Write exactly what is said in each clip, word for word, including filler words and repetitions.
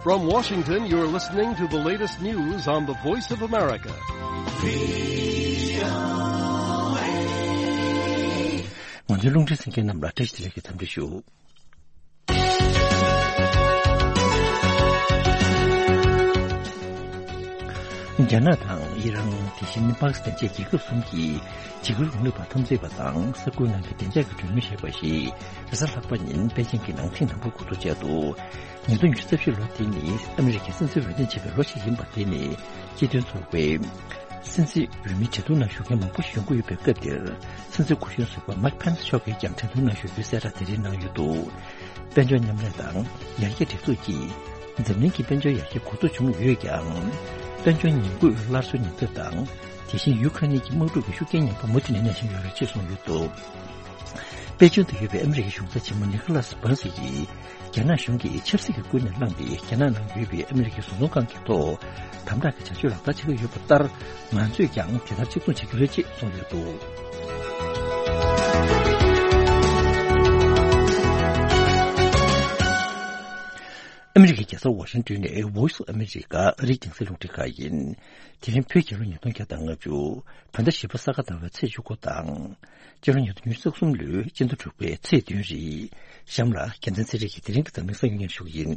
From Washington, you're listening to the latest news on the Voice of America. ང་ཚོའི་རླུང་འཕྲིན་གསན་མཁན་རྣམས་ལ་བཀྲ་ཤིས་བདེ་ལེགས་ཀྱི་འཚམས་འདྲི་ཞུ། རྒྱ་ནག་དང་ཨི་རན། དེ་བཞིན་པ་ཀི་སི་ཐན་བཅས་རྒྱལ་ཁབ་གསུམ་གྱི་བྱེད་སྒོའི་རིང་ལུགས་པ་འཐབ་འཛིང་པ་དང་ས་ཁུལ་ནང་གི་བདེ་འཇགས་ཀྱི་གྲོས་མོལ་ཞེས་པ་ཞིག་རེས་གཟའ་ལྷག་པ་ཉིན་པེ་ཅིང་གི་ནང་ཐེངས་དང་པོར་གོ་བསྡུར་བྱས་འདུག་ཉིས་སྟོང་ཉི་ཤུ་རྩ་བཞི་ལོ་དེ་ནི་ཨ་མི་རི་ཀའི་སྲིད་འཛིན་འོས་འདེམས་བྱས་པའི་ལོ་ཞིག་ཡིན་པ་དེ་ནི་སྤྱི་མཐུན་ཚོགས་པའི་སྲིད་འཛིན་འོས་མི་བྲེལ་གཏུག་ནང་ཞུགས་མཁན་མང་པོ་ཞིག་ཡོང་གི་ཡོད་པའི་སྐབས་འདིར། སྲིད་འཛིན་སྐུ་གཞོན་ཟུར་པ་མའིག་ཕེན་སི་མཆོག་གིས་ཀྱང་བྲེལ་གཏུག་ནང་ཞུགས་རྒྱུའི་གསལ་བསྒྲགས་དེ་རིང་གནང་ཡོད་འདུག་དཔལ་འབྱོར་མཉམ་ལས་དང་ཡར་རྒྱས་སྒྲིག་འཛུགས་ཀྱིས་འཛམ་གླིང་གི་དཔལ་འབྱོར་ཡར་རྒྱས་འགོ་ཚུགས་བྱུང་ཡོད་ཀྱང་། དཔལ་འབྱོར་ཉམས་རྒུད་སླར་གསོའི་ཉེན་ཚབས་དང་། དེ་བཞིན་ཡུ་ཁ་ནི་གི་དམག་འཁྲུག་གི་ཤུགས་རྐྱེན་ངན་པ་མུ་མཐུད་ནས་གནས་བཞིན་ཡོད་རེད་ཅེས་གསུངས་ཡོད་འདུག་པེ་ཅིང་དུ་ཡོད་པའི་ཨ་མི་རི་ཀའི་གཞུང་ཚབ་ཆེན་མོ་ནི་ཁ་ལ་སི་བྷན་སི་ཡིས་རྒྱ་ནག་གཞུང་གིས་ཆབ་སྲིད་ཀྱི་སྐུལ་འདེད་བསླངས་ཏེ་རྒྱ་ནག་ནང་ཡོད་པའི་ཨ་མི་རི་ཀའི་བཟོ་ཚོང་ཁང་གི་ཐོག་དམ་དྲག་གི་བྱ་སྤྱོད་ལག་བསྟར་བྱེད་ཀྱི་ཡོད་པ་ལྟར། ང་ཚོས་ཀྱང་དེ་ལྟར་གཅིག་མཚུངས་བྱེད་རྒྱུ་རེད་ཅེས་གསུངས་ཡོད་འདུག་ཨ་མི་རི་ཀའི་རྒྱལ་ས་ཝ་ཤིང་ཏོན་ནས་Voice of America ཨ་རིའི་རྒྱང་སྲིང་རླུང་འཕྲིན་ཁང་ཡིན། དེ་རིང་བོད་རྒྱལ་ལོ་ཉིས་སྟོང་བརྒྱ་དང་ལྔ་བཅུ། བོད་ཟླ་བཞི་པ་ས་ག་ཟླ་བའི་ཚེས་བཅུ་དགུ་དང་། སྤྱི་ལོ་ཉིས་སྟོང་ཉི་ཤུ་རྩ་གསུམ་ལོའི་སྤྱི་ཟླ་དྲུག་པའི་ཚེས་བདུན་རེད། གཤམ་ལ་རྒྱལ་མཚན་ཚེ་རིང་གིས་དེ་རིང་གི་འཛམ་གླིང་གསར་འགྱུར་སྙན་ཞུ་གི་ཡིན།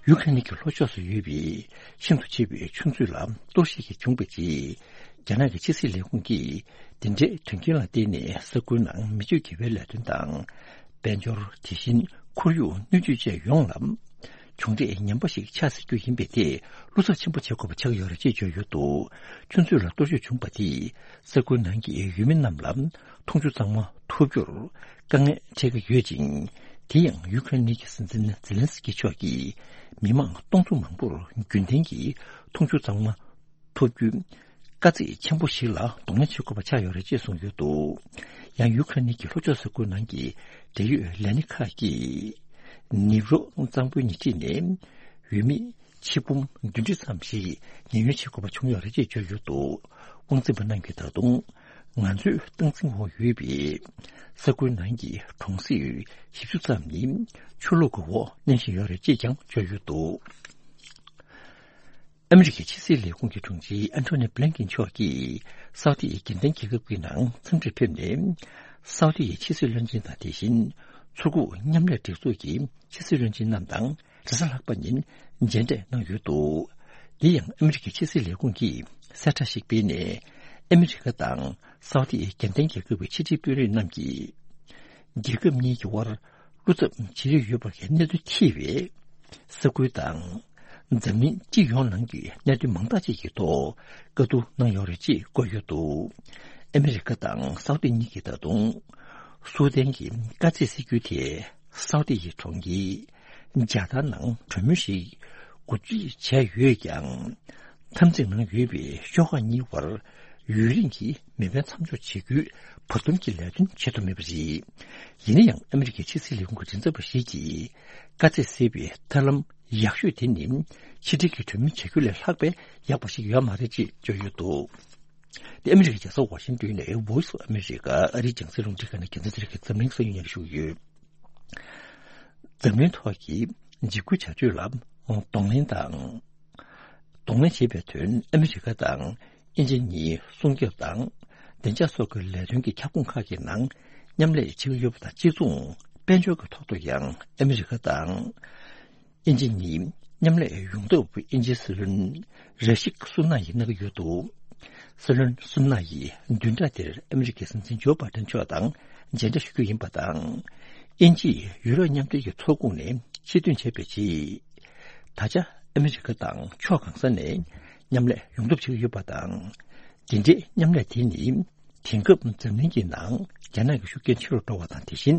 ཡུ་ཁ་ནི་གི་ལྷོ་ཕྱོགས་སུ་ཡོད་པའི་ཤིན་ཏུ་ཆེ་བའི་ཆུ་མཛོད་ལ་གཏོར་བཤིག་བྱུང་བའི་རྗེས། རྒྱ་ནག་གི་ཕྱི་སྲིད་ལས་ཁུངས་ཀྱིས་འདི་འདྲའི་དོན་རྐྱེན་ལ་བརྟེན་ནས་ས་ཁུལ་ནང་མི་སྤྱོད་དགེ་བའི་ལས་དོན་དང་། དཔལ་འབྱོར། དེ་བཞིན་ཁོར་ཡུག་སྣོད་བཅུད་བཅས་ཡོངས་ལ་གྱོང་འབྲས་ངན་པ་ཞིག་ཆགས་སྲིད་རྒྱུ་ཡིན་པས། དེ་བློ་འཚབ་ཆེན་པོ་བྱེད་དགོས་པ་ཆགས་ཡོད་རེད་ཅེས་བརྗོད་ཡོད་འདུག་ཆུ་མཛོད་ལ་གཏོར་བཤིག་བྱུང་བ་དེས་ས་ཁུལ་ནང་གི་ཡུལ་མི་རྣམས་ལ་འཐུང་ཆུ་གཙང་མ་ཐོབ་རྒྱུར་དཀའ་ངལ་འཕྲད་ཀྱི་ཡོད་ཅིང་། དེ་ཡང་ཡུ་ཁ་རེན་གྱི་སྲིད་འཛིན་ཛེ་ལན་སི་ཀི་མཆོག་གིས་མི་མང་སྟོང་ཚོ་མང་པོར་རྒྱུན་ལྡན་གྱི་འཐུང་ཆུ་གཙང་མ་ཐོབ་རྒྱུའི་དཀའ་ཚེགས་ཆེན་པོ་ཞིག་ལ་གདོང་ལེན་བྱེད་དགོས་པ་ཆགས་ཡོད་རེད་ཅེས་གསུངས་ཡོད་འདུག་ཡང་ཡུ་ཁ་རེན་གྱི་ལྷོ་ཕྱོགས་ས་ཁུལ་ནང་གི་འབྲེལ་ཡོད་ལས་སྣེ་ཁག་གིས་ནེ་པྲོ་གཙང་པོའི་ཉེ་འཁྲིས་ནས་ཡུལ་མི་ཆིག་འབུམ་བདུན་ཁྲི་ཙམ་ཞིག་ཉེན་གཡོལ་བྱེད་དགོས་པ་བྱུང་ཡོད་རེད་ཅེས་བརྗོད་ཡོད་འདུག་དབང་འཛིན་པ་རྣམས་ཀྱིས་ད་དུང་ང་ཚོའི་སྟངས་འཛིན་འོག་ཡོད་པའི་ས་ཁུལ་ནང་གི་གྲོང་གསེབ་བཞི་བཅུ་ཙམ་ནི་ཆུ་ལོག་གི་འོག་མནན་བཞིན་ཡོད་རེད་ཅེས་ཀྱང་བརྗོད་ཡོད་འདུག་ཨ་མི་རི་ཀའི་ཕྱི་སྲིད་ལས་ཁུངས་ཀྱི་དྲུང་ཆེ་ཨན་ཐོ་ནི་བྷི་ལིན་ཀིན་མཆོག་གིས་སའུ་ཏི་ཡི་རྒྱལ་ལྡན་རྒྱལ་ཁབ་ཀྱི་ནང་འཚམས་འདྲིར་ཕེབས་ནས། སའུ་ཏི་ཡི་ཕྱི་སྲིད་བློན་ཆེན་དང་། དེ་བཞིན་མཚོ་ཁུག་མཉམ་ལས་སྒྲིག་འཛུགས་ཀྱི་ཕྱི་སྲིད་བློན་ཆེན་རྣམས་དང་རེས་གཟའ་ལྷག་པ་ཉིན་མཇལ་འཕྲད་གནང་ཡོད་འདུག་འདི་ཡང་ཨ་མི་རི་ཀའི་ཕྱི་སྲིད་ལས་ཁུངས་ཀྱིས་གསལ་བསྒྲགས་ཤིག་སྤེལ་ནས། ཨ་མི་རི་ཀ་དང་སའུ་ཏི་ཡི་རྒྱལ་ལྡན་རྒྱལ་ཁབ་ཀྱི་ཕྱི་འབྲེལ་དཔོན་རིགས་རྣམས་ཀྱིས་རྒྱལ་ཁབ་གཉིས་ཀྱི་དབར་བློ་འཚབ་ཇེ་ཆེར་ཡོད་པར་གནས་ཚུལ་ཐེ་བའི་ས་ཁུལ་དང་། འཛམ་གླིང་སྤྱི་ཡོངས་ནང་གི་གནད་དོན་མང་དག་ཅིག་གི་ཐོག་བཀའ་བསྡུར་གནང་ཡོད་རེད་ཅེས་བཀོད་ཡོད་འདུག་ཨ་མི་རི་ཀ་དང་སའུ་ཏི་གཉིས་ཀྱིས་ད་དུང་སུའུ་ཏན་གྱི་དཀའ་ཚེགས་སེལ་རྒྱུའི་ཐད་སའུ་ཏི་ཡི་གྲོང་ཁྱེར་ཇ་དཱ་ནང་གྲོས་མོལ་ཞིག་གོ་སྒྲིག་བྱས་ཡོད་ཀྱང་། འཐབ་འཛིང་ནང་ཡོད་པའི་ཤོག་ཁག་གཉིས་བར་ཡུན་རིང་གི་མེ་འཕེན་མཚམས་འཇོག་བྱེད་རྒྱུའི་བར་འདུམ་གྱི་ལས་དོན་བྱེད་ཐུབ་མེད་པ་རེད། ཡིན་ན་ཡང་ཨ་མི་རི་ཀའི་ཕྱི་སྲིད་ལས་ཁུངས་ཀྱི་མགྲིན་ཚབ་པ་ཞིག་གིས་དཀའ་ཚེགས་སེལ་བའི་ཐབས་ལམ་ཡག་ཤོས་དེ་ནི་ཕྱི་འབྲེལ་གྱི་གྲོས་མོལ་བྱ་རྒྱུ་ལས་ལྷག་པའི་ཡག་པ་ཞིག་ཡོད་མ་རེད་ཅེས་བརྗོད་ཡོད་འདུག་དེ་ཨ་མི་རི་ཀའི་རྒྱལ་ས་ཝ་ཤིང་ཏོན་ནས་Voice of America ཨ་རིའི་རྒྱང་སྲིང་རླུང་འཕྲིན་ཁང་ནས་རྒྱལ་མཚན་ཚེ་རིང་གིས་འཛམ་གླིང་གསར་འགྱུར་སྙན་ཞུ་གི་ཡོད། འཛམ་གླིང་ཐོག་གི་འཇིགས་སྐུལ་བྱ་སྤྱོད་ལ་གདོང་ལེན་དང་། གདོང་ལེན་བྱེད་པའི་དོན་ཨ་མི་རི་ཀ་དང་དབྱིན་ཇི་གཉིས་སྲུང་སྐྱོབ་དང་བདེ་འཇགས་སོགས་ཀྱི་ལས་དོན་གྱི་ཁྱབ་ཁོངས་ཁག་གི་ནང་མཉམ་ལས་བྱེད་ཀྱི་ཡོད་པ་དང་གཅིག་མཚུངས། དཔལ་འབྱོར་གྱི་ཐོག་ཏུ་ཡང་ཨ་མི་རི་ཀ་དང་དབྱིན་ཇི་གཉིས་མཉམ་ལས་ཡོང་ཐབས་དབྱིན་ཇིའི་སྲིད་བློན་ར་ཤིག་སུ་ན་ཡིས་གནང་གི་ཡོད་འདུག་སྲིད་བློན་སུ་ན་ཡིས་བདུན་ཕྲག་འདིར་ཨ་མི་རི་ཀའི་སྲིད་འཛིན་ཇོ་བྷའི་ཌེན་མཆོག་དང་མཇལ་འཕྲད་ཞུ་རྒྱུ་ཡིན་པ་དང་། དབྱིན་ཇིས་ཡུ་རོབ་མཉམ་འབྲེལ་གྱི་ཚོགས་ཁོངས་ནས་ཕྱིར་ཐོན་བྱས་པའི་རྗེས། ད་ཆ་ཨ་མི་རི་ཀ་དང་ཕྱོགས་གང་ས་ནས་མཉམ་ལས་ཡོང་ཐབས་བྱེད་ཀྱི་ཡོད་པ་དང་། འདི་འདྲའི་མཉམ་ལས་དེ་ནི་དེང་སྐབས་འཛམ་གླིང་གི་ནང་རྒྱ་ནག་གི་ཤུགས་རྐྱེན་ཆེ་རུ་འགྲོ་བ་དང་། དེ་བཞིན་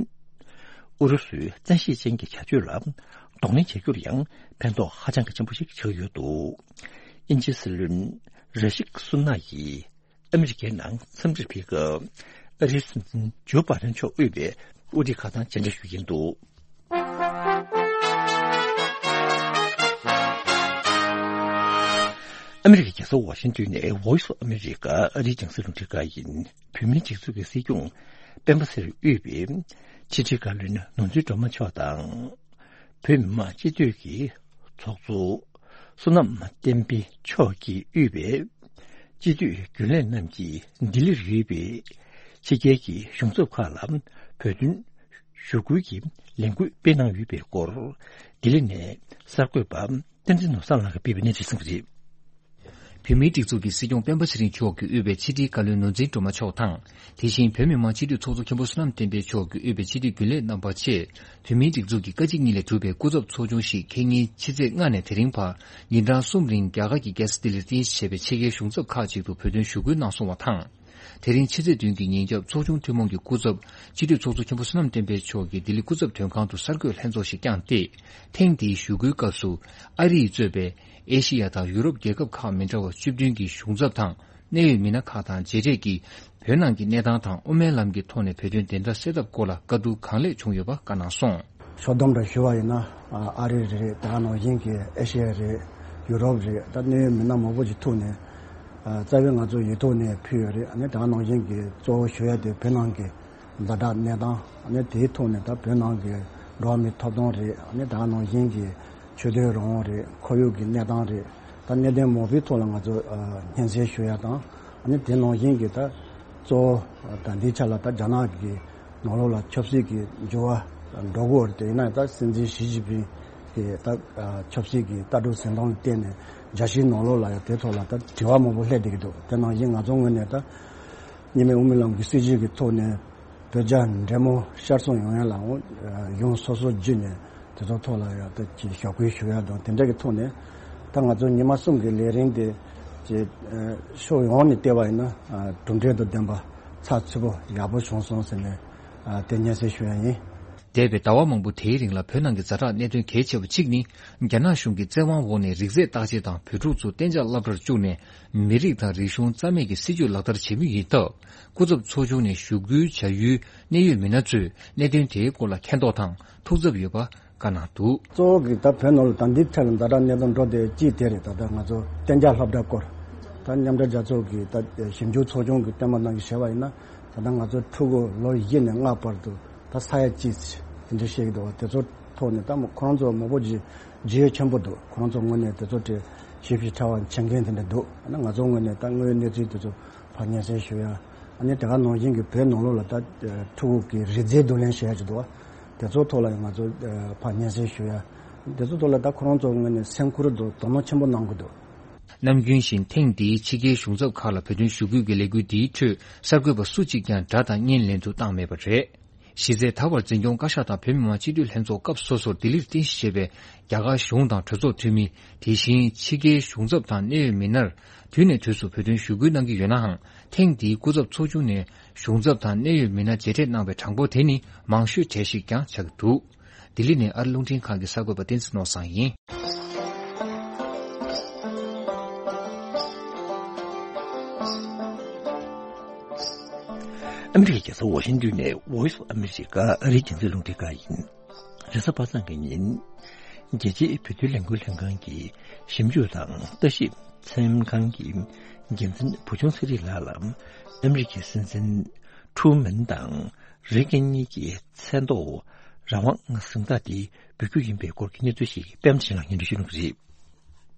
ཨུ་རུ་སུའི་བཙན་ཤེད་ཅན་གྱི་བྱ་སྤྱོད་ལ་གདོང་ལེན་བྱ་རྒྱུར་ཡང་ཕན་ཐོགས་ཧ་ཅང་གི་ཆེན་པོ་ཞིག་ཆགས་ཡོད་འདུག་དབྱིན་ཇིའི་སྲིད་བློན་ར་ཤིག་སུ་ན་ཡིས་ཨ་མི་རི་ཀའི་ནང་འཚམས་འདྲིར་ཕེབས་སྐབས་ཨ་རིའི་སྲིད་འཛིན་ཇོ་བྷའི་ཌེན་མཆོག་དབུས་པའི་དབུ་ཁྲིད་ཁག་དང་མཇལ་འཕྲད་ཞུ་གི་ཡིན་འདུག་ཨ་མི་རི་ཀའི་རྒྱལ་ས་ཝ་ཤིང་ཏོན་ནས་Voice of America ཨ་རིའི་རྒྱང་སྲིང་རླུང་འཕྲིན་ཁང་ཡིན། བོད་མིའི་སྒྲིག་འཛུགས་ཀྱི་སྲིད་སྐྱོང་ སྤེན་པ་ཚེ་རིང་དབུས་པའི་ཕྱི་དྲིལ་བཀའ་བློན་ནོར་འཛིན་སྒྲོལ་མ་མཆོག་དང་། བོད་མི་མང་སྤྱི་འཐུས་ཀྱི་ཚོགས་གཙོ་བསོད་ནམས་བསྟན་འཕེལ་མཆོག་གིས་དབུས་པའི་སྤྱི་འཐུས་རྒྱུན་ལས་རྣམས་ཀྱིས་ལྡི་ལིར་ཡོད་པའི་ཕྱི་རྒྱལ་གྱི་གཞུང་ཚབ་ཁག་ལ་བོད་དོན་ཞུ་སྐུལ་གྱི་ལས་འགུལ་སྤེལ་གནང་ཡོད་པའི་སྐོར། ལྡི་ལི་ནས་གསར་འགོད་པ་བསྟན་འཛིན་ནོར་བཟང་ལགས་ཀྱིས་སྤེལ་བའི་གནས་ཚུལ་གསན་གྱི་རེད། བོད་མིའི་སྒྲིག་འཛུགས་ཀྱི་སྲིད་སྐྱོང་སྤེན་པ་ཚེ་རིང་མཆོག་གིས་དབུས་པའི་ཕྱི་དྲིལ་བཀའ་བློན་ནོར་འཛིན་སྒྲོལ་མ་མཆོག་དང་། དེ་བཞིན་བོད་མི་མང་སྤྱི་འཐུས་ཚོགས་གཙོ་མཁན་པོ་བསོད་ནམས་བསྟན་འཕེལ་མཆོག་གིས་དབུས་པའི་སྤྱི་འཐུས་རྒྱུན་ལས་རྣམ་པ་བཅས་བོད་མིའི་སྒྲིག་འཛུགས་ཀྱི་བཀའ་སྤྱི་གཉིས་ལས་གྲུབ་པའི་སྐུ་ཚབ་ཚོགས་ཆུང་ཞིག་ཁེ་ཉིན་ཕྱི་ཚེས་ལྔ་ནས་དེ་རིང་བར་ཉིན་གྲངས་གསུམ་རིང་རྒྱ་གར་གྱི་རྒྱལ་ས་ལྡི་ལིར་རྟེན་གཞི་བྱས་པའི་ཕྱི་རྒྱལ་གཞུང་ཚབ་ཁག་ཅིག་ཏུ་བོད་དོན་ཞུ་སྐུལ་གནང་སོང་བ་དང་། དེ་རིང་ཕྱི་ཚེས་བདུན་གྱི་ཉིན་རྒྱབ་ཚོགས་ཆུང་ཐུན་མོང་གི་སྐུ་ཚབ་སྤྱི་འཐུས་ཚོགས་གཙོ་མཁན་པོ་བསོད་ནམས་བསྟན་འཕེལ་མཆོག་གིས་ལྡི་ལི་སྐུ་ཚབ་དོན་ཁང་དུ་གསར་འགོད་ལྷན་ཚོགས་ཤིག་བསྐྱངས་ཏེ། ཐེངས་འདིའི་ཞུ་སྐུལ་སྐབས་སུ་ཨ་རི་ཡིས་གཙོས་པའི་ཨེ་ཤེ་ཡ་དང་ཡུ་རོབ་རྒྱལ་ཁབ་ཁག་མི་འདྲ་བ་བཅུ་བདུན་གྱི་གཞུང་ཚབ་དང་གནད་ཡོད་མི་སྣ་ཁག་དང་མཇལ་འཕྲད་ཀྱིས་བོད་ནང་གི་གནས་སྟངས་དང་དབུ་མའི་ལམ་གྱི་ཐོག་ནས་བོད་དོན་བདེན་མཐའ་གསལ་ཐབས་སྐོར་ལ་བཀའ་བསྡུར་གང་ལེགས་བྱུང་ཡོད་པ་བཀའ་གནང་སོང་། ཕྱོགས་བསྡོམས་འདྲ་ཞུ་བ་ཡིན་ན། ཨ་རི་རེད། དེ་ག་ནང་བཞིན་གྱི་ཨེ་ཤེ་ཡ་རེད། ཡུ་རོབ་རེད། ད་གནད་ཡོད་མི་སྣ་མང་པོ་ཞིག་ཐུག་ནས། རྩ་བའི་ང་ཚོ་ཡིག་ཐོག་ནས་ཕུལ་ཡོད་རེད། ཨ་ནི་དེ་ག་ནང་བཞིན་གྱི་གཙོ་བོ་ཞུ་ཡ་དེ་བོད་ནང་གི་ཛ་དྲག་གནས་སྟངས། ཨ་ནི་དེའི་ཐོག་ནས་ད་བོད་ནང་གི་འགྲོ་བ་མིའི་ཐོབ་ཐང་རེད། ཨ་ནི་དེ་ག་ནང་བཞིན་གྱི་ཆོས་དད་རང་དབང་རེད། ཁོར་ཡུག་གི་གནས་སྟངས་རེད། ད་གནད་དོན་མང་པོའི་ཐོག་ལ་ང་ཚོ་སྙན་སེང་ཞུ་ཡ་དང་། ཨ་ནི་དེ་ནང་བཞིན་གྱི་ད་གཙོ་བོ་ད་འདིའི་ཆ་ལ་ད་རྒྱ་ནག་གི་ནང་ལོགས་ལ་ཆབ་སྲིད་ཀྱི་འགྱུར་བ་འགྲོ་གི་ཡོད་རེད། དེ་ཡིན་ན་ད་སྲིད་འཛིན་ཞི་ཅིན་ཕིང་གི་ད་ཆབ་སྲིད་ཀྱི་ལྟ་གྲུབ་འཛིན་སྟངས་ལ་བརྟེན་ནས་རྒྱལ་སྤྱིའི་ནང་ལོགས་ལ་ཡང་དེ་ཐོག་ལ་ད་དྲི་བ་མང་པོ་སླེབས་བསྡད་ཀྱི་འདུག་དེ་ནང་བཞིན་ང་ཚོ་ངོས་ནས་ད་གཉིས་སྨན་དབུ་མའི་ལམ་གྱི་སྲིད་བྱུས་ཀྱི་ཐོག་ནས་བོད་རྒྱ་འབྲེལ་མོལ་ཤར་སོང་ཡོང་ཡ་ལ་འོང་གཞུང་སོ་སོ་བརྒྱུད་ནས་དེ་ཚོ་ཐོག་ལ་ཡང་ད་ཅིག་ཞབས་སྐུལ་ཞུ་ཡ་དང་དེ་འདྲ་གི་ཐོག་ནས་ད་ང་ཚོ་ཉི་མ་གསུམ་གྱི་ལས་རིམ་དེ་ཅིག་ཕྱོགས་ཡོངས་ནས་བལྟས་པ་ཡིན་ན་གྲུབ་འབྲས་དང་ལྡན་པ་ཚགས་ཚུད་པོ་ཡག་པོ་བྱུང་སོང་ཟེར་ནས། ཨ། དེ་སྙན་སེང་ཞུ་ཡ་ཡིན། འདས་པའི་ཟླ་བ་མང་པོ་དེའི་རིང་ལ་བོད་ནང་གི་ཛ་དྲག་གནད་དོན་གལ་ཆེ་བ་གཅིག་ནི། རྒྱ་ནག་གཞུང་གི་བཙན་དབང་འོག་ནས་རིགས་རྫས་བརྟག་དཔྱད་དང་བོད་ཕྲུག་ཚོ་གཏན་འཇགས་སློབ་གྲྭར་བཅུག་ནས་མི་རིགས་དང་རིག་གཞུང་རྩ་མེད་ཀྱི་སྲིད་བྱུས་ལག་བསྟར་བྱེད་མུས་ཡིན་སྟབས། སྐུ་ཚབ་ཚོགས་ཆུང་ནས་ཞུ་སྐུལ་བྱ་ཡུལ་གནད་ཡོད་མི་སྣ་ཚོས་གནད་དོན་དེའི་སྐོར་ལ་མཁྱེན་རྟོགས་དང་ཐུགས་འཚབ་ཡོད་པ་བཀའ་གནང་འདུག། གཙོ་བོ་གི་ད་བོད་ནང་ལ་ད་འདི་ཐད་ལ་ཛ་དྲག་གནད་དོན་འགྲོ་བསྡད་ཅིག་དེ་རེད། ད་ལྟ་ང་ཚོ་གཏན་འཇགས་སློབ་གྲྭ་སྐོར། ད་མཉམ་འབྲེལ་རྒྱལ་ཚོགས་ཀྱི་ད་ཞིབ་འཇུག་ཚོགས་ཆུང་གི་བསྟན་པ་རྣམས་ཀྱིས་བྱས་པ་ཡིན་ན། ད་ལྟ་ང་ཚོ་ཕྲུ་གུ་ལོ་བཞི་ནས་ལྔ་བར་དུ་ད་ས་ཡ་གཅིག་དེ་འདྲ་བཤད་ཀྱི་འདུག་བ། དེ་ཚོ་ཐོག་ནས་ད་མོ་ཁོ་རང་ཚོ་མང་པོ་ཅིག་རྒྱུས་ཡོད་ཆེན་པོ་འདུག། ཁོ་རང་ཚོ་ངོས་ནས་དེ་ཚོ་དེ་ཞིབ་ཞིབ་ཕྲ་བ་མཁྱེན་མཁན་དེ་འདྲ་འདུག། ཨ་ནི་ང་ཚོ་ངོས་ནས་ད་དངོས་ཡོད་གནས་ཚུལ་དེ་ཚོ་ཕར་སྙན་སེང་ཞུ་ཡ། ཨ་ནི་དེ་ག་ནང་བཞིན་གྱི་བོད་ནང་ལོགས་ལ་ད་ཕྲུ་གུ་གི་རིགས་རྫས་བསྡུ་ལེན་བྱེད་ཡ་ཅིག་འདུག་བ། དེ་ཚོ་ཐོག་ལ་ཡང་ང་ཚོ་ཕར་སྙན་སེང་ཞུ་ཡ། དེ་ཚོ་ཐོག་ལ་ད་ཁོ་རང་ཚོ་ངོས་ནས་སེམས་ཁུར་དང་དོ་སྣང་ཆེན་པོ་གནང་གི་འདུག། ནམ་རྒྱུན་བཞིན་ཐེངས་འདིའི་ཕྱི་རྒྱལ་གཞུང་ཚབ་ཁག་ལ་བོད་དོན་ཞུ་སྐུལ་གྱི་ལས་འགུལ་འདིའི་ཁྲོད་གསར་འགོད་པ་སུ་གཅིག་ཀྱང་སྒྲ་དང་བརྙན་ལེན་དུ་བཏང་མེད་པ་རེད། གཞི་རྩའི་ད་བར་འཛིན་སྐྱོང་བཀའ་ཤག་དང་བོད་མི་མང་སྤྱི་འཐུས་ལྷན་ཚོགས་སྐབས་སོ་སོར་ལྡི་ལིར་རྟེན་གཞི་བྱས་པའི་རྒྱ་གར་གཞུང་དང་གྲོས་ཚོགས་འཐུས་མི། དེ་བཞིན་ཕྱི་རྒྱལ་གཞུང་ཚབ་དང་གནད་ཡོད་མི་སྣར་དུས་ནས་དུས་སུ་བོད་དོན་ཞུ་སྐུལ་གནང་གི་ཡོད་ནའང་། ཐེངས་འདིའི་སྐུ་ཚབ་ཚོགས་ཆུང་ནས་གཞུང་ཚབ་དང་གནད་ཡོད་མི་སྣ་མཇལ་འཕྲད་གནང་བའི་གྲངས་འབོར་དེ་ནི་མང་ཤོས་གྲས་ཤིག་ཀྱང་ཆགས་ཀྱི་འདུག། ལྡི་ལི་ནས་ཨ་རི་རླུང་འཕྲིན་ཁང་གི་གསར་འགོད་པ་བསྟན་འཛིན་ནོར་བཟང་ཡིན། ཨ་མི་རི་ཀའི་རྒྱལ་ས་ཝ་ཤིང་ཏོན་ནས་Voice of America ཨ་རིའི་རྒྱང་སྲིང་རླུང་འཕྲིན་ཁང་ཡིན། རེས་གཟའ་པ་སངས་ཀྱི་ཉིན། རྒྱལ་སྤྱིའི་བོད་དོན་ལས་འགུལ་ལྷན་ཁང་གི་ཞིབ་འཇུག་དང་ལྟ་ཞིབ་ཚན་ཁང་གི་འགན་འཛིན་བུ་ཆུང་ཚེ་རིང་ལགས་ལ་ཨ་མི་རི་ཀའི་སྲིད་འཛིན་ཁྲུ་མན་དང་རེ་གན་གཉིས་ཀྱི་མཚན་ཐོག་རང་དབང་གཟེངས་རྟགས་དེ་འབུལ་རྒྱུ་ཡིན་པའི་སྐོར་གྱི་གནས་ཚུལ་ཞིག་པད་མ་ཆེན་ལགས་སྙན་སྒྲོན་ཞུ་གནང་གི་རེད།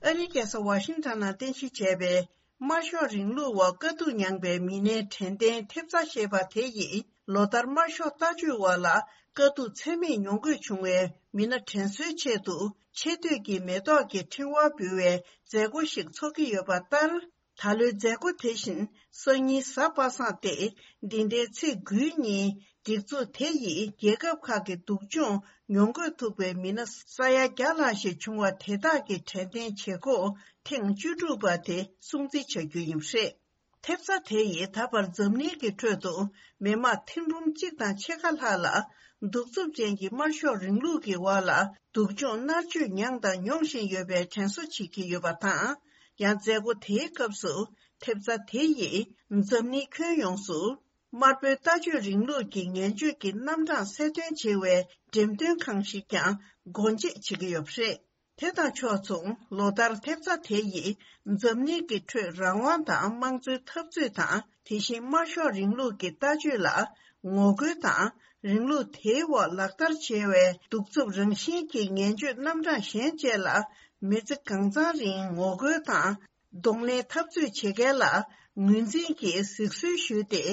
ཨ་རིའི་རྒྱལ་ས་ཝ་ཤིང་ཊོན་ནང་རྟེན་གཞི་བྱས་པའི་དམར་ཤོག་རིང་ལུགས་འོག་དཀའ་སྡུག་མྱངས་པའི་མི་སྣའི་དྲན་རྟེན་ཐེབས་རྩ་ཞེས་པ་དེ་ཡིས་ལོ་ལྟར་དམར་ཤོག་ལྟ་སྤྱོད་འོག་ལ་དཀའ་སྡུག་ཚད་མེད་མྱོང་དགོས་བྱུང་བའི་མི་སྣ་དྲན་གསོའི་ཆེད་དུ་ཆེ་བསྟོད་ཀྱི་མེ་ཏོག་གི་ཕྲེང་བ་འབུལ་བའི་མཛད་སྒོ་ཞིག་འཚོགས་ཀྱི་ཡོད་པ་ལྟར། ད་ལོའི་མཛད་སྒོ་དེ་བཞིན་སང་ཉིན་གཟའ་པ་སངས་ཏེ་འདི་ཟླའི་ཚེས་དགུའི་ཉིན། སྒྲིག་འཛུགས་དེ་ཡིས་རྒྱལ་ཁབ་ཁག་གི་སྡུག་སྦྱོང་མྱོང་དགོས་ཐུག་པའི་མི་སྣ་ས་ཡ་བརྒྱ་ལྷག་ཞིག་བྱུང་བ་དེ་དག་གི་དྲན་རྟེན་བྱེད་སྒོ་ཐེངས་བཅུ་དྲུག་པ་དེ་སྲུང་བརྩི་བྱ་རྒྱུ་ཡིན་པ་རེད། ཐེབས་རྩ་དེ་ཡིས་ད་བར་འཛམ་གླིང་གི་ཁྲོད་དུ་མི་དམངས་ཐེར་འབུམ་གཅིག་དང་ཕྱེད་ཀ་ལྷག་ལ་གདུག་རྩུབ་ཅན་གྱི་དམར་ཤོག་རིང་ལུགས་ཀྱི་འོག་ལ་སྡུག་སྦྱོང་མནར་གཅོད་མྱངས་དང་མྱོང་བཞིན་ཡོད་པའི་དྲན་གསོ་བྱེད་ཀྱི་ཡོད་པ་དང་། ཡང་མཛད་སྒོ་དེའི་སྐབས་སུ་ཐེབས་རྩ་དེ་ཡིས་འཛམ་གླིང་ཁྱོན་ཡོངས་སུ། དམར་པོའི་ལྟ་སྤྱོད་རིང་ལུགས་ཀྱི་ངན་སྤྱོད་ཀྱི་རྣམ་གྲངས་གསལ་སྟོན་བྱེད་པའི་འགྲེམས་སྟོན་ཁང་ཞིག་ཀྱང་སྒོ་འབྱེད་བྱེད་ཀྱི་ཡོད་པ་རེད། དེ་དང་ཕྱོགས་མཚུངས་ལོ་ལྟར་ཐེབས་རྩ་དེ་ཡིས་འཛམ་གླིང་གི་ཁྲོད་རང་དབང་དང་དམངས་གཙོའི་འཐབ་རྩོད་དང་དེ་བཞིན་དམར་ཤོག་རིང་ལུགས་ཀྱི་ལྟ་སྤྱོད་ལ་ ངོ་རྒོལ་དང་། རིང་ལུགས་དེའི་འོག་ལག་བསྟར་བྱས་པའི་གདུག་རྩུབ་རང་བཞིན་གྱི་ངན་སྤྱོད་རྣམ་གྲངས་གཞན་བཅས་ལ་མི་ཚེ་གང་ཚང་རིང་ངོ་རྒོལ་དང་། གདོང་ལེན་འཐབ་རྩོད་བྱེད་མཁན་ལ་ངོས་འཛིན་གྱིས་གཟིགས་གསོལ་ཞུས་ཏེ།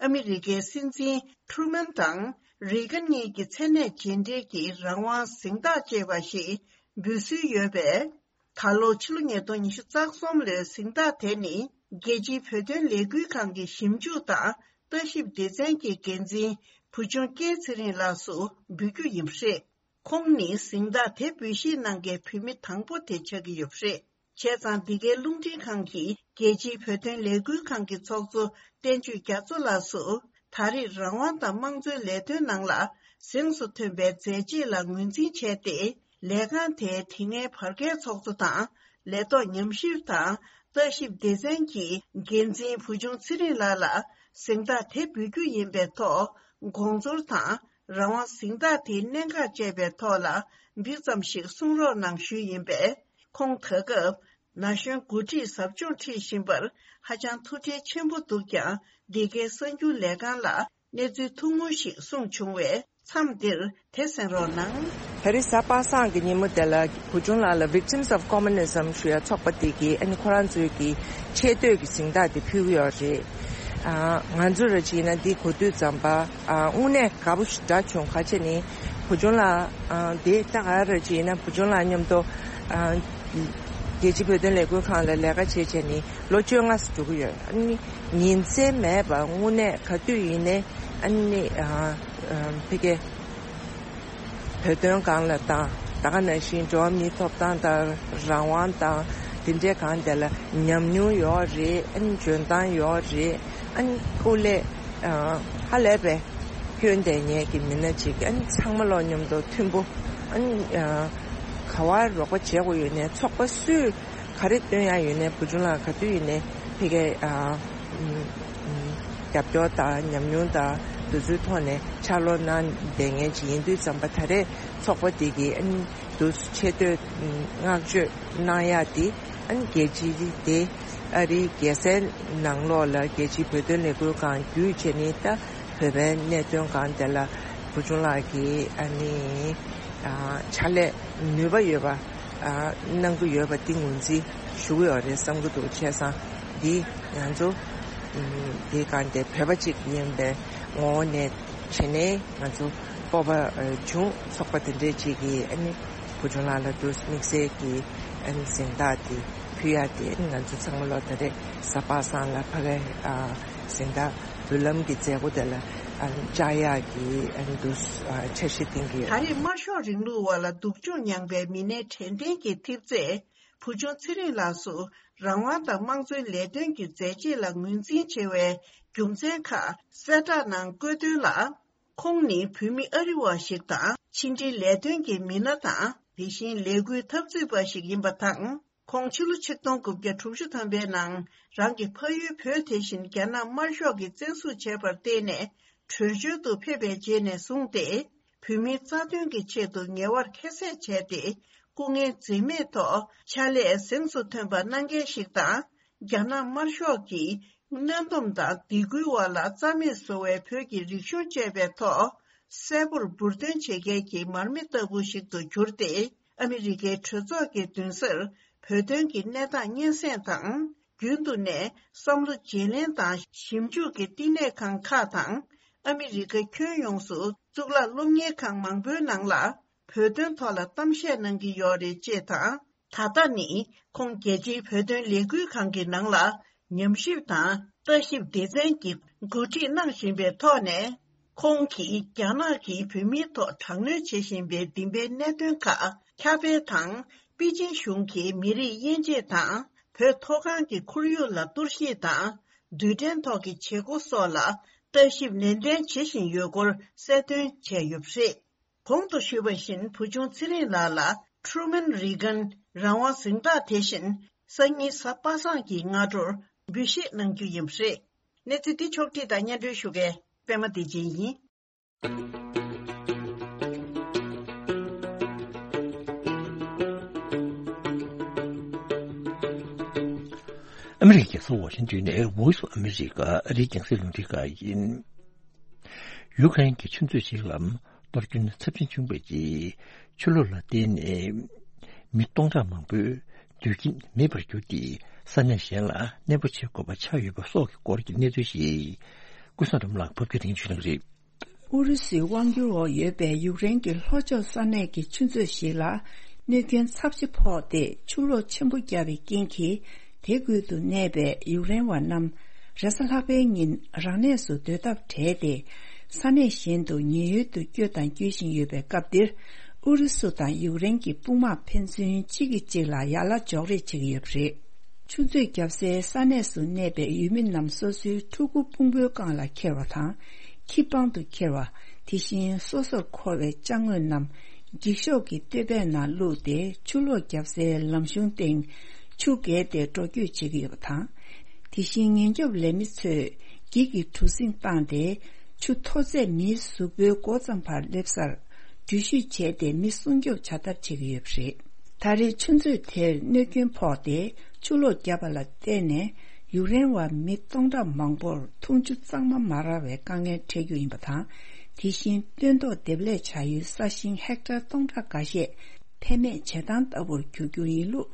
ཨ་མི་རི་ཀའི་སྲིད་འཛིན་ཁྲུ་མན་དང་རེ་གན་གཉིས་ཀྱི་མཚན་གནས་རྗེས་འབྲེལ་གྱི་རང་དབང་གཟེངས་རྟགས་ཅེས་པ་ཞིག་འབུལ་སྲོལ་ཡོད་པས། ད་ལོ་ཕྱི་ལོ་ཉིས་སྟོང་ཉི་ཤུ་རྩ་གསུམ་ལོའི་གཟེངས་རྟགས་དེ་ནི། རྒྱལ་སྤྱིའི་བོད་དོན་ལས་འགུལ་ཁང་གི་ཞིབ་འཇུག་དང་ལྟ་ཞིབ་སྡེ་ཚན་གྱི་འགན་འཛིན་བུ་ཆུང་སྐལ་ཚེ་རིང་ལགས་སུ་འབུལ་རྒྱུ་ཡིན་པ་རེད། ཁོང་ནི་གཟེངས་རྟགས་དེ་འབུལ་བཞེས་གནང་མཁན་བོད་མི་དང་པོ་དེ་ཆགས་ཀྱི་ཡོད་པ་རེད། བྱས་ཙང་། འདི་གའི་རླུང་འཕྲིན་ཁང་གིས་རྒྱལ་སྤྱིའི་བོད་དོན་ལས་འགུལ་ཁང་གི་ཚོགས་གཙོ་བསྟན་ཆོས་རྒྱ་མཚོ་ལགས་སུ། ད་རེས་རང་དབང་དང་དམངས་གཙོའི་ལས་དོན་ནང་ལ་གཟེངས་སུ་ཐོན་པའི་མཛད་རྗེས་ལ་ངོས་འཛིན་བྱས་ཏེ། ལས་ཁང་དེའི་དེ་སྔའི་བར་བརྒལ་ཚོགས་གཙོ་དང་། ལས་ཐོག་ཉམས་ཞིབ་དང་ལྟ་ཞིབ་སྡེ་ཚན་གྱི་འགན་འཛིན་བུ་ཆུང་ཚེ་རིང་ལགས་ལ་གཟེངས་རྟགས་དེ་འབུལ་རྒྱུ་ཡིན་པའི་ཐོག་དགོངས་ཚུལ་དང་། རང་དབང་གཟེངས་རྟགས་དེའི་གནད་འགག་བཅས་པའི་ཐོག་ལ་འདི་ཙམ་ཞིག་གསུང་རོགས་གནང་ཞུས་ཡིན་པས། ཁོང་ད་སྐབས་ན་གཞོན་འགོ་ཁྲིད་ཟབ་སྦྱོང་ཁྲིད་བཞིན་པར་ཧ་ཅང་ཐུགས་ཁྲལ་ཆེན་པོ་འདུག་ཀྱང་། འདི་གའི་གསར་འགྱུར་ལས་ཁང་ལ་གནས་ཚུལ་ཐུང་ངུ་ཞིག་གསུངས་བྱུང་བས། མཚམས་འདིར་དེ་གསན་རོགས་གནང་། ད་རེས་གཟའ་པ་སངས་ཀྱི་ཉིན་མོ་དེ་ལ་བུ་ཆུང་ལགས་ལ་Victims of Communism ཞུ་ཡ་ཚོགས་པ་དེ་གིས་ཨ་ནི་ཁོ་རང་ཚོའི་གི་ཆེས་མཐོའི་གི་གཟེངས་རྟགས་དེ་ཕུལ་གི་ཡོད་རེད། ཨ། ང་ཚོ་ར་བྱས་ན་འདི་གོ་དུས་ཙམ་པ། ཨ། དངོས་གནས་དགའ་པོ་ཞིག་འདྲ་བྱུང་། ག་བྱས་ནི་བུ་ཆུང་ལགས། ཨ། འདི་ད་ག་ར་བྱས་ན་བུ་ཆུང་ལགས་མཉམ་དུ། ཨ། རྒྱལ་སྤྱིའི་བོད་དོན་ལས་འགུལ་ཁང་ལ་ལས་ཀ་བྱས་བྱས་ནི་ལོ་བཅོ་ལྔ་ཙམ་འགྲོ་གི་ཡོད། ཨ་ནི་ཉིན་མཚན་མེད་པར་དངོས་གནས་ག་དུས་ཡིན་ནའི་ཨ་ནི། ཨ། ཨ། ཕ་གིའི་བོད་དོན་སྒང་ལ་དང་། ད་ག་ནང་བཞིན་འགྲོ་བ་མིའི་ཐོབ་ཐང་དང་རང་དབང་དང་དེ་འདྲའི་སྒང་དེ་ལ་ཉམས་མྱོང་ཡོད་རེད། ཨ་ནི་འཇོན་ཐང་ཡོད་རེད། ཨ་ནི་སྐུ་ལས། ཨ། ཧ་ལས་པའི་སྐྱོན་ལྡན་མཁན་གྱི་མི་སྣ་གཅིག་ཨ་ནི་ཚང་མ་ལོ་མཉམ་དུ་མཐུན་པོ། ཨ་ནི། ཨ། ག་བ་རོགས་པ་བྱེད་དགོས་ཡོད་ནའི་ཚོགས་པ་སུས་ག་རེ་སྟོན་ཡ་ཡོད་ནའི་བུ་ཆུང་ལགས་ག་དུས་ཡིན་ནའི་ཕ་གིའི། ཨ། ཨུམ། ཨུམ། རྒྱབ་སྐྱོར་དང་ཉམས་མྱོང་དང་དེ་ཚོའི་ཐོག་ནས་ཕྱག་སློབ་གནང་བསྡད་མཁན་ཅིག་ཡིན་དུས་ཙམ་པ། ད་རེས་ཚོགས་པ་འདི་གིས་ཨ་ནི་དུ་ཆེ་བསྟོད་བསྔགས་བརྗོད་གནང་ཡག་འདི་ཨ་ནི་རྒྱལ་སྤྱི་དེ་ཨ་རིའི་རྒྱལ་སའི་ནང་ལོགས་ལ་རྒྱལ་སྤྱིའི་བོད་དོན་ལས་འགུལ་ཁང་བརྒྱུད་བྱས་ནས། ད་བོད་པའི་གནད་དོན་སྒང་དེ་ལ་བུ་ཆུང་ལགས་ཀྱིས་ཨ་ནི། ཨ། ཕྱག་ལས་ནུས་པ་ཡོད་པ། ཨ། གནང་གི་ཡོད་པ་འདི་ངོས་འཛིན་ཞུ་གི་ཡོད་རེད་བསམ་གྱི་འདུག་བྱས་ཙང་འདི་ང་ཚོ། ཨུམ། འདི་སྒང་དེ་བོད་པ་གཅིག་ཡིན་པའི་ངོ་བོ་ནས་བྱས་ནས་ང་ཚོ་སྤོབས་པ་བྱུང་། ཚོགས་པ་དེ་འདྲའི་གཅིག་གིས་ཨ་ནི་བུ་ཆུང་ལགས་ལ་འདུག་དམིགས་བསལ་གྱི་ཨ་ནི་གཟེངས་རྟགས་དེ་ཕུལ་ཡ་དེ། ང་ཚོ་ཚང་མ་ལོ་ད་རེས་གཟའ་པ་སངས་ལ་ཕ་གིའི། ཨ། གཟེངས་རྟགས་འབུལ་ལམ་གྱི་མཛད་སྒོ་དེ་ལ། ཨ། བཅར་ཡག་གི་ཨ་ནི་འདུག་ཨ། འཆར་གཞི་འདིང་གི་ཡོད། ད་རེས་དམར་ཤོག་རིང་ལུགས་འོག་ལ་སྡུག་སྦྱོང་མྱངས་པའི་མི་སྣའི་དྲན་རྟེན་གྱི་ཐེབས་རྩས་བུ་ཆུང་ཚེ་རིང་ལགས་སུ་རང་དབང་དང་དམངས་གཙོའི་ལས་དོན་གྱི་མཛད་རྗེས་ལ་ངོས་འཛིན་བྱེད་པའི་རྒྱུ་མཚན་ཁག་གསལ་བསྒྲགས་ནང་བཀོད་དོན་ལ། ཁོང་ནི་བོད་མི་ཨ་རི་བ་ཞིག་དང་། ཕྱི་འབྲེལ་ལས་དོན་གྱི་མི་སྣ་དང་། དེ་བཞིན་ལས་འགུལ་འཐབ་རྩོད་པ་ཞིག་ཡིན་པ་དང་། ཁོང་ཕྱི་ལོ་ཆིག་སྟོང་དགུ་བརྒྱ་དྲུག་ཅུ་ཐམ་པའི་ནང་རང་གི་ཕ་ཡུལ་བོད་དེ་བཞིན་རྒྱ་ནག་དམར་ཤོག་གིས་བཙན་བཟུང་བྱས་པར་བརྟེན་ནས་བྲོས་བྱོལ་དུ་ཕེབས་པའི་རྗེས་ནས་བཟུང་སྟེ། བོད་མིའི་རྩ་དོན་གྱི་ཆེད་དུ་ངལ་བར་ཁྱད་བསད་བྱས་ཏེ། སྐུ་ངལ་འཛེམས་མེད་ཐོག་ཕྱག་ལས་གཟེངས་སུ་ཐོན་པ་གནང་མཁན་ཞིག་དང་། རྒྱ་ནག་དམར་ཤོག་གིས་གནོན་སྡོམ་དང་སྡིགས་སྐུལ་འོག་ལ་རྩ་མེད་བཟོ་བའི་བོད་ཀྱི་རིག་གཞུང་བཅས་པའི་ཐོག་གསལ་པོར་འབུར་འདོན་བྱེད་མཁན་གྱི་མར་མེ་ལྟ་བུ་ཞིག་ཏུ་གྱུར་ཏེ། ཨ་མི་རི་ཀའི་གྲོས་ཚོགས་ཀྱི་མདུན་སར་བོད་དོན་གྱི་གནས་སྟངས་སྙན་སེང་དང་། རྒྱུན་དུ་ནས་བསམ་བློ་བརྗེ་ལེན་དང་ཞིབ་འཇུག་གི་བསྟི་གནས་ཁང་ཁག་དང་། ཨ་མི་རི་ཀ་ཁྱོན་ཡོངས་སུ་གཙུག་ལག་སློབ་གཉེར་ཁང་མང་པོའི་ནང་ལ་བོད་དོན་ཐོག་ལ་གཏམ་བཤད་གནང་གི་ཡོད་རེད་ཅེས་དང་། ད་ལྟ་ནི་ཁོང་རྒྱལ་སྤྱིའི་བོད་དོན་ལས་འགུལ་ཁང་གི་ནང་ལ་ཉམས་ཞིབ་དང་ལྟ་ཞིབ་སྡེ་ཚན་གྱི་འགོ་ཁྲིད་གནང་བཞིན་པའི་ཐོག་ནས། ཁོང་གིས་རྒྱ་ནག་གིས་བོད་མིའི་ཐོག་དྲག་གནོན་བྱེད་བཞིན་པའི་བདེན་པའི་གནད་དོན་ཁག་ཁྱབ་སྤེལ་དང་། པེ་ཅིན་གཞུང་གིས་མི་རིགས་དབྱེ་འབྱེད་དང་། བོད་མཐོ་སྒང་གི་ཁོར་ཡུག་ལ་གཏོར་བཤིག་དང་། རྡུལ་ཕྲན་ཐོག་གི་བྱེད་སྒོ་སོགས་ལ་ལྟ་ཞིབ་ནན་ཏན་བྱེད་བཞིན་ཡོད་སྐོར་གསལ་སྟོན་བྱས་ཡོད་པ་རེད། གོང་དུ་ཞུས་པ་བཞིན། བུ་ཆུང་ཚེ་རིང་ལགས་ལ་ཁྲུ་མན་རེ་གན་རང་དབང་གཟེངས་རྟགས་དེ་བཞིན། སང་ཉིན་གཟའ་པ་སངས་ཀྱི་སྔ་དྲོར་འབུལ་བཞེས་གནང་རྒྱུ་ཡིན་པ་རེད། གནས་ཚུལ་འདི་ཕྱོགས་བསྒྲིགས་དང་སྙན་སྒྲོན་ཞུ་མཁན་པད་མ་བདེ་ཆེན་ཡིན། ཨ་མི་རི་ཀའི་རྒྱལ་ས་ཝ་ཤིང་ཏོན་ནས་Voice of America ཨ་རིའི་རྒྱང་སྲིང་རླུང་འཕྲིན་ཁང་ཡིན། ཡུཀ་རེན་གྱི་ཆུ་མཛོད་ཞིག་ལ་གཏོར་སྐྱོན་ཚབས་ཆེན་བྱུང་བའི་རྗེས། ཆུ་ལོག་ལ་བརྟེན་ནས་མི་སྟོང་ཕྲག་མང་པོའི་སྡོད་ཁྱིམ་མེད་པར་གྱུར་ཏེ། ས་གནས་གཞན་ལ་གནས་སྤོ་བྱེད་དགོས་པ་ཆགས་ཡོད་པ་སོགས་ཀྱི་སྐོར་གྱི་གནས་ཚུལ་ཞིག་ཀུན་བཟང་སྒྲོལ་མ་ལགས་ཕབ་སྒྱུར་དེ་རིང་ཞུ་གནང་གི་རེད། ཨུ་རུ་སུའི་དབང་སྒྱུར་འོག་ཡོད་པའི་ཡུཀ་རེན་གྱི་ལྷོ་ཕྱོགས་ས་གནས་ཀྱི་ཆུ་མཛོད་ཞིག་ལ་གནོད་སྐྱོན་ཚབས་ཆེ་ཕོག་སྟེ། ཆུ་ལོག་ཆེན་པོ་བརྒྱབ་པའི་རྐྱེན་གྱིས། དེ་ཁུལ་དུ་གནས་པའི་ཡུཀ་རེན་བ་རྣམས་རེས་གཟའ་ལྷག་པའི་ཉིན་རང་གནས་སུ་སྡོད་ཐབས་བྲལ་ཏེ། ས་གནས་གཞན་དུ་ཉེན་གཡོལ་དུ་བསྐྱོད་དང་བསྐྱོད་བཞིན་ཡོད་པའི་སྐབས་འདིར། ཨུ་རུ་སུ་དང་ཡུཀ་རེན་གྱི་དཔུང་དམག་ཕན་ཚུན་གཅིག་གིས་གཅིག་ལ་ཡར་ལ་འཇོག་རེས་བྱེད་ཀྱི་ཡོད་པ་རེད། ཆུ་མཛོད་བརྒྱབ་སའི་ས་གནས་སུ་གནས་པའི་ཡུལ་མི་རྣམས་སོ་སོའི་ཕྲུ་གུ་ཕུང་པོའི་སྒང་ལ་འཁྱེར་བ་དང་། ཁྱི་པང་དུ་འཁྱེར་བ། དེ་བཞིན་སོ་སོར་འཁོར་བའི་ཅ་དངོས་རྣམས་འགྱིག་ཤོག་གི་སྟོད་པའི་ནང་བླུགས་ཏེ། ཆུ་ལོག་བརྒྱབ་སའི་ལམ་གཞུང་སྟེང་ཆུ་བརྒལ་ཏེ་འགྲོ་སྐྱོད་བྱེད་ཀྱི་ཡོད་པ་དང་། དེ་བཞིན་ཉེན་སྐྱོབ་ལས་མི་ཚོས་འགྱིག་གི་གྲུ་གཟིངས་བཏང་སྟེ། ཆུ་མཐོ་ཚད་མིའི་གཟུགས་པོའི་མགོ་ཙམ་བར་སླེབས་སར་འགྲུལ་བཞུད་བྱས་ཏེ། མི་སྲུང་སྐྱོབ་བྱ་ཐབས་བྱེད་ཀྱི་ཡོད་པ་རེད། ད་རེས་ཆུ་མཛོད་དེར་གནོད་སྐྱོན་ཕོག་སྟེ། ཆུ་ལོག་བརྒྱབ་པ་ལ་བརྟེན་ནས། ཡུཀ་རེན་བ་མི་སྟོང་ཕྲག་མང་པོར་འཐུང་ཆུ་གཙང་མ་མ་རག་པའི་དཀའ་ངལ་འཕྲད་རྒྱུ་ཡིན་པ་དང་། དེ་བཞིན་སྟོན་ཐོག་འདེབས་ལས་བྱ་ཡུལ་ས་ཞིང་ཧེག་ཊར་སྟོང་ཕྲག་འགའ་ཤས་ཕན་མེད་བྱེད་སྟངས་ལྟ་བུར་འགྱུར་རྒྱུ་ཡིན་ལུགས།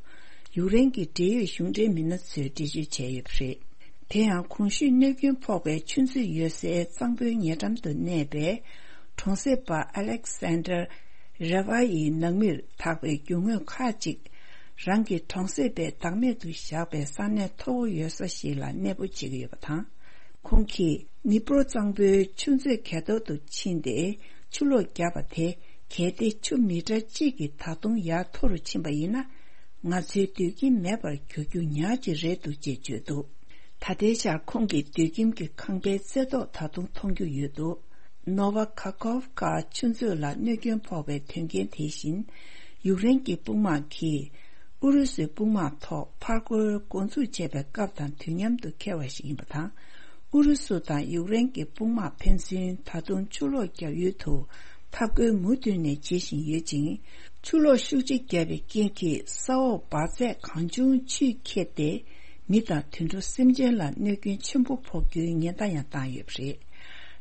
ཡུཀ་རེན་གྱི་འབྲེལ་ཡོད་གཞུང་འབྲེལ་མི་སྣ་ཚོས་འགྲེལ་བརྗོད་བྱས་ཡོད་པ་རེད། དེ་ཡང་གོང་ཞུས་གནོད་སྐྱོན་ཕོག་པའི་ཆུ་མཛོད་ཡོད་སའི་གཙང་པོའི་ཉེ་འགྲམ་དུ་གནས་པའི་གྲོང་གསེབ་པ་ཨ་ལེག་སན་ཌར་རེ་ཝ་ཡི་ནང་མིར་དག་པའི་རྒྱུ་དངོས་ཁག་ཅིག་རང་གི་གྲོང་གསེབ་པས་བདག་མེད་དུ་བཞག་པའི་ས་གནས་མཐོ་བོ་ཡོད་ས་ཞིག་ལ་གནས་སྤོ་བྱེད་ཀྱི་ཡོད་པ་དང་། ཁོང་གིས་ནི་པྲོ་གཙང་པོའི་ཆུ་མཛོད་གས་ཐོག་ཏུ་ཕྱིན་ཏེ། ཆུ་ལོག་བརྒྱབ་པ་དེ་གལ་ཏེ་ཆུ་མི་ཊར་གཅིག་གིས་ད་དུང་ཡར་མཐོ་རུ་ཕྱིན་པ་ཡིན་ན། ང་ཚོའི་སྡོད་ཁྱིམ་མེད་པར་འགྱུར་རྒྱུ་ཉག་ཅིག་རེད་འདུག་ཅེས་བརྗོད་འདུག་ད་ལྟའི་ཆར་ཁོང་གི་སྡོད་ཁྱིམ་གྱི་ཁང་པའི་རྩེ་ཐོག་ད་དུང་མཐོང་རྒྱུ་ཡོད་འདུག་ནོ་ཝ་ཁ་ཁོབ་ཁ་ཆུ་མཛོད་ལ་གནོད་སྐྱོན་ཕོག་པའི་དོན་རྐྱེན་དེ་བཞིན། ཡུཀ་རེན་གྱི་དཔུང་དམག་གིས་ཨུ་རུ་སུའི་དཔུང་དམག་ཐོག་ཕར་རྒོལ་འགོ་འཛུགས་བྱས་པའི་སྐབས་དང་དུས་མཉམ་དུ་འཁེལ་བ་ཞིག་ཡིན་པ་དང་། ཨུ་རུ་སུ་དང་ཡུཀ་རེན་གྱི་དཔུང་དམག་ཕན་ཚུན་ད་དུང་ཆུ་ལོག་བརྒྱབ་ཡུལ་དུ་འཐབ་རྒོལ་མུ་མཐུད་ནས་བྱེད་བཞིན་ཡོད་ཅིང་། ཆུ་ལོག་ཤུགས་ཆེ་བརྒྱབ་པའི་རྐྱེན་གྱིས་ས་འོག་འབར་རྫས་གང་བྱུང་ཆུས་ཁྱེར་ཏེ། མི་དང་དུད་འགྲོ་སེམས་ཅན་ལ་གནོད་སྐྱོན་ཆེན་པོ་ཕོག་རྒྱུའི་ཉེན་བརྡ་ཡང་བཏང་ཡོད་པ་རེད།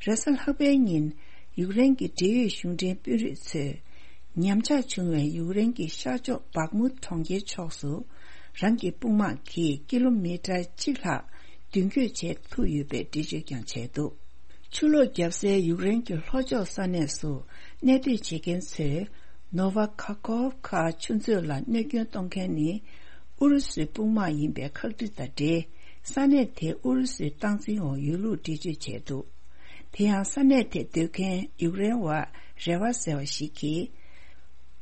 རེས་གཟའ་ལྷག་པའི་ཉིན། ཡུཀ་རེན་གྱི་འབྲེལ་ཡོད་གཞུང་འབྲེལ་དཔོན་རིགས་ཚོས། ཉམས་ཆག་བྱུང་བའི་ཡུཀ་རེན་གྱི་ཤར་ཕྱོགས་བག་མུ་གྲོང་ཁྱེར་ཕྱོགས་སུ། རང་གི་དཔུང་དམག་གིས་ཀི་ལོ་མི་ཊར་གཅིག་ལྷག་མདུན་སྐྱོད་བྱེད་ཐུབ་ཡོད་པའི་འགྲེལ་བརྗོད་ཀྱང་བྱས་འདུག་ཆུ་ལོག་བརྒྱབ་སའི་ཡུཀ་རེན་གྱི་ལྷོ་ཕྱོགས་ས་གནས་སུ་གནས་སྡོད་བྱེད་མཁན་ཚོས། ནོ་ཝ་ཁ་ཁོབ་ཁ་ཆུ་མཛོད་ལ་གནོད་སྐྱོན་གཏོང་མཁན་ནི། ཨུ་རུ་སུའི་དཔུང་དམག་ཡིན་པའི་ཁག་དཀྲི་དང་འབྲེལ། ས་གནས་དེ་ཨུ་རུ་སུའི་སྟངས་འཛིན་འོག་ཡོད་ལུགས་འགྲེལ་བརྗོད་བྱས་འདུག་དེ་ཡང་ས་གནས་དེར་སྡོད་མཁན་ཡུཀ་རེན་བ་རེ་བ་ཟེར་བ་ཞིག་གིས།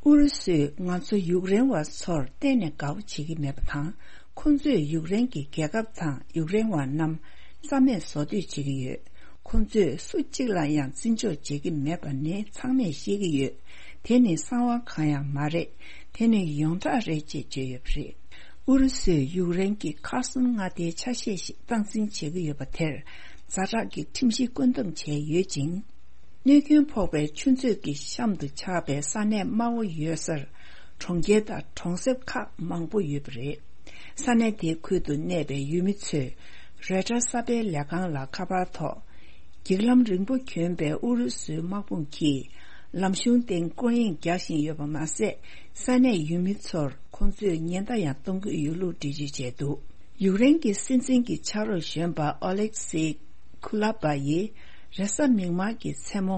ཨུ་རུ་སུས་ང་ཚོ་ཡུཀ་རེན་བ་ཚོར་གཏན་ནས་དགའ་པོ་བྱེད་ཀྱི་མེད་པ་དང་། ཁོ་ཚོས་ཡུཀ་རེན་གྱི་རྒྱལ་ཁབ་དང་ཡུཀ་རེན་བ་རྣམས་རྩ་མེད་བཟོ་འདོད་བྱེད་ཀྱི་ཡོད། ཁོ་ཚོས་སུ་གཅིག་ལ་ཡང་བརྩི་འཇོག་བྱེད་ཀྱི་མེད་པ་ནི་ཚང་མས་ཤེས་ཀྱི་ཡོད། དེ་ནི་གསང་བ་གང་ཡང་མ་རེད། དེ་ནི་ཡོངས་གྲགས་རེད་ཅེས་བརྗོད་ཡོད་པ་རེད། ཨུ་རུ་སུས་ཡུཀ་རེན་གྱི་ཁར་སོན་མངའ་སྡེའི་ཆ་ཤས་ཤིག་སྟངས་འཛིན་བྱེད་ཀྱི་ཡོད་པ་དེར་ཛ་དྲག་གི་ཁྲིམས་གཞི་བཀོད་འདོམས་བྱས་ཡོད་ཅིང་། གནོད་སྐྱོན་ཕོག་པའི་ཆུ་མཛོད་ཀྱི་གཤམ་དུ་ཆགས་པའི་ས་གནས་དམའ་བོ་ཡོད་སར་གྲོང་ཁྱེར་དང་གྲོང་གསེབ་ཁག་མང་པོ་ཡོད་པ་རེད། ས་གནས་དེའི་ཁུལ་དུ་གནས་པའི་ཡུལ་མི་ཚོས་རོའི་ཊར་གསར་སྤེལ་ལས་ཁང་ལ་ཁ་པར་ཐོག་འགྱིག་ལམ་རིང་པོ་གྱོན་པའི་ཨུ་རུ་སུའི་དམག་དཔུང་གིས་ལམ་གཞུང་སྟེང་སྐོར་གཡེང་རྒྱག་བཞིན་ཡོད་པ་མ་ཟད། ས་གནས་ཡུལ་མི་ཚོར་ཁོང་ཚོས་ཉེན་བརྡ་ཡང་གཏོང་གི་ཡོད་ལུགས་འགྲེལ་བརྗོད་བྱས་འདུག་ཡུཀ་རེན་གྱི་སྲིད་འཛིན་གྱི་ཕྱག་རོགས་གཞོན་པ་ཨོ་ལེག་སི་ཁུ་ལ་པ་ཡིས་རེས་གཟའ་མིག་དམར་གྱི་མཚན་མོ།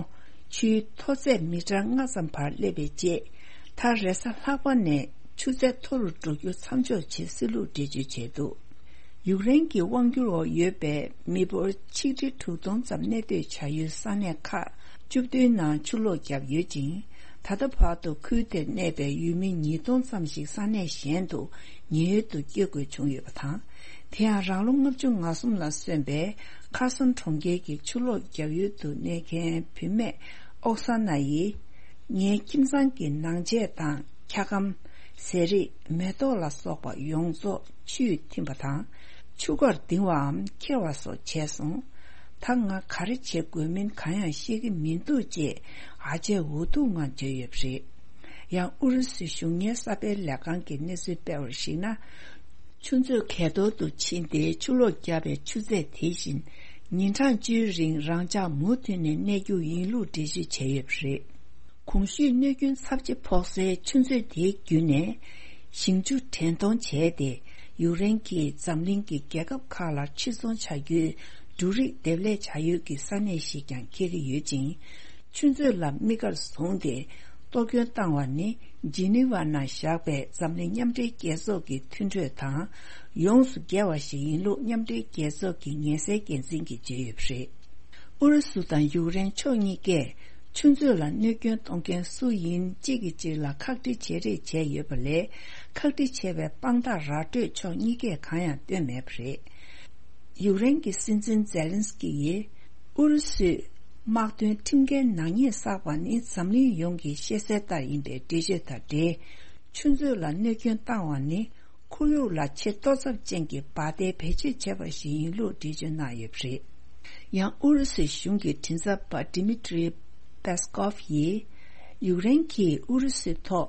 ཆུའི་མཐོ་ཚད་མི་ཊར་ལྔ་ཙམ་བར་སླེབས་པའི་རྗེས། མཐར་རེས་གཟའ་ལྷག་པ་ནས་ཆུ་ཚད་མཐོ་རུ་འགྲོ་རྒྱུ་མཚམས་འཇོག་བྱེད་སྲིད་ལུགས་འགྲེལ་བརྗོད་བྱས་འདུག་ཡུཀ་རེན་གྱི་དབང་སྒྱུར་འོག་ཡོད་པའི་མི་འབོར་ཆིག་ཁྲི་དྲུག་སྟོང་ཙམ་གནས་སྡོད་བྱ་ཡུལ་ས་གནས་ཁག་བཅུ་བདུན་ནང་ཆུ་ལོག་བརྒྱབ་ཡོད་ཅིང་། ད་ལྟ་བར་དུ་ཁུལ་དེར་གནས་པའི་ཡུལ་མི་ཉིས་སྟོང་ཙམ་ཞིག་ས་གནས་གཞན་དུ་ཉེན་གཡོལ་དུ་བསྐྱོད་དགོས་བྱུང་ཡོད་པ་དང་། དེ་ཡང་རང་ལོ་ལྔ་བཅུ་ང་གསུམ་ལ་སོན་པའི་ཁ་སོན་གྲོང་ཁྱེར་གྱི་ཆུ་ལོག་བརྒྱབ་ཡུལ་དུ་གནས་མཁན་བུད་མེད་ཨོག་ས་ན་ཡིས། ངའི་ཁྱིམ་ཚང་གི་ནང་ཆས་དང་འཁྱག་སྒམ། ཟས་རིགས། མེ་ཏོག་ལ་སོགས་པ་ཡོངས་རྫོགས་ཆུས་ཐིམ་པ་དང་། ཆུ་ཁར་ལྡིང་བའམ་འཁྱེར་བ་སོགས་བྱས་སོང་། ད་ང་ག་རེ་བྱེད་དགོས་མིན་གང་ཡང་ཤེས་ཀྱི་མི་འདུག་ཅེས་ཨ་ཅེ་འུ་ཐུག་ངང་བརྗོད་ཡོད་པ་རེད། ཡང་ཨུ་རུ་སུའི་གཞུང་གཉེར་གསར་སྤེལ་ལས་ཁང་གིས་གནས་ཚུལ་སྤེལ་བར་གཞིགས་ན། ཆུ་མཛོད་གས་ཐོག་ཏུ་ཕྱིན་ཏེ་ཆུ་ལོག་བརྒྱབ་པའི་ཆུ་ཚད་དེ་བཞིན། ཉིན་གྲངས་བཅུའི་རིང་རང་འཇགས་མུ་མཐུད་ནས་གནས་རྒྱུ་ཡིན་ལུགས་འགྲེལ་བརྗོད་བྱས་ཡོད་པ་རེད། གོང་ཞུས་གནོད་སྐྱོན་ཚབས་ཆེ་ཕོག་སའི་ཆུ་མཛོད་དེའི་བརྒྱུད་ནས་ཞིང་ཆུ་འདྲེན་གཏོང་བྱས་ཏེ། ཡུཀ་རེན་གྱིས་འཛམ་གླིང་གི་རྒྱལ་ཁབ་ཁག་ལ་ཕྱིར་ཚོང་བྱ་རྒྱུའི་འབྲུ་རིགས་འདེབས་ལས་བྱ་ཡུལ་གྱི་ས་གནས་ཤིག་ཀྱང་འཁེལ་གྱི་ཡོད་ཅིང་། ཆུ་མཛོད་ལ་དམིགས་བཀར་བཟུང་སྟེ། གཏོར་སྐྱོན་བཏང་བ་ནི་ཇི་ནི་ཝ་ནང་བཞག་པའི་འཛམ་གླིང་མཉམ་འབྲེལ་རྒྱལ་ཚོགས་ཀྱི་མཐུན་གྲོས་དང་ཡོངས་སུ་འགལ་བ་ཞིག་ཡིན་ལུགས་མཉམ་འབྲེལ་རྒྱལ་ཚོགས་ཀྱི་ཉེན་སེལ་འགན་འཛིན་གྱིས་བརྗོད་ཡོད་པ་རེད། ཨུ་རུ་སུ་དང་ཡུཀ་རེན་ཕྱོགས་གཉིས་ཀས་ཆུ་མཛོད་ལ་གནོད་སྐྱོན་གཏོང་མཁན་སུ་ཡིན་གཅིག་གིས་གཅིག་ལ་ཁག་དཀྲི་བྱེད་རེས་བྱས་ཡོད་པ་ལས། ཁག་དཀྲི་བྱས་པའི་དཔང་རྟགས་ར་སྤྲོད་ཕྱོགས་གཉིས་ཀས་གང་ཡང་བཏོན་མེད་པ་རེད། ཡུཀ་རེན་གྱི་སྲིད་འཛིན་ཛེ་ལན་སི་ཀི་ཡིས། ཨུ་རུ་སུས་དམག་དོན་ཁྲིམས་འགལ་ནག་ཉེས་བསགས་པ་ནི་འཛམ་གླིང་ཡོངས་ཀྱི་ཤེས་གསལ་ལྟར་ཡིན་པའི་འགྲེལ་བརྗོད་དང་འབྲེལ། ཆུ་མཛོད་ལ་གནོད་སྐྱོན་བཏང་བ་ནི། ཁོར་ཡུག་ལ་ཆེས་གཏོར་ཚབས་ཅན་གྱི་འབར་མདེལ་བེད་སྤྱོད་བྱས་པ་ཞིག་ཡིན་ལུགས་འགྲེལ་བརྗོད་གནང་ཡོད་པ་རེད། ཡང་ཨུ་རུ་སུའི་གཞུང་གི་མགྲིན་ཚབ་པ་ཌི་མི་ཏྲི་པེ་སི་ཀོབ་ཡིས། ཡུཀ་རེན་གྱིས་ཨུ་རུ་སུའི་ཐོག་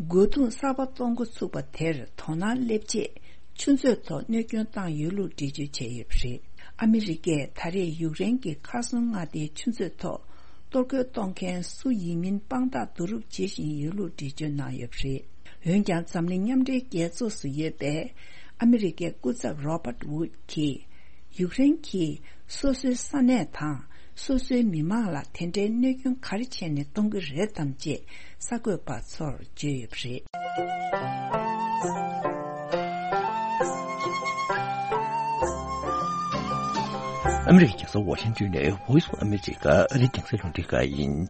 རྒོལ་རྡུང་གསར་པ་གཏོང་འགོ་ཚུགས་པ་དེར་དོ་སྣང་སླེབས་ཆེད་ཆུ་མཛོད་ཐོག་གནོད་སྐྱོན་བཏང་ཡོད་ལུགས་འགྲེལ་བརྗོད་བྱས་ཡོད་པ་རེད། ཨ་མི་རི་ཀས་ད་རེས་ཡུཀ་རེན་གྱི་མཁའ་སྲུང་མངའ་སྡེའི་ཆུ་མཛོད་ཐོག་གཏོར་རྒོལ་གཏོང་མཁན་སུ་ཡིན་མིན་དཔང་རྟགས་བསྡུ་རུབ་བྱེད་བཞིན་ཡོད་ལུགས་འགྲེལ་བརྗོད་གནང་ཡོད་པ་རེད། འོན་ཀྱང་འཛམ་གླིང་མཉམ་འབྲེལ་རྒྱལ་ཚོགས་སུ་ཡོད་པའི་ཨ་མི་རི་ཀའི་སྐུ་ཚབ་རོ་པར་ཝུད་ཀྱིས། ཡུཀ་རེན་གྱིས་སོ་སོའི་ས་གནས་དང་སོ་སོའི་མི་མང་ལ་དེ་འདྲའི་གནོད་སྐྱོན་ག་རེ་བྱས་ནས་གཏོང་གི་རེད་དམ་ཅེས་གསར་འགོད་པ་ཚོར་བརྗོད་ཡོད་པ་རེད། ཨ་མི་རི་ཀའི་རྒྱལ་ས་ཝ་ཤིང་ཏོན་ནས་Voice of America ཨ་རིའི་གདན་ས་རླུང་འཕྲིན་ཁང་ཡིན།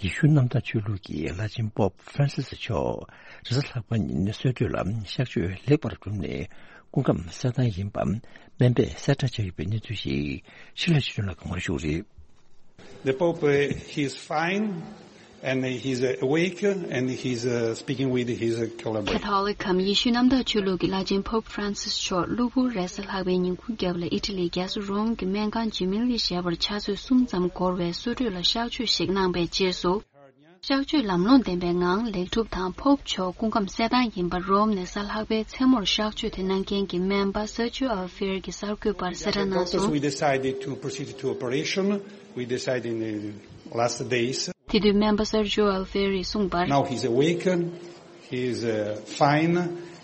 ཡེ་ཤུ་གནམ་བདག་ཆོས་ལུགས་ཀྱི་བླ་ཆེན་པོབ་ཧྥ་རན་སིས་མཆོག་རེས་གཟའ་ལྷག་པ་ཉིན་གསོལ་གྲོད་ལ་གཤགས་བཅོས་ལེགས་པར་གྲུབ་ནས་སྐུ་ཁམས་གསལ་ཐང་ཡིན་པ་སྨན་པས་གསལ་བསྒྲགས་བྱས་ཡོད་པའི་གནས་ཚུལ་ཞིག་ཤེས་རབ་ཆོས་སྒྲོན་ལགས་ཀྱིས་ངོ་སྤྲོད་ཞུ་གི་རེད། The Pope, uh, he is fine and he is, uh, awake and he is, uh, speaking with his, uh, collaborators. Catholic གམ་ཡེ་ཤུ་གནམ་བདག་ཆོས་ལུགས་ཀྱི་བླ་ཆེན་པོབ་ཧྥ་རན་སིས་མཆོག་གློ་བུར་རེས་གཟའ་ལྷག་པའི་ཉིན་གུང་རྒྱབ་ལ་ཨི་ཊ་ལིའི་རྒྱལ་ས་རོམ་གྱི་སྨན་ཁང་ཇི་མི་ལི་ཞེས་པར་ཆུ་ཚོད་གསུམ་ཙམ་འགོར་བའི་གསོལ་གྲོད་ལ་གཤགས་བཅོས་ཤིག་གནང་པའི་རྗེས་སུ། གཤགས་བཅོས་ལམ་ལྷོང་ལྡན་པའི་ངང་ལེགས་གྲུབ་དང་། པོབ་མཆོག་སྐུ་ཁམས་གསལ་ཐང་ཡིན་པ་རོམ་ནས་གཟའ་ལྷག་པའི་མཚན་མོར་གཤགས་བཅོས་དེ་གནང་མཁན་གྱི་སྨན་པ་སར་ཇིའོ་ཨལ་ཧྥེར་གྱིས་གསར་འགོད་པར་གསལ་བསྒྲགས་གནང་སོང་། Doctors, we decided to proceed to operation. We decided in the last days. དེ་དུས་སྨན་པ་སར་ཇིའོ་ཨལ་ཧྥེར་གྱིས་གསུངས་པར། Now he's awakened, he's, uh, fine,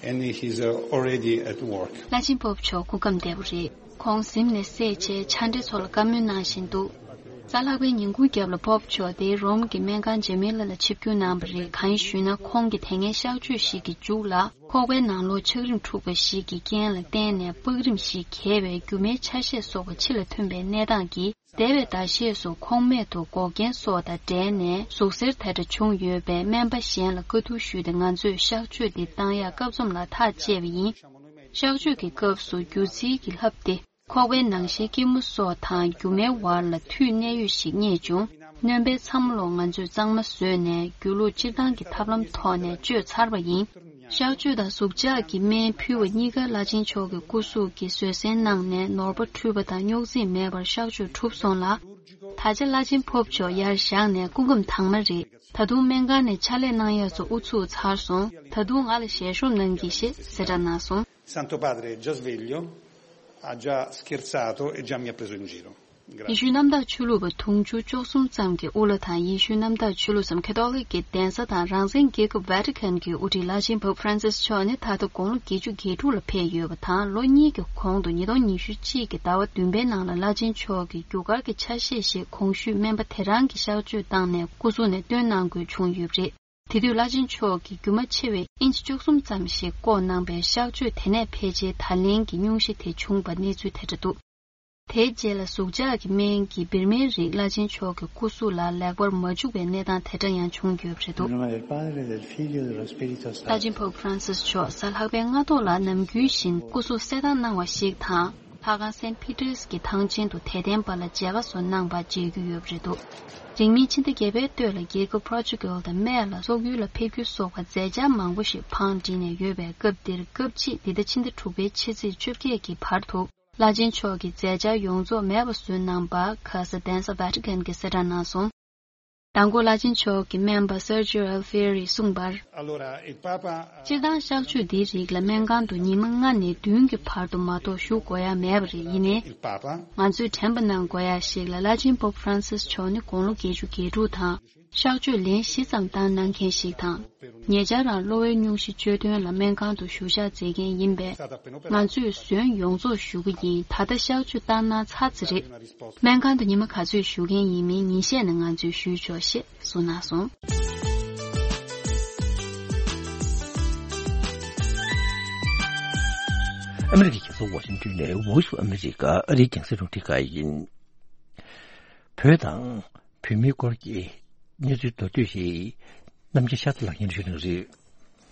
and he's, uh, already at work. བླ་ཆེན་པོབ་མཆོག་སྐུ་ཁམས་བདེ་པོ་རེད། ཁོང་གཟིམ་ནས་སད་བྱས་ཕྱག་འབྲེལ་ཚོ་ལ་བཀའ་མོལ་གནང་བཞིན་འདུག་གཟའ་ལྷག་པའི་ཉིན་གུང་རྒྱབ་ལ་པོབ་མཆོག་དེ་རོམ་གྱི་སྨན་ཁང་ཇེ་མི་ལ་ལ་ཆིབས་བསྒྱུར་གནང་བ་རེད། གང་ཡིན་ཞུས་ན། ཁོང་གིས་དེ་སྔའི་གཤགས་བཅོས་ཤིག་གི་མཇུག་ལ་ཁོག་པའི་ནང་ལོགས་ཆག་རིམས་འཁྲུགས་པ་ཞིག་གི་རྐྱེན་ལ་བརྟེན་ནས་པགས་རིམས་ཤིག་གས་པས་རྒྱུ་མའི་ཆ་ཤས་སོགས་པ་ཕྱི་ལ་ཐོན་པའི་གནས་སྟངས་ཀྱིས། འདས་པའི་ཟླ་ཤས་སུ་ཁོང་རྨད་དུ་འགོག་རྐྱེན་སོགས་དང་འབྲེལ་ནས་ཟུག་གཟེར་དེ་འདྲ་བྱུང་ཡོད་པས། སྨན་པ་གཞན་ལ་བཀའ་བསྡུར་ཞུས་ཏེ་ང་ཚོས་གཤགས་བཅོས་འདི་བཏང་ཡག་སྐབས་མཚམས་ལ་ཐག་བཅད་པ་ཡིན། གཤགས་བཅོས་ཀྱི་སྐབས་སུ་རྒྱུ་རྩིས་ཀྱི་ལྷབ་སྟེ། ཁོག་པའི་ནང་གཤིས་སྐྱི་མོ་སོགས་དང་རྒྱུ་མའི་བར་ལ་མཐུད་གནས་ཡུལ་ཞིག་རྙེད་བྱུང་། སྣོན་པའི་མཚམས་ལོགས་ང་ཚོས་གཙང་མ་བཟོས་ནས་རྒྱུ་ལོག་སྤྱིར་བཏང་གི་ཐབས་ལམ་ཐོག་ནས་བཅོས་ཚར་བ་ཡིན། གཤགས་བཅོས་དང་ཟུག་འཇག་གི་སྨན་ཕུལ་བ་གཉིས་ཀ་བླ་ཆེན་མཆོག་གི་སྐུ་གཟུགས་ཀྱིས་བཟོད་བསྲན་གནང་ནས་ནོར་བ་འཁྲུལ་པ་དང་རྙོག་འཛིང་མེད་པར་གཤགས་བཅོས་གྲུབ་སོང་ལ། ད་ཆ་བླ་ཆེན་པོབ་མཆོག་ཡར་བཞེངས་ནས་སྐུ་ཁམས་དྭངས་མ་རེད། ད་དུང་སྨན་ཁང་ནས་ཕྱག་ལས་གནང་ཡག་ཚོ་དབུ་ཚུགས་ཚར་སོང་། ད་དུང་ང་ལ་ཞལ་ཤོབ་གནང་གྱིས་ཞེས་གསལ་བསྒྲགས་གནང་སོང་། Santo Padre è già sveglio, ha già scherzato e già mi ha preso in giro. ཡེ་ཤུ་གནམ་བདག་ཆོས་ལུགས་པ་དུང་ཕྱུར་བཅུ་གསུམ་ཙམ་གྱི་དབུ་བླ་དང་། ཡེ་ཤུ་གནམ་བདག་ཆོས་ལུགས་སམ་ཁེ་ཐོ་ལིག་གི་གདན་ས་དང་རང་བཙན་རྒྱལ་ཁབ་ཝེ་ཊི་ཀན་གྱི་དབུ་ཁྲིད་བླ་ཆེན་པོབ་ཧྥ་རན་སིས་མཆོག་ནི་ད་ལྟ་དགུང་ལོ་བརྒྱད་ཅུ་གྱ་དྲུག་ལ་ཕེབས་ཡོད་པ་དང་། ལོ་གཉིས་ཀྱི་གོང་དུ་ཉིས་སྟོང་ཉི་ཤུ་གཅིག་གི་ཟླ་བ་བདུན་པའི་ནང་ལ་བླ་ཆེན་མཆོག་གི་རྒྱུ་སྐར་གྱི་ཆ་ཤས་ཤིག་གོང་ཞུས་སྨན་པ་དེ་རང་གིས་གཤག་བཅོས་བཏང་ནས་སྐུ་གཟུགས་ནས་བཏོན་གནང་དགོས་བྱུང་ཡོད་པ་རེད། དེ་དུས་བླ་ཆེན་མཆོག་གིས་རྒྱུ་མ་ཆེ་བའི་ཨིན་ཆི་བཅུ་གསུམ་ཙམ་ཞིག་བཀོག་གནང་པས། གཤག་བཅོས་དེ་ནས་ཕལ་ཆེར་ད་ལན་གྱི་སྙུང་གཞི་དེ་བྱུང་བ་གནས་ཚུལ་དེ་འདྲ་འདུག་དེའི་རྗེས་ལ་ཟུག་འཇག་གི་སྨན་གྱི་བིར་མའི་རིགས་བླ་ཆེན་མཆོག་གི་སྐུ་གཟུགས་ལ་ལེགས་པར་མ་འཇུག་པའི་གནས་སྟངས་དེ་འདྲ་ཡང་བྱུང་ཡོད་པ་རེད་འདུག Nel nome del Padre, del Figlio e dello Spirito Santo. བླ་ཆེན་པོབ་ཧྥ་རན་སིས་མཆོག་གཟའ་ལྷག་པའི་སྔ་ཐོག་ལ་ནམ་རྒྱུན་བཞིན་སྐུ་གཟུགས་གསལ་ཐང་གནང་བ་ཞིག་དང་། ལྷ་ཁང་སེན་ཕི་ཏྲེས་ཀྱི་ཐང་ཆེན་དུ་དད་ལྡན་པ་ལ་མཇལ་ཁ་སོགས་གནང་པ་མཇལ་རྒྱུ་ཡོད་པ་རེད་འདུག་རིང་མིན་ཕྱི་ཟླ་བརྒྱད་པའི་སྟོད་ལ་རྒྱལ་ཁབ་པོར་ཅུ་གལ་དང་སྨད་ལ་སོག་ཡུལ་ལ་ཕེབས་རྒྱུ་སོགས་པ་མཛད་འཆར་མང་པོ་ཞིག་བང་བསྒྲིགས་ནས་ཡོད་པའི་སྐབས་འདིར། སྐབས་གཅིག་འདི་ཟླ་ཕྱི་ཟླ་དྲུག་པའི་ཕྱི་ཚེས་བཅོ་བརྒྱད་ཀྱི་བར་དུ་བླ་ཆེན་མཆོག་གི་མཛད་འཆར་ཡོངས་རྫོགས་མེད་པ་བཟོས་གནང་པ་ག་ས་གདན་ས་ཝེ་ཊི་ཀན་གྱིས་གསལ་བསྒྲགས་གནང་སོང་། མདང་དགོང་བླ་ཆེན་མཆོག་གི་སྨན་པ་Sergio Alfieri་གསུངས་པར། Allora, il Papa ha སྤྱིར་བཏང་གཤག་བཅོས་འདིའི་རིགས་ལ་སྨན་ཁང་དུ་ཉི་མ་ལྔ་ནས་བདུན་གྱི་བར་དུ་མ་གཏོགས་བཞུགས་དགོས་ཡ་མེད་པ་རེད། ཡིན་ནའི། Il Papa ང་ཚོས་དྲན་པ་གནང་དགོས་ཡ་ཞིག་ལ། བླ་ཆེན་Pope Francis་མཆོག་ནི་དགུང་ལོ་བརྒྱད་ཅུ་གྱ་དྲུག་དང་། གཤག་བཅོས་ལན་བཞི་ཙམ་བཏང་གནང་མཁན་ཞིག་དང་། ཉེ་ཆར་རང་གློ་བའི་སྙུང་གཞི་གཅོད་དོན་ལ་སྨན་ཁང་དུ་བཞུགས་ཞག་མཛད་མཁན་ཡིན་པས། ང་ཚོས་ཟོན་ཡོངས་རྫོགས་ཞུ་གི་ཡིན། ད་ལྟ་གཤག་བཅོས་བཏང་གནང་ཚར་ཙམ་རེད། སྨན་ཁང་དུ་ཉི་མ་ག་ཚོད་བཞུགས་མཁན་ཡིན་མིན་ཉིན་ཤས་ནས་ང་ཚོས་ཞུས་ཆོག་ཅེས་གསུངས་གནང་སོང་། ཨ་མི་རི་ཀའི་རྒྱལ་ས་ཝ་ཤིང་ཏོན་ནས་Voice of America་ཨ་རིའི་རྒྱང་སྲིང་རླུང་འཕྲིན་ཁང་ཡིན། བོད་དང་བོད་མིའི་སྐོར་གྱི་གནས་ཚུལ་མདོར་བསྡུས་ཤིག་རྣམ་རྒྱལ་ཤཱ་ཚ་ལགས་སྙན་ཞུ་གནང་རེད།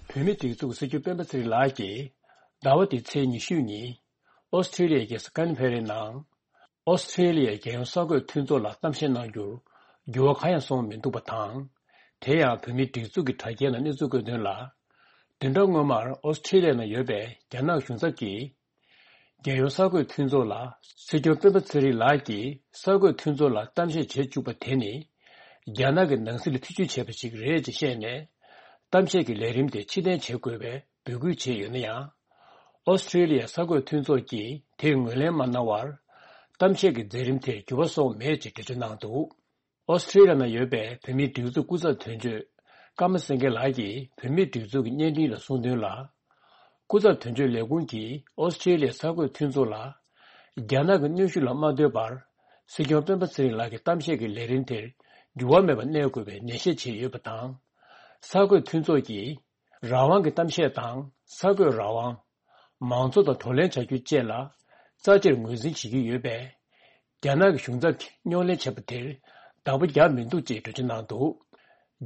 བོད་མིའི་སྒྲིག་འཛུགས་སྲིད་སྐྱོང་སྤེན་པ་ཚེ་རིང་ལགས་ཀྱིས་ཟླ་བ་འདིའི་ཚེས་ཉི་ཤུ་ཉིན་ཨོ་སི་ཁྲེ་ལི་ཡའི་རྒྱལ་ས་ཀན་བྷེ་རའི་ནང་ཨོ་སི་ཁྲེ་ལི་ཡའི་རྒྱལ་ཡོངས་གསར་འགོད་མཐུན་ཚོགས་ལ་གཏམ་བཤད་གནང་རྒྱུར་འགྱུར་བ་གང་ཡང་སོང་མི་འདུག་པ་དང་། དེ་ཡང་བོད་མིའི་སྒྲིག་འཛུགས་ཀྱི་དྲ་རྒྱའི་ནང་གནས་ཚུལ་བཀོད་དོན་ལ། བདུན་ཕྲག་སྔོན་མར་ཨོ་སི་ཁྲེ་ལི་ཡའི་ནང་ཡོད་པའི་རྒྱ་ནག་གཞུང་ཚབ་ཀྱིས། རྒྱལ་ཡོངས་གསར་འགོད་མཐུན་ཚོགས་ལ་སྲིད་སྐྱོང་སྤེན་པ་ཚེ་རིང་ལགས་ཀྱིས་གསར་འགོད་མཐུན་ཚོགས་ལ་གཏམ་བཤད་བྱེད་བཅུག་པ་དེ་ནི། རྒྱ་ནག་གི་ནང་སྲིད་ལ་ཐེ་བྱུས་བྱས་པ་ཞིག་རེད་ཅེས་བཤད་ནས། གཏམ་བཤད་ཀྱི་ལས་རིམ་དེ་ཕྱིར་འཐེན་བྱེད་དགོས་པའི་འབོད་སྐུལ་བྱས་ཡོད་ན་ཡང་། ཨོ་སི་ཁྲེ་ལི་ཡ་གསར་འགོད་མཐུན་ཚོགས་ཀྱིས་དེར་ངོས་ལེན་མ་གནང་བར། གཏམ་བཤད་ཀྱི་མཛད་རིམ་དེར་འགྱུར་བ་སོང་མེད་ཅེས་འགྲེལ་བརྗོད་གནང་འདུག་ཨོ་སི་ཁྲེ་ལི་ཡ་ནང་ཡོད་པའི་བོད་མིའི་སྒྲིག་འཛུགས་སྐུ་ཚབ་དོན་གཅོད་ཀརྨ་སེང་གེ་ལགས་ཀྱིས་བོད་མིའི་སྒྲིག་འཛུགས་ཀྱི་བརྙན་འཕྲིན་ལ་གསུངས་དོན་ལ། སྐུ་ཚབ་དོན་གཅོད་ལས་ཁུངས་ཀྱིས་ཨོ་སི་ཁྲེ་ལི་ཡའི་གསར་འགོད་མཐུན་ཚོགས་ལ། རྒྱ་ནག་གི་གནོན་ཤུགས་ལ་མ་ལྟོས་པར། སྲིད་སྐྱོང་སྤེན་པ་ཚེ་རིང་ལགས་ཀྱི་གཏམ་བཤད་ཀྱི་ལས་རིམ་དེར་འགྱུར་བ་མེད་པར་གནས་དགོས་པའི་ནན་བཤད་བྱས་ཡོད་པ་དང་། གསར་འགོད་མཐུན་ཚོགས་ཀྱིས་རང་དབང་གི་གཏམ་བཤད་དང་གསར་འགོད་རང་དབང་། མང་གཙོ་དང་བགྲོ་གླེང་བྱ་རྒྱུ་བཅས་ལ་རྩ་ཆེར་ངོས་འཛིན་བྱེད་ཀྱི་ཡོད་པས། རྒྱ་ནག་གི་གཞུང་ཚབ་ཀྱིས་རྙོག་གླེང་བྱས་པ་དེར་བདག་པོ་རྒྱག་མི་འདུག་ཅེས་འགྲེལ་བརྗོད་གནང་འདུག་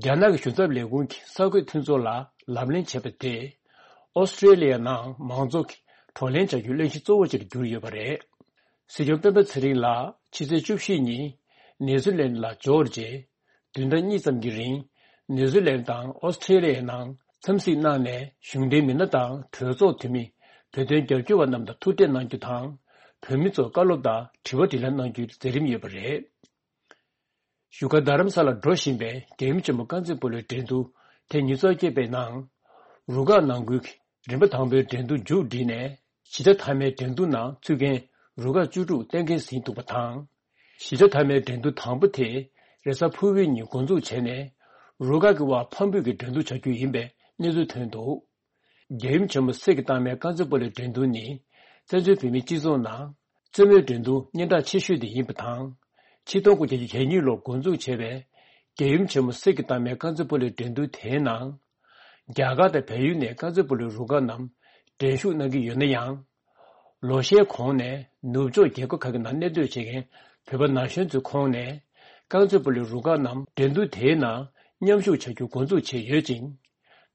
རྒྱ་ནག་གི་གཞུང་ཚབ་ལས་ཁུངས་ཀྱིས་གསར་འགོད་མཐུན་ཚོགས་ལ་ལབ་གླེང་བྱས་པ་དེས། ཨོ་སི་ཀྲེ་ལི་ཡ་ནང་མང་གཙོ་གི་བགྲོ་གླེང་བྱ་རྒྱུའི་གླེང་གཞི་གཙོ་བོ་ཅིག་ཏུ་གྱུར་ཡོད་པ་རེད། སྲིད་སྐྱོང་སྤེན་པ་ཚེ་རིང་ལགས་ཕྱི་ཚེས་བཅུ་བཞི་ཉིན་ནེ་ཛུ་ལན་ལ་འབྱོར་རྗེས། བདུན་ཕྲག་གཉིས་ཙམ་གྱི་རིང་ནེ་ཛུ་ལན་དང་ཨོ་སི་ཀྲེ་ལི་ཡའི་ནང་འཚམས་གཟིགས་གནང་ནས། གཞུང་འབྲེལ་མི་སྣ་དང་གྲོས་ཚོགས་འཐུས་མི། བོད་དོན་རྒྱབ་སྐྱོར་བ་རྣམས་དང་ཐུག་འཕྲད་གནང་རྒྱུ་དང་། བོད་མི་ཚོར་བཀའ་སློབ་དང་དྲི་བ་དྲིས་ལན་གནང་རྒྱུའི་མཛད་རིམ་ཡོད་པ་རེད། བཞུགས་སྒར་རྡ་རམ་ས་ལར་འགྲོ་བཞིན་པའི་རྒྱལ་ཡུམ་ཆེན་མོ་དཀར་མཛེས་སྤོ་ལོའི་འགྲན་བསྡུར་ཐེངས་ཉི་ཤུ་རྩ་བརྒྱད་པའི་ནང་། རུ་ཁག་ནང་ཁུལ་གྱི་རིམ་པ་དང་པོའི་འགྲན་བསྡུར་མཇུག་བསྒྲིལ་ནས། གཞིས་ཆགས་མཐའ་མའི་འགྲན་བསྡུར་ནང་ཚུད་མཁན་རུ་ཁག་བཅུ་དྲུག་གཏན་འཁེལ་ཟིན་འདུག་པ་དང་། གཞིས་ཆགས་མཐའ་མའི་འགྲན་བསྡུར་དང་པོ་དེ་རེས་གཟའ་ཕུར་བུའི་ཉིན་འགོ་འཛུགས་བྱས་ནས། རུ་ཁག་གི་དབར་ཕམ་འབུད་ཀྱི་འགྲན་བསྡུར་བྱ་རྒྱུ་ཡིན་པའི་གནས་ཚུལ་ཐོན་འདུག་རྒྱལ་ཡུམ་ཆེན་མོ་གསེར་གྱི་རྟགས་མའི་དཀར་མཛེས་སྤོ་ལོའི་འགྲན་བསྡུར་ནི། བཙན་བྱོལ་བོད་མིའི་སྤྱི་ཚོགས་ནང་རྩེད་མོའི་འགྲན་བསྡུར་སྙན་གྲགས་ཆེ་ཤོས་དེ་ཡིན་པ་དང་། ཆིག་སྟོང་དགུ་བརྒྱ་གྱ་གཉིས་ལོར་འགོ་འཛུགས་བྱས་པའི་རྒྱལ་ཡུམ་ཆེན་མོ་གསེར་གྱི་རྟགས་མའི་དཀར་མཛེས་སྤོ་ལོའི་འགྲན་བསྡུར་དེའི་ནང་། རྒྱ་གར་དང་བལ་ཡུལ་ནས་དཀར་མཛེས་སྤོ་ལོའི་རུ་ཁག་རྣམས་འགྲན་ཞུགས་གནང་གི་ཡོད་ན་ཡང་། ལོ་ཤས་གོང་ནས་ནུབ་ཕྱོགས་རྒྱལ་ཁབ་ཁག་གི་ནང་གནས་སྡོད་བྱེད་མཁན་བོད་པ་ན་གཞོན་ཚོའི་ཁོངས་ནས། དཀར་མཛེས་སྤོ་ལོའི་རུ་ཁག་རྣམས་འགྲན་བསྡུར་དེའི་ནང་མཉམ་ཞུགས་བྱ་རྒྱུ་འགོ་འཛུགས་བྱས་ཡོད་ཅིང་།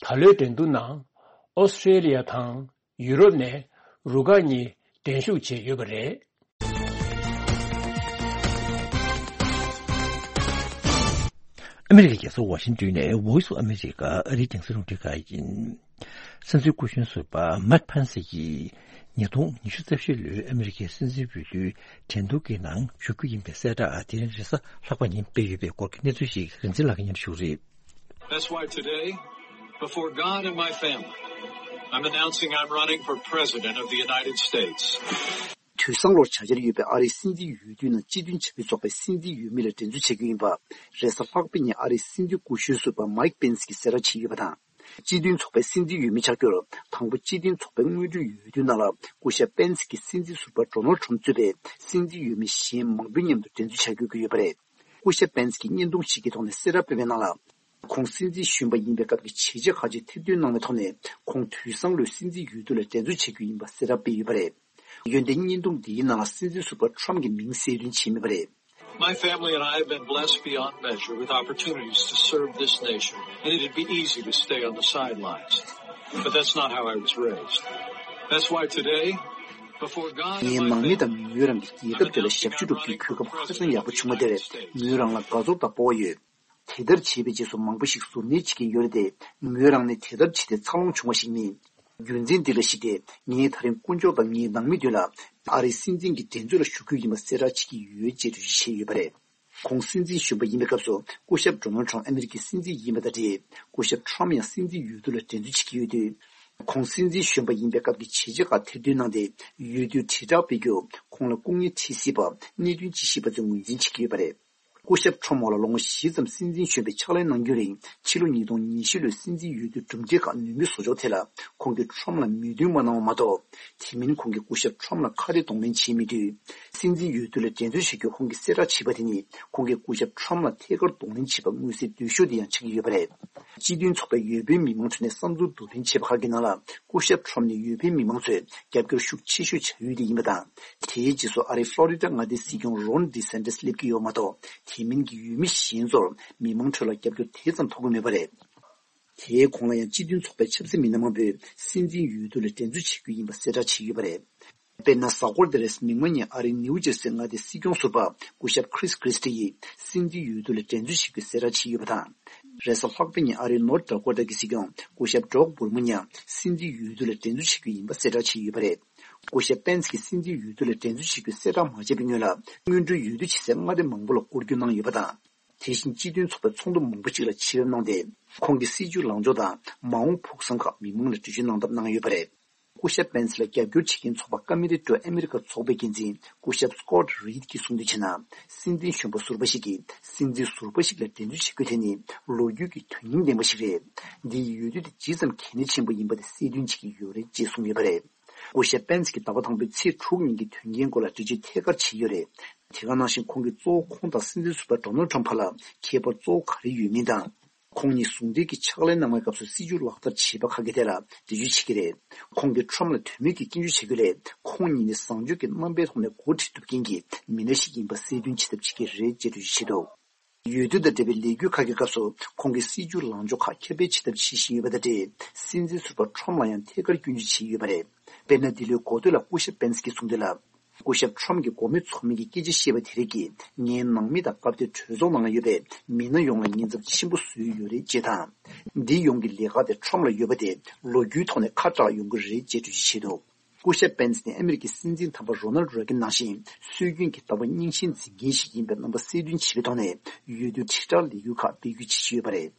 ད་ལོའི་འགྲན་བསྡུར་ནང་ཨོ་སི་ཀྲེ་ལི་ཡ་དང་ཡུ་རོབ་ནས་རུ་ཁག་གཉིས་འགྲན་ཞུགས་བྱས་ཡོད་པ་རེད། ཨ་མི་རི་ཀའི་རྒྱལ་ས་ཝ་ཤིང་ཏོན་ནས་Voice of America་ཨ་རིའི་རྒྱང་སྲིང་རླུང་འཕྲིན་ཁང་ཡིན། སྲིད་འཛིན་སྐུ་གཞོན་ཟུར་པ་མེག་ཕན་སི་ཡིས་ཉིས་སྟོང་ཉི་ཤུ་རྩ་བཞི་ལོའི་ཨ་མི་རི་ཀའི་སྲིད་འཛིན་འོས་བསྡུའི་འགྲན་བསྡུར་གྱི་ནང་ཞུགས་རྒྱུ་ཡིན་པའི་གསལ་བསྒྲགས་དེ་རིང་རེས་གཟའ་ལྷག་པ་ཉིན་སྤེལ་ཡོད་པའི་སྐོར་གྱི་གནས་ཚུལ་ཞིག་རིག་འཛིན་ལགས་ཀྱིས་སྙན་ཞུ་རེད། That's why today, before God and my family, I'm announcing I'm running for President of the United States. དུས་སང་ལོར་བྱ་འཆར་ཡོད་པའི་ཨ་རིའི་སྲིད་འཛིན་འོས་བསྡུའི་ནང་སྤྱི་མཐུན་བྱ་འགུལ་ཚོགས་པའི་སྲིད་འཛིན་འོས་མི་ལ་འགྲན་རྩོད་བྱེད་རྒྱུ་ཡིན་པ། རེས་གཟའ་ལྷག་པའི་ཉིན་ཨ་རིའི་སྲིད་འཛིན་སྐུ་གཞོན་ཟུར་པ་མའིག་པེན་སི་གིས་གསལ་བསྒྲགས་བྱས་ཡོད་པ་དང་། སྤྱི་མཐུན་ཚོགས་པའི་སྲིད་འཛིན་འོས་མི་ཆགས་རྒྱུར། དང་པོ་སྤྱི་མཐུན་ཚོགས་པའི་སྔོན་འགྲོའི་འོས་བསྡུ་ནང་ལ་སྐུ་ཞབས་པེན་སི་གིས་སྲིད་འཛིན་ཟུར་པ་ཌོ་ནལ་ཁྲོམ་གཙོས་པའི་སྲིད་འཛིན་འོས་མི་གཞན་མང་པོའི་མཉམ་དུ་འགྲན་རྩོད་བྱ་རྒྱུ་ཡོད་པ་རེད། སྐུ་ཞབས་པེན་སི་གིས་བརྙན་ཐུང་ཞིག་གི་ཐོག་ནས་གསལ་བསྒྲགས་སྤེལ་བའི་ནང་ལ། ཁོང་སྲིད་འཛིན་གཞོན་པ་ཡིན་པའི་སྐབས་ཀྱི་བྱས་རྗེས་ཁག་ཅིག་ཐེར་འདོན་གནང་བའི་ཐོག་ནས། ཁོང་དུས་སང་ལོའི་སྲིད་འཛིན་འོས་བསྡུ་ལ་འགྲན་རྩོད་བྱེད་རྒྱུ་ཡིན་པ་གསལ་བསྒྲགས་སྤེལ་ཡོད་པ་རེད། ཡོན་ཏན་བརྙན་ཐུང་འདིའི་ནང་ལ་སྲིད་འཛིན་ཟུར་པ་ཁྲོམ་གྱི་མིང་གསལ་སྟོན་བྱས་མེད་པ་རེད། My family and I have been blessed beyond measure with opportunities to serve this nation, and it'd be easy to stay on the sidelines. But that's not how I was raised. That's why today, before God and ངའི་my ནང་མི་དང་མོས་རང་གི་རྒྱལ་ཁབ་དེ་ལ་ཞབས་ཞུ་སྒྲུབ་རྒྱུའི་གོ་སྐབས་ཧ་ཅང་ཡག་པོ་བྱུང་བ་དེར་མོས་རང་ལ་དགའ་ཚོར་དང་སྤོབས་པ་ཡོད། དེ་ལྟར་བྱས་པའི་རྗེས་སུ་མང་པོ་ཞིག་གཟུར་གནས་བྱེད་ཀྱིན་ཡོད་རེད་དེ། མོས་རང་ནི་དེ་ལྟར་བྱས་ཏེ་འཚར་ལོངས་བྱུང་བ་ཞིག་མིན། རྒྱུ་མཚན་འདི་ལ་གཞིགས་ཏེ་ངས་ད་རིང་དཀོན་མཆོག་དང་ངའི་ནང་མི་མདུན་ལ་ཨ་རིའི་སྲིད་འཛིན་གྱི་འགྲན་རྩོད་ལ་ཞུགས་རྒྱུ་ཡིན་པ་གསལ་བསྒྲགས་བྱེད་ཀྱི་ཡོད་ཅེས་འགྲེལ་བརྗོད་བྱས་ཡོད་པ་རེད། ཁོང་སྲིད་འཛིན་གཞོན་པ་ཡིན་པའི་སྐབས་སུ་སྐུ་ཞབས་ཌོ་ནལ་ཁྲམ་ཨ་མི་རི་ཀའི་སྲིད་འཛིན་ཡིན་པ་དང་འབྲེལ། སྐུ་ཞབས་ཁྲམ་ཡང་སྲིད་འཛིན་འོས་བསྡུ་ལ་འགྲན་བསྡུར་བྱེད་ཀྱི་ཡོད་དུས། ཁོང་སྲིད་འཛིན་གཞོན་པ་ཡིན་པའི་སྐབས་ཀྱི་བྱས་རྗེས་ཁག་ཐེར་འདོན་གནང་སྟེ། འོས་བསྡུའི་དྲིལ་བསྒྲགས་སྤེལ་རྒྱུ། ཁོང་ལ་སྐུ་ངལ་འཕྲད་སྲིད་པ། གནད་དོན་ཅི་ཞིག་པ་ཚོས་ངོས་འཛིན་བྱེད་ཀྱི་ཡོད་པ་རེད། སྐུ་ཞབས་ཁྲོམ་འོག་ལ་ལོ་ངོ་བཞི་ཙམ་སྲིད་འཛིན་གཞོན་པའི་ཕྱག་ལས་གནང་རྒྱུན་རིང་། ཕྱི་ལོ་ཉིས་སྟོང་ཉི་ཤུ་ལོའི་སྲིད་འཛིན་འོས་བསྡུའི་གྲུབ་འབྲས་ཁག་ནུས་མེད་བཟོ་ཕྱོགས་ཐད་ལ། ཁོང་གིས་ཁྲོམ་ལ་མོས་མཐུན་མ་གནང་བ་མ་གཏོགས། དེ་མིན་ཁོང་གིས་སྐུ་ཞབས་ཁྲོམ་ལ་ཁ་གཏད་གདོང་ལེན་བྱས་མེད་དུས། སྲིད་འཛིན་འོས་བསྡུ་ལ་འགྲན་རྩོད་བྱེད་རྒྱུར་ཁོང་གིས་གསལ་བསྒྲགས་བྱས་པ་དེ་ནི། ཁོང་གིས་སྐུ་ཞབས་ཁྲོམ་ལ་ཐད་ཀར་གདོང་ལེན་བྱས་པ་མངོན་གསལ་དོད་ཤོས་དེ་ཡང་ཆགས་ཀྱི་ཡོད་པ་རེད། སྤྱི་མཐུན་ཚོགས་པའི་འོས་འཕེན་མི་མང་ཁྲོད་ནས་བསམ་ཚུལ་བསྡུར་ལེན་བྱས་པ་ཁག་གི་ནང་ལ། སྐུ་ཞབས་ཁྲོམ་ནི་འོས་འཕེན་མི་མང་ཚོས་རྒྱབ་སྐྱོར་ཤུགས་ཆེ་ཤོས་བྱ་ཡུལ་དེ་ཡིན་པ་དང་། དེའི་རྗེས་སུ་ཨ་རིའི་ཕློ་རི་ཌ་མངའ་སྡེའི་སྲིད་སྐྱོང་རོན་ཌི་སན་ཏིས་སླེབས་ཀྱི་ཡོད་མ་གཏོགས། དེ་མིན་གྱི་འོས་མི་གཞན་ཚོར་མི་མང་ཁྲོད་ལ་རྒྱབ་སྐྱོར་དེ་ཙམ་ཐོབ་ཀྱི་མེད་པ་རེད། དེའི་གོང་ལ་ཡང་སྤྱི་མཐུན་ཚོགས་པའི་ཆབ་སྲིད་མི་སྣ་མང་པོས་སྲིད་འཛིན་འོས་བསྡུ་ལ་འགྲན་རྩོད་བྱེད་རྒྱུ་ཡིན་པ་གསལ་བསྒྲགས་བྱས་ཡོད་པ་རེད། དཔེར་ན། གཟའ་འཁོར་འདིར་མིག་དམར་ཉིན་ཨ་རིའི་ནིའུ་ཇར་སི་མངའ་སྡེའི་སྲིད་སྐྱོང་ཟུར་པ་སྐུ་ཞབས་ཁྲིས་ཁྲི་སི་ཊི་ཡིས་སྲིད་འཛིན་འོས་བསྡུ་ལ་འགྲན་རྩོད་བྱེད་རྒྱུའི་གསལ་བསྒྲགས་བྱས་ཡོད་པ་དང་། རེས་གཟའ་ལྷག་པའི་ཉིན་ཨ་རིའི་ནོར་ཐ་ཌ་ཀོ་ཊ་གི་སྲིད་སྐྱོང་སྐུ་ཞབས་ཌོག་བྷུར་མ་ཡང་སྲིད་འཛིན་འོས་བསྡུ་ལ་འགྲན་རྩོད་བྱེད་རྒྱུ་ཡིན་པ་གསལ་བསྒྲགས་བྱས་ཡོད་པ་རེད། སྐུ་ཞབས་པེན་སི་གིས་སྲིད་འཛིན་འོས་བསྡུ་ལ་འགྲན་རྩོད་བྱེད་རྒྱུའི་གསལ་བསྒྲགས་མ་བྱས་པའི་སྔོན་ལ། སྔོན་འགྲོའི་འོས་བསྡུ་བྱེད་སའི་མངའ་སྡེ་མང་པོ་ལ་སྐོར་སྐྱོད་གནང་ཡོད་པ་དང་། དེ་བཞིན་སྤྱི་མཐུན་ཚོགས་པའི་ཚོགས་འདུ་མང་པོ་ཅིག་ལ་ཆེད་ཕེབས་གནང་སྟེ། ཁོང་གི་སྲིད་བྱུས་ལངས་ཕྱོགས་དང་མ་འོངས་ཕུགས་བསམ་ཁག་མི་མང་ལ་འགྲེལ་བརྗོད་གནང་ཐབས་གནང་ཡོད་པ་རེད། སྐུ་ཞབས་པེན་སི་ལ་རྒྱབ་སྐྱོར་བྱེད་མཁན་ཚོགས་པ་ཀ་མི་ཊི་ཊུ་ཨ་མི་རི་ཀ་ཚོགས་པའི་འགན་འཛིན་སྐུ་ཞབས་སྐོད་རིད་ཀྱིས་གསུངས་དོན་བྱས་ན། སྲིད་འཛིན་གཞོན་པ་ཟུར་པ་ཞིག་གིས་སྲིད་འཛིན་ཟུར་པ་ཞིག་ལ་འགྲན་རྩོད་བྱེད་དགོས་དེ་ནི་ལོ་རྒྱུས་ཀྱི་དོན་སྙིང་ལྡན་པ་ཞིག་རེད། འདི་ཡི་འོས་བསྡུ་དེ་ཇི་ཙམ་གལ་གནད་ཆེན་པོ་ཡིན་པ་དེ་གསལ་སྟོན་བྱེད་ཀྱི་ཡོད་རེད་ཅེས་གསུངས་ཡོད་པ་རེད། སྐུ་ཞབས་པེན་སི་གིས་ཟླ་བ་དང་པོའི་ཚེས་དྲུག་ཉིན་གྱི་དོན་རྐྱེན་སྐོར་ལ་འགྲེལ་བརྗོད་ཐད་ཀར་བྱས་ཡོད་རེད། དེ་ག་ནང་བཞིན་ཁོང་གིས་གཙོ་བོ་ཁོང་དང་སྲིད་འཛིན་ཟུར་པ་ཌོ་ནལ་ཁྲམ་བར་ལ་ཁྱད་པར་གཙོ་བོ་ག་རེ་ཡོད་མིན་དང་། ཁོང་ཉིད་ཟུང་འབྲེལ་གྱི་ཕྱག་ལས་གནང་བའི་སྐབས་སུ་སྲིད་བྱུས་ལག་བསྟར་བྱས་པ་ཁག་གི་ཐད་ལ་འགྲེལ་བརྗོད་བྱེད་ཀྱི་རེད། ཁོང་གིས་ཁྲམ་ལ་དོན་མེད་ཀྱི་སྐྱོན་བརྗོད་བྱ་རྒྱུ་ལས། ཁོང་ཉིད་ནི་བཟང་སྤྱོད་ཀྱི་རྣམ་པའི་ཐོག་ནས་འགོ་ཁྲིད་ཐུབ་མཁན་གྱི་མི་སྣ་ཞིག་ཡིན་པ་གསལ་སྟོན་བྱེད་ཐབས་བྱེད་ཀྱི་རེད་ཅེས་འགྲེལ་བརྗོད་བྱས་འདུག་འོས་བསྡུ་དང་འབྲེལ་བའི་ལས་འགུལ་ཁག་གི་སྐབས་སུ་ཁོང་གིས་སྲིད་བྱུས་ལངས་ཕྱོགས་ཁག་ཁྱབ་སྤེལ་བྱེད་ཐབས་བྱེད་བཞིན་ཡོད་པ་དང་འབྲེལ། སྲིད་འཛིན་ཟུར་པ་ཁྲོམ་ལ་ཡང་ཐད་ཀར་སྐྱོན་བརྗོད་བྱས་ཡོད་པ་རེད། དཔེར་ན། འདི་ལོའི་འགོ་སྟོད་ལ་སྐུ་ཞབས་པེན་སི་གིས་གསུངས་དོན་ལ། སྐུ་ཞབས་ཁྲོམ་གྱི་འགོ་དམངས་ཚོགས་མི་གི་སྐད་ཆ་བཤད་པ་དེ་རིགས་ཀྱིས་ངའི་ནང་མི་དང་སྐབས་དེར་གྲོས་ཚོགས་ནང་ལ་ཡོད་པའི་མི་སྣ་ཡོངས་ལ་ཉེན་ཚབས་ཆེན་པོ་བཟོས་ཡོད་རེད་ཅེས་དང་། འདི་ཡོངས་ཀྱི་ལས་ཀ་དེ་ཁྲོམ་ལ་ཡོད་པ་དེ་ལོ་རྒྱུས་ཐོག་ནས་ཁ་གྲག་ཡོང་གི་རེད་ཅེས་འགྲེལ་བརྗོད་བྱས་འདུག་སྐུ་ཞབས་པེན་སི་ནི་ཨ་མི་རི་ཀའི་སྲིད་འཛིན་དམ་པ་རོ་ནལ་རེ་གན་ནང་བཞིན་སྲོལ་རྒྱུན་གྱི་ལྟ་བ་རྙིང་ཞེན་འཛིན་མཁན་ཞིག་ཡིན་པའི་རྣམ་པ་གསལ་སྟོན་བྱེད་པའི་ཐོག་ནས་འོས་བསྡུ་དྲིལ་བསྒྲགས་ལས་འགུལ་ཁག་སྤེལ་རྒྱུའི་འཆར་གཞི་ཡོད་པ་རེད།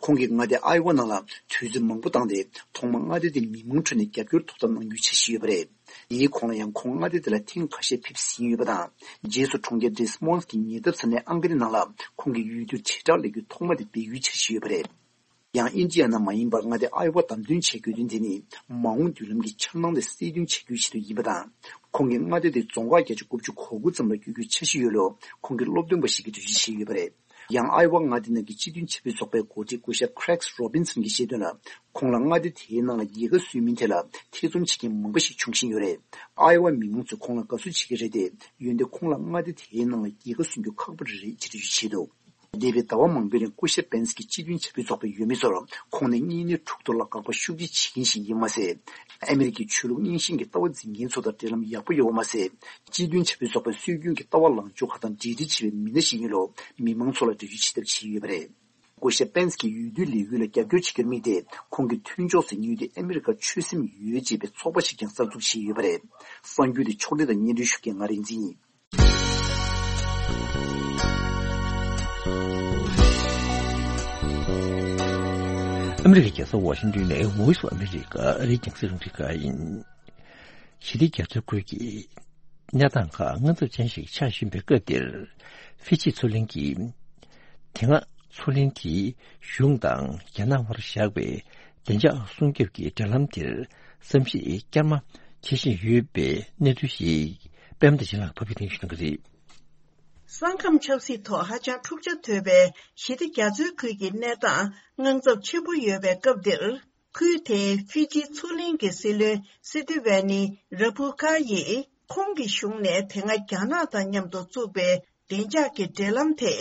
ཁོང་གིས་མངའ་སྡེ་ཨའི་ཝ་ནང་ལ་དུས་ཚོད་མང་པོ་བཏང་སྟེ། ཐོག་མར་མངའ་སྡེ་དེའི་མི་མང་ཁྲོད་ནས་རྒྱབ་སྐྱོར་ཐོབ་ཐབས་གནང་རྒྱུའི་འཆར་གཞི་ཡོད་པ་རེད། དེའི་གོང་ལ་ཡང་ཁོང་མངའ་སྡེ་དེ་ལ་ཐེངས་ཁ་ཤས་ཕེབས་ཟིན་ཡོད་པ་དང་། རྗེས་སུ་གྲོང་ཁྱེར་ཌེ་སི་མོན་སི་གི་ཉེ་འདབས་ས་གནས་ཨང་ཀ་རི་ནང་ལ་ཁོང་གིས་འོས་བསྡུ་དྲིལ་བསྒྲགས་ལས་འགུལ་ཐོག་མ་དེ་སྤེལ་རྒྱུའི་འཆར་གཞི་ཡོད་པ་རེད། ཡང་ཨིན་ཌི་ཡ་ན་མ་ཡིན་པར་མངའ་སྡེ་ཨའི་ཝ་བདམས་ཐོན་བྱེད་དགོས་དོན་དེ་ནི། མ་འོངས་མདུན་ལམ་གྱི་འཆར་སྣང་དེ་གསལ་སྟོན་བྱ་རྒྱུའི་ཆེད་དུ་ཡིན་པ་དང་། ཁོང་གིས་མངའ་སྡེ་དེ་རྫོང་ཁག་བརྒྱ་ཆ་དགུ་བཅུ་གོ་དགུ་ཙམ་ལ་བསྒྱུར་རྒྱུའི་འཆར་གཞི་ཡོད་ལུགས་ཁོང་གི་སློབ་སྟོན་པ་ཞིག་གིས་འགྲེལ་བརྗོད་བྱས་ཡོད་པ་རེད། ཡང་ཨའི་ཝ་མངའ་སྡེ་ནང་གི་སྤྱི་མཐུན་ཆབ་སྲིད་ཚོགས་པའི་འགོ་ཁྲིད་སྐུ་ཞབས་ཁྲེག་རོ་བིན་སན་གྱིས་བཤད་དོན་ལ། ཁོང་ལ་མངའ་སྡེ་དེའི་ནང་ལ་རྒྱལ་ཁ་སུས་མིན་ཐད་ལ་ཐེ་ཚོམ་བྱེད་མཁན་མང་པོ་ཞིག་འབྱུང་བཞིན་ཡོད་རེད། ཨའི་ཝ་མི་མང་ཚོས་ཁོང་ལ་དགའ་བསུ་བྱེད་ཀྱི་རེད་དེ། འོན་ཏེ་ཁོང་ལ་མངའ་སྡེ་དེའི་ནང་ལ་རྒྱལ་ཁ་སུན་རྒྱུ་ཁག་པོ་རེད་ཅེས་འགྲེལ་བརྗོད་བྱས་འདུག་འདས་པའི་ཟླ་བ་མང་པོའི་རིང་སྐུ་ཞབས་པེན་སི་གིས་སྤྱི་མཐུན་ཆབ་སྲིད་ཚོགས་པའི་འོས་མི་ཚོར་ཁོང་ནི་གཉིས་སྣེ་དྲུག་ཐོག་ལ་དགག་པ་ཤུགས་ཆེ་བྱེད་མཁན་ཞིག་ཡིན་མ་ཟད། ཨ་མི་རི་ཀའི་ཆོས་ལུགས་རྙིང་ཞེན་གྱི་ལྟ་བ་འཛིན་མཁན་ཚོ་དང་འབྲེལ་ལམ་ཡག་པོ་ཡོད་པ་མ་ཟད། སྤྱི་མཐུན་ཆབ་སྲིད་ཚོགས་པའི་སྲོལ་རྒྱུན་གྱི་ལྟ་བ་ལངས་ཕྱོགས་ཁག་དང་འབྲེལ་འདྲིས་ཆེ་བའི་མི་སྣ་ཞིག་ཡིན་ལུགས་མི་མང་ཚོ་ལ་འགྲེལ་བརྗོད་བྱེད་ཐབས་བྱས་ཡོད་པ་རེད། སྐུ་ཞབས་པེན་སི་གིས་འོས་བསྡུའི་ལས་འགུལ་ལ་རྒྱབ་སྐྱོར་བྱེད་རྒྱུར་དམིགས་ཏེ། ཁོང་གི་མཐུན་ཕྱོགས་སུ་ཉེ་དུས་ཨ་མི་རི་ཀར་ཆོས་སེམས་ཡོད་ཅེས་པའི་ཚོགས་པ་ཞིག་ཀྱང་གསར་འཛུགས་བྱས་ཡོད་པ་རེད། གསར་འགྱུར་དེ་ཕྱོགས་སྒྲིག་དང་སྙན་སྒྲོན་ཞུ་མཁན་ང་རིག་འཛིན་ཡིན། ཨ་མི་རི་ཀའི་རྒྱལ་ས་ཝ་ཤིང་ཏོན་ནས་Voice of America ཨ་རིའི་རྒྱང་སྲིང་རླུང་འཕྲིན་ཁང་ཡིན། ཞི་བདེ་རྒྱ་མཚོའི་ཁུལ་གྱི་གནས་སྟངས་ཁག་དངངས་འཚབ་ཅན་ཞིག་ཆགས་བཞིན་པའི་སྐབས་འདིར། ཧྥི་ཇི་མཚོ་གླིང་གིས་དེ་སྔ་མཚོ་གླིང་དེའི་གཞུང་དང་རྒྱ་ནག་དབར་བཞག་པའི་བདེ་འཇགས་སྲུང་སྐྱོབ་ཀྱི་འབྲེལ་ལམ་དེར་བསམ་གཞིག་བསྐྱར་མ་བྱེད་བཞིན་ཡོད་པའི་གནས་ཚུལ་ཞིག་པད་མ་བདེ་ཆེན་ལགས་ཕབ་སྒྱུར་གནང་ཞུ་གནང་གི་རེད། ས་ཁམས་ཆབ་སྲིད་ཐོག་ཧ་ཅང་འཁྲུག་ཆ་དོད་པའི་ཞི་བདེ་རྒྱ་མཚོའི་ཁུལ་གྱི་གནས་སྟངས་དངངས་འཚབ་ཆེན་པོ་ཡོད་པའི་སྐབས་འདིར། ཁུལ་དེའི་ཧྥི་ཇི་མཚོ་གླིང་གི་སྲིད་བློན་སི་ཏི་ཝེ་ནི་ར་བྷུ་ཁ་ཡིས་ཁོང་གི་གཞུང་ནས་དེ་སྔ་རྒྱ་ནག་དང་མཉམ་དུ་བཙུགས་པའི་བདེ་འཇགས་ཀྱི་འབྲེལ་ལམ་དེ་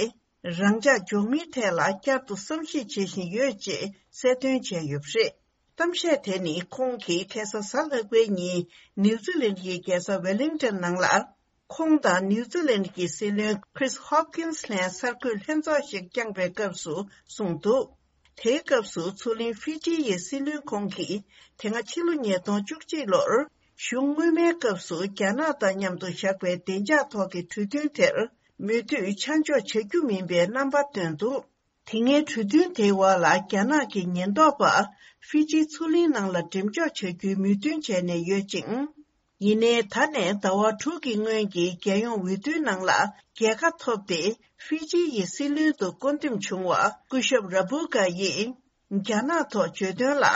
རང་འཇགས་འཇོག་མིན་ཐད་ལ་བསྐྱར་དུ་བསམ་གཞིག་བྱེད་བཞིན་ཡོད་ཅེས་གསལ་སྟོན་བྱས་ཡོད་པ་རེད། གཏམ་བཤད་དེ་ནི་ཁོང་གིས་ཁ་སང་གཟའ་ལྷག་པའི་ཉིན་ནིའུ་ཛི་ལན་གྱི་རྒྱལ་ས་ཝེ་ལིང་ཏོན་ནང་ལ། ཁོང་དང་ནིའུ་ཛི་ལན་གྱི་སྲིད་བློན་Chris Hopkins ལྷན་གསར་འགོད་ལྷན་ཚོགས་ཤིག་བསྐྱངས་པའི་སྐབས་སུ་གསུངས་འདུག་དེའི་སྐབས་སུ་མཚོ་གླིང་ཧྥི་ཇི་ཡི་སྲིད་བློན་ཁོང་གིས་དེ་སྔ་ཕྱི་ལོ་ཉིས་སྟོང་བཅུ་གཅིག་ལོར་གཞུང་སྔོན་མའི་སྐབས་སུ་རྒྱ་ནག་དང་མཉམ་དུ་བཞག་པའི་བདེ་འཇགས་ཐོག་གི་གྲོས་མཐུན་དེར་ མོས་མཐུན་ཆ་འཇོག་བྱ་རྒྱུ་མིན་པའི་རྣམ་པ་བཏོན་འདུག། དེ་སྔའི་གྲོས་མཐུན་དེའི་འོག་ལ་རྒྱ་ནག་གི་ཉེན་རྟོག་པ་ཧྥི་ཇིའི་མཚོ་གླིང་ནང་ལ་འགྲེམས་འཇོག་བྱ་རྒྱུའི་མོས་མཐུན་བྱས་ནས་ཡོད་ཅིང་། ཡིན་ནའི་ད་ནས་ཟླ་བ་དྲུག་གི་སྔོན་གྱི་རྒྱལ་ཡོངས་འོས་བསྡུའི་ནང་ལ་རྒྱལ་ཁ་ཐོབ་སྟེ་ཧྥི་ཇི་ཡི་སྲིད་བློན་དུ་བསྐོ་འདེམས་བྱུང་བ་སྐུ་ཞབས་ར་བུ་ག་ཡིས་རྒྱ་ནག་ཐོག་བརྗོད་དོན་ལ།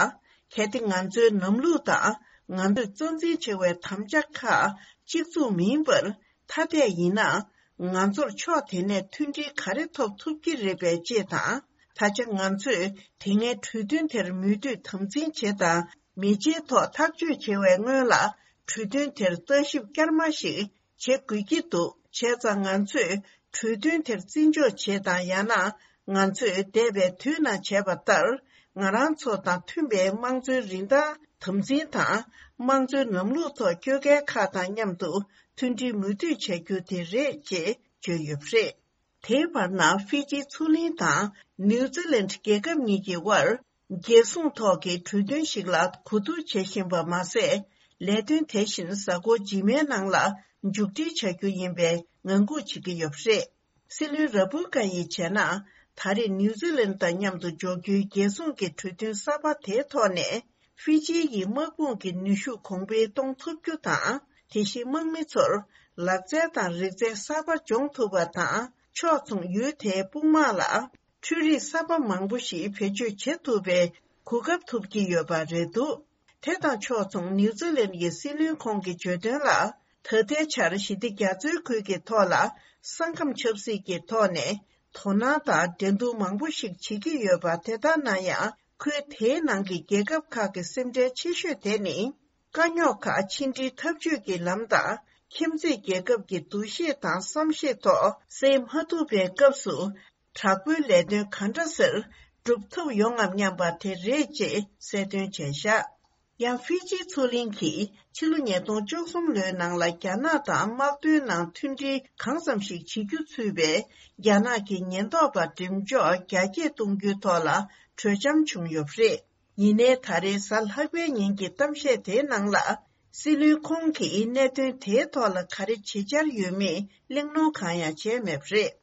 གལ་ཏེ་ང་ཚོའི་ལམ་ལུགས་དང་ང་ཚོས་གཙོ་འཛིན་བྱེད་པའི་དམ་བཅའ་ཁག་གཅིག་མཚུངས་མིན་པར་ཐ་དད་ཡིན་ན། ང་ཚོར་ཕྱོགས་དེ་ནས་མཐུན་སྒྲིལ་ག་རེ་ཐོབ་ཐུབ་ཀྱི་རེད་པས་ཅེས་དང་། ད་ཆ་ང་ཚོས་དེ་སྔའི་གྲོས་མཐུན་དེར་མོས་མཐུན་དམ་འཛིན་བྱེད་དང་མི་བྱེད་ཐོག་ཐག་གཅོད་བྱེད་པའི་སྔོན་ལ། གྲོས་མཐུན་དེར་ལྟ་ཞིབ་བསྐྱར་མ་ཞིག་བྱེད་དགོས་ཀྱི་འདུག། བྱས་ཙང་ང་ཚོས་གྲོས་མཐུན་དེར་བརྩི་འཇོག་བྱེད་དང་། ཡང་ན་ང་ཚོས་འདས་པའི་དུས་ནང་བྱས་པ་ལྟར། ང་རང་ཚོ་དང་མཐུན་པའི་དམངས་གཙོའི་རིན་ཐང་དམ་འཛིན་དང་། དམངས་གཙོའི་ལམ་ལུགས་ཐོག་སྐྱོད་མཁན་ཁག་དང་མཉམ་དུ་མཐུན་སྒྲིལ་མོས་མཐུན་བྱ་རྒྱུ་དེ་རེད་ཅེས་བརྗོད་ཡོད་པ་རེད། དེའི་བར་ན་ཧྥི་ཇི་མཚོ་གླིང་དང་ནིའུ་ཛི་ལན་རྒྱལ་ཁབ་གཉིས་ཀྱི་དབར་རྒྱལ་སྲུང་ཐོག་གི་གྲོས་མཐུན་ཞིག་ལ་གོ་བསྡུར་བྱེད་བཞིན་པ་མ་ཟད། ལས་དོན་དེ་བཞིན་གཟའ་འཁོར་རྗེས་མའི་ནང་ལ་མཇུག་སྒྲིལ་བྱ་རྒྱུ་ཡིན་པའི་ངང་སྒུག་བྱེད་ཀྱི་ཡོད་པ་རེད། སྲིད་བློན་ར་བུ་ཀ་ཡིས་བྱས་ན། ད་རེས་ནིའུ་ཛི་ལན་དང་མཉམ་དུ་འཇོག་རྒྱུའི་རྒྱལ་སྲུང་གི་གྲོས་མཐུན་གསར་པ་དེའི་ཐོག་ནས། ཧྥི་ཇི་ཡི་དམག་དཔུང་གི་ནུས་ཤུགས་གོང་འཕེལ་གཏོང་ཐུབ་རྒྱུ་དང་། དེ་བཞིན་དམག་མི་ཚོར་ལག་རྩལ་དང་རིག་རྩལ་གསར་པ་སྦྱོང་ཐུབ་པ་དང་། ཕྱོགས་མཚུངས་ཡུལ་དེའི་དཔུང་དམག་ལ་འཕྲུལ་རིག་གསར་པ་མང་པོ་ཞིག་བེད་སྤྱོད་བྱེད་ཐུབ་པའི་གོ་སྐབས་ཐོབ་ཀྱི་ཡོད་པ་རེད་འདུག། དེ་དང་ཕྱོགས་མཚུངས་ནིའུ་ཛི་ལན་གྱི་སྲིད་བློན་ཁོང་གིས་བརྗོད་དོན་ལ། ད་ལྟའི་ཆར་ཞི་བདེ་རྒྱ་མཚོའི་ཁུལ་གྱི་ཐོག་ལ་ས་ཁམས་ཆབ་སྲིད་ཀྱི་ཐོག་ནས་དོ་སྣང་དང་འགྲན་བསྡུར་མང་པོ་ཞིག་བྱེད་ཀྱི་ཡོད་པ། དེ་ལྟར་ན་ཡང་། ཁུལ་དེའི་ནང་གི་རྒྱལ་ཁབ་ཁག་གི་སེམས་ཁྲལ་ཆེ་ཤོས་དེ་ནི། དཀའ་རྙོག་ཁག་ཕྱི་འབྲེལ་འཐབ་ཇུས་ཀྱི་ལམ་དང་། ཁྱིམ་མཚེས་རྒྱལ་ཁབ་ཀྱི་འདུ་ཤེས་དང་བསམ་ཤེས་ཐོག་སེལ་མ་ཐུབ་པའི་སྐབས་སུ། དྲག་པོའི་ལས་དོན་ག་འདྲ་སེ་སྒྲུབ་ཐུབ་ཡོང་ངམ་སྙམ་པ་དེ་རེད་ཅེས་གསལ་སྟོན་བྱས་བཞག། ཡང་ཧྥི་ཇི་མཚོ་གླིང་གིས་ཕྱི་ལོ་ཉིས་སྟོང་བཅུ་གསུམ་ལོའི་ནང་ལ་རྒྱ་ནག་དང་དམག་དོན་ནང་མཐུན་སྒྲིལ་གང་འཚམ་ཞིག་བྱེད་རྒྱུ་ཚུད་པའི་རྒྱ་ནག་གི་ཉེན་རྟོག་པ་འགྲེམས་འཇོག་རྒྱ་སྐྱེད་གཏོང་རྒྱུའི་ཐོག་ལ་གྲོས་འཆམ་བྱུང་ཡོད་པ་རེད། ཡིན་ནའི་ད་རེས་གཟའ་ལྷག་པའི་ཉིན་གྱི་གཏམ་བཤད་དེའི་ནང་ལ། སྲིད་བློན་ཁོང་གིས་གནད་དོན་དེའི་ཐོག་ལ་ག་རེ་བྱེད་འཆར་ཡོད་མེད་གླེང་སློང་གང་ཡང་བྱས་མེད་པ་རེད།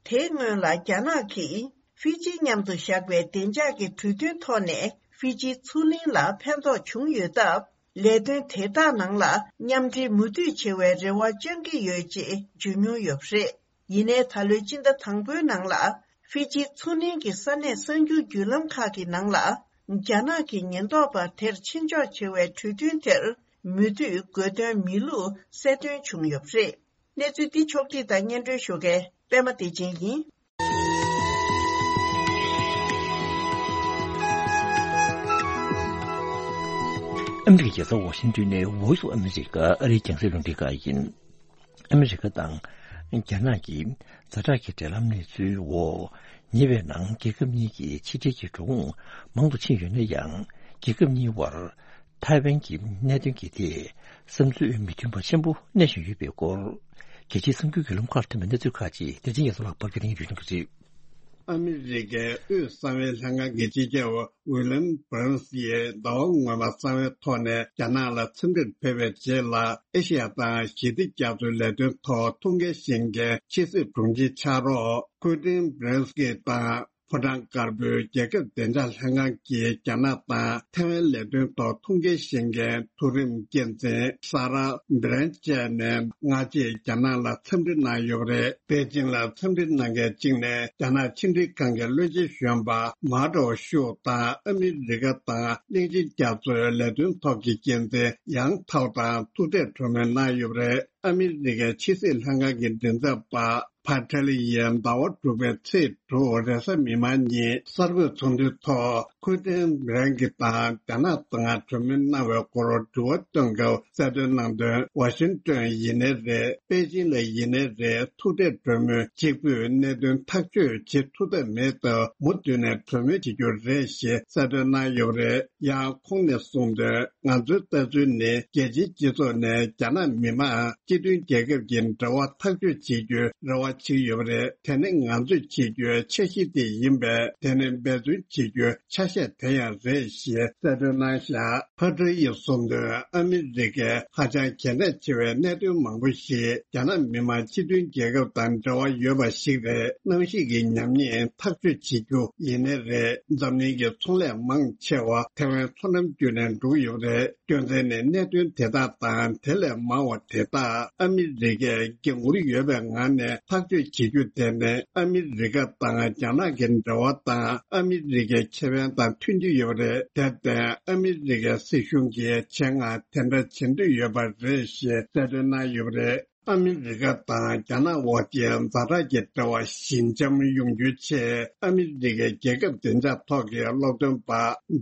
དེའི་སྔོན་ལ་རྒྱ་ནག་གིས་ཧྥི་ཇི་མཉམ་དུ་བཞག་པའི་བདེ་འཇགས་ཀྱི་གྲོས་མཐུན་ཐོག་ནས་ཧྥི་ཇི་མཚོ་གླིང་ལ་ཕན་ཐོགས་བྱུང་ཡོད་སྟབས། ལས་དོན་དེ་དག་ནང་ལ་མཉམ་འབྲེལ་མུ་མཐུད་བྱེད་པའི་རེ་བ་བཅང་གི་ཡོད་ཅེས་བརྗོད་མྱོང་ཡོད་པ་རེད། ཡིན་ནའི་ད་ལོའི་སྤྱི་ཟླ་དང་པོའི་ནང་ལ་ཧྥི་ཇི་མཚོ་གླིང་གི་ས་གནས་གསར་འགྱུར་བརྒྱུད་ལམ་ཁག་གི་ནང་ལ། རྒྱ་ནག་གི་ཉེན་རྟོག་པ་དེར་ཕྱིར་འཇོག་བྱེད་པའི་གྲོས་མཐུན་དེར་མོས་མཐུན་དགོས་དོན་མེད་ལུགས་གསལ་སྟོན་བྱུང་ཡོད་པ་རེད། གནས་ཚུལ་འདི་ཕྱོགས་བསྒྲིགས་དང་སྙན་སྒྲོན་ཞུ་མཁན་པད་མ་བདེ་ཆེན་ཡིན། ཨ་མི་རི་ཀའི་རྒྱལ་ས་ཝ་ཤིང་ཏོན་ནས་Voice of America ཨ་རིའི་རྒྱང་སྲིང་རླུང་འཕྲིན་ཁང་ཡིན། ཨ་མི་རི་ཀ་དང་རྒྱ་ནག་གི་ཛ་དྲག་གི་འབྲེལ་ལམ་གནས་ཚུལ་འོག་ཉེ་བའི་ནང་རྒྱལ་ཁབ་གཉིས་ཀྱི་ཕྱི་འབྲེལ་གྱི་འགྲོ་འོང་མང་དུ་ཕྱིན་ཡོད་ན་ཡང་། རྒྱལ་ཁབ་གཉིས་བར་ཐའེ་ཝན་གྱི་གནད་དོན་གྱི་ཐད་བསམ་ཚུལ་མི་མཐུན་པ་ཆེན་པོ་གནས་བཞིན་ཡོད་པའི་སྐོར། རྒྱལ་སྤྱིའི་གསར་འགྱུར་བརྒྱུད་ལམ་ཁག་ལ་ཐོན་པའི་གནས་ཚུལ་ཁག་ཅིག་བདེ་ཆེན་རྒྱ་མཚོ་ལགས་ཕབ་སྒྱུར་གནང་རྒྱུ་ཞུ་གནང་གི་རེད། ཨ་མི་རི་ཀའི་དབུས་གསང་བའི་ལྷན་ཁང་གི་སྤྱི་ཁྱབ་ཝི་ལམ་བྷི་རན་སི་ཡིས་ཟླ་བ་སྔོན་མ་གསང་བའི་ཐོག་ནས་རྒྱ་ནག་ལ་འཚམས་འདྲིར་ཕེབས་པའི་རྗེས་ལ། ཨེ་ཤེ་ཡ་དང་ཞི་བདེ་རྒྱ་མཚོའི་ལས་དོན་ཐོག་ཐུགས་འགན་བཞེས་མཁན་ཕྱི་སྲིད་དྲུང་ཆེ་ཕྱག་རོགས་ཁུ་ཏིན་བྷི་རན་སི་ཀི་དང་། ཕོ་བྲང་དཀར་པོའི་རྒྱལ་ཁབ་བདེ་འཇགས་ལྷན་ཁང་གི་རྒྱ་ནག་དང་ཐའེ་ཝན་ལས་དོན་ཐོག་ཐུགས་འགན་བཞེས་མཁན་མཐོ་རིམ་འགན་འཛིན་ས་ར་བྷི་རན་བཅས་ནས་སྔ་རྗེས་རྒྱ་ནག་ལ་འཚམས་འདྲི་གནང་ཡོད་པ་རེད། པེ་ཅིང་ལ་འཚམས་འདྲི་གནང་མཁན་གཅིག་ནས་རྒྱ་ནག་ཕྱི་འབྲེལ་ཁང་གི་བློན་ཆེན་གཞོན་པ་མཱ་ཏོ་ཤུ་དང་ཨ་མི་རི་ཀ་དང་གླིང་ཆེན་རྒྱ་མཚོའི་ལས་དོན་ཐོག་གི་འགན་འཛིན་ཡང་ཐའོ་དང་ཐུག་འཕྲད་གྲོས་མོལ་གནང་ཡོད་པ་རེད། ཨ་མི་རི་ཀའི་ཕྱི་སྲིད་ལྷན་ཁང་གི་མགྲིན་ཚབ་པ་ཕ་ཐེ་ལི་ཡིས་ཟླ་བ་དྲུག་པའི་ཚེས་དྲུག་རེས་གཟའ་མིག་དམར་ཉིན་གསར་འགོད་ཚོགས་འདུའི་ཐོག་ཁུ་ཏིན་བྷི་རན་གྱི་དང་རྒྱ་ནག་དང་གྲོས་མོལ་གནང་བའི་སྐོར་དྲི་བ་བཏོན་སྐབས་གསལ་སྟོན་གནང་དོན། ཝ་ཤིང་ཏོན་ཡིན་ནའི་རེད། པེ་ཅིང་ལ་ཡིན་ནའི་རེད། ཐུག་འཕྲད་གྲོས་མོལ་གཅིག་པུས་གནད་དོན་ཐག་གཅོད་བྱེད་ཐུབ་ཐབས་མེད་སྟབས། མུ་མཐུད་ནས་གྲོས་མོལ་བྱེད་རྒྱུ་རེད་ཞེས་གསལ་སྟོན་གནང་ཡོད་པ་རེད། ཡང་ཁོང་ནས་གསུངས་དོན། ང་ཚོའི་ལྟ་ཚུལ་ནི་རྒྱལ་སྤྱིའི་སྤྱི་ཚོགས་ནས་རྒྱ་ནག་མི་དམངས་ སྤྱི་མཐུན་རྒྱལ་ཁབ་ཀྱི་འབྲེལ་བ་ཐག་གཅོད་བྱེད་རྒྱུའི་རེ་བ་བྱེད་ཀྱི་ཡོད་པ་རེད། དེ་ནི་ང་ཚོས་བྱེད་རྒྱུའི་འཆར་གཞི་དེ་ཡིན་པས། དེ་ནི་འབད་བརྩོན་བྱེད་རྒྱུའི་ཆ་ཤས་དེ་ཡང་རེད་ཞེས་གསལ་སྟོན་གནང་བཞག་ཕ་ཀྲི་ཡིས་གསུངས་དོན། ཨ་མི་རི་ཀས་ཧ་ཅང་གལ་གནད་ཆེ་བའི་གནད་དོན་མང་པོ་ཞིག་རྒྱ་ནག་མི་དམངས་སྤྱི་མཐུན་རྒྱལ་ཁབ་དང་འབྲེལ་བ་ཡོད་པ་ཞིག་རེད། གནམ་གཤིས་ཀྱི་ཉམས་ཉེས་ཐག་གཅོད་བྱེད་རྒྱུ་ཡིན་ནའི་རེད། འཛམ་གླིང་གི་ཚོང་ལས་མང་ཆེ་བ་ཐེ་ཝན་མཚོ་ནམ་བརྒྱུད་ནས་འགྲོ་གི་ཡོད་རེད། སྐྱོན་མཚན་ནི། གནད་དོན་དེ་དག་དང་དེ་ལས་མང་བ་དེ་དག་ཨ་མི་རི་ཀས་འགན་འཁུར་ཡོད་པའི་ངང་ནས་ཐག་གཅོད་བྱེད་རྒྱུ་དེ་ནི། ཨ་མི་རི་ཀ་དང་རྒྱ་ནག་གི་འབྲེལ་བ་དང་ཨ་མི་རི་ཀའི་ཁེ་ཕན་དང་མཐུན་གྱི་ཡོད་རེད། དེར་བརྟེན། ཨ་མི་རི་ཀའི་སྲིད་གཞུང་གིས་ཆེད་མངགས་དེ་འདྲ་བྱེད་འདོད་ཡོད་པ་རེད་ཞེས་གསལ་སྟོན་གནང་ཡོད་པ་རེད། ཨ་མི་རི་ཀ་དང་རྒྱ་ནག་དབར་གྱི་ཛ་དྲག་གི་འབྲེལ་བ་ཞི་འཇམ་ཡོང་རྒྱུའི་ཆེད། ཨ་མི་རི་ཀའི་རྒྱལ་ཁབ་བདེ་འཇགས་ཐོག་གི་སློབ་སྟོན་པ་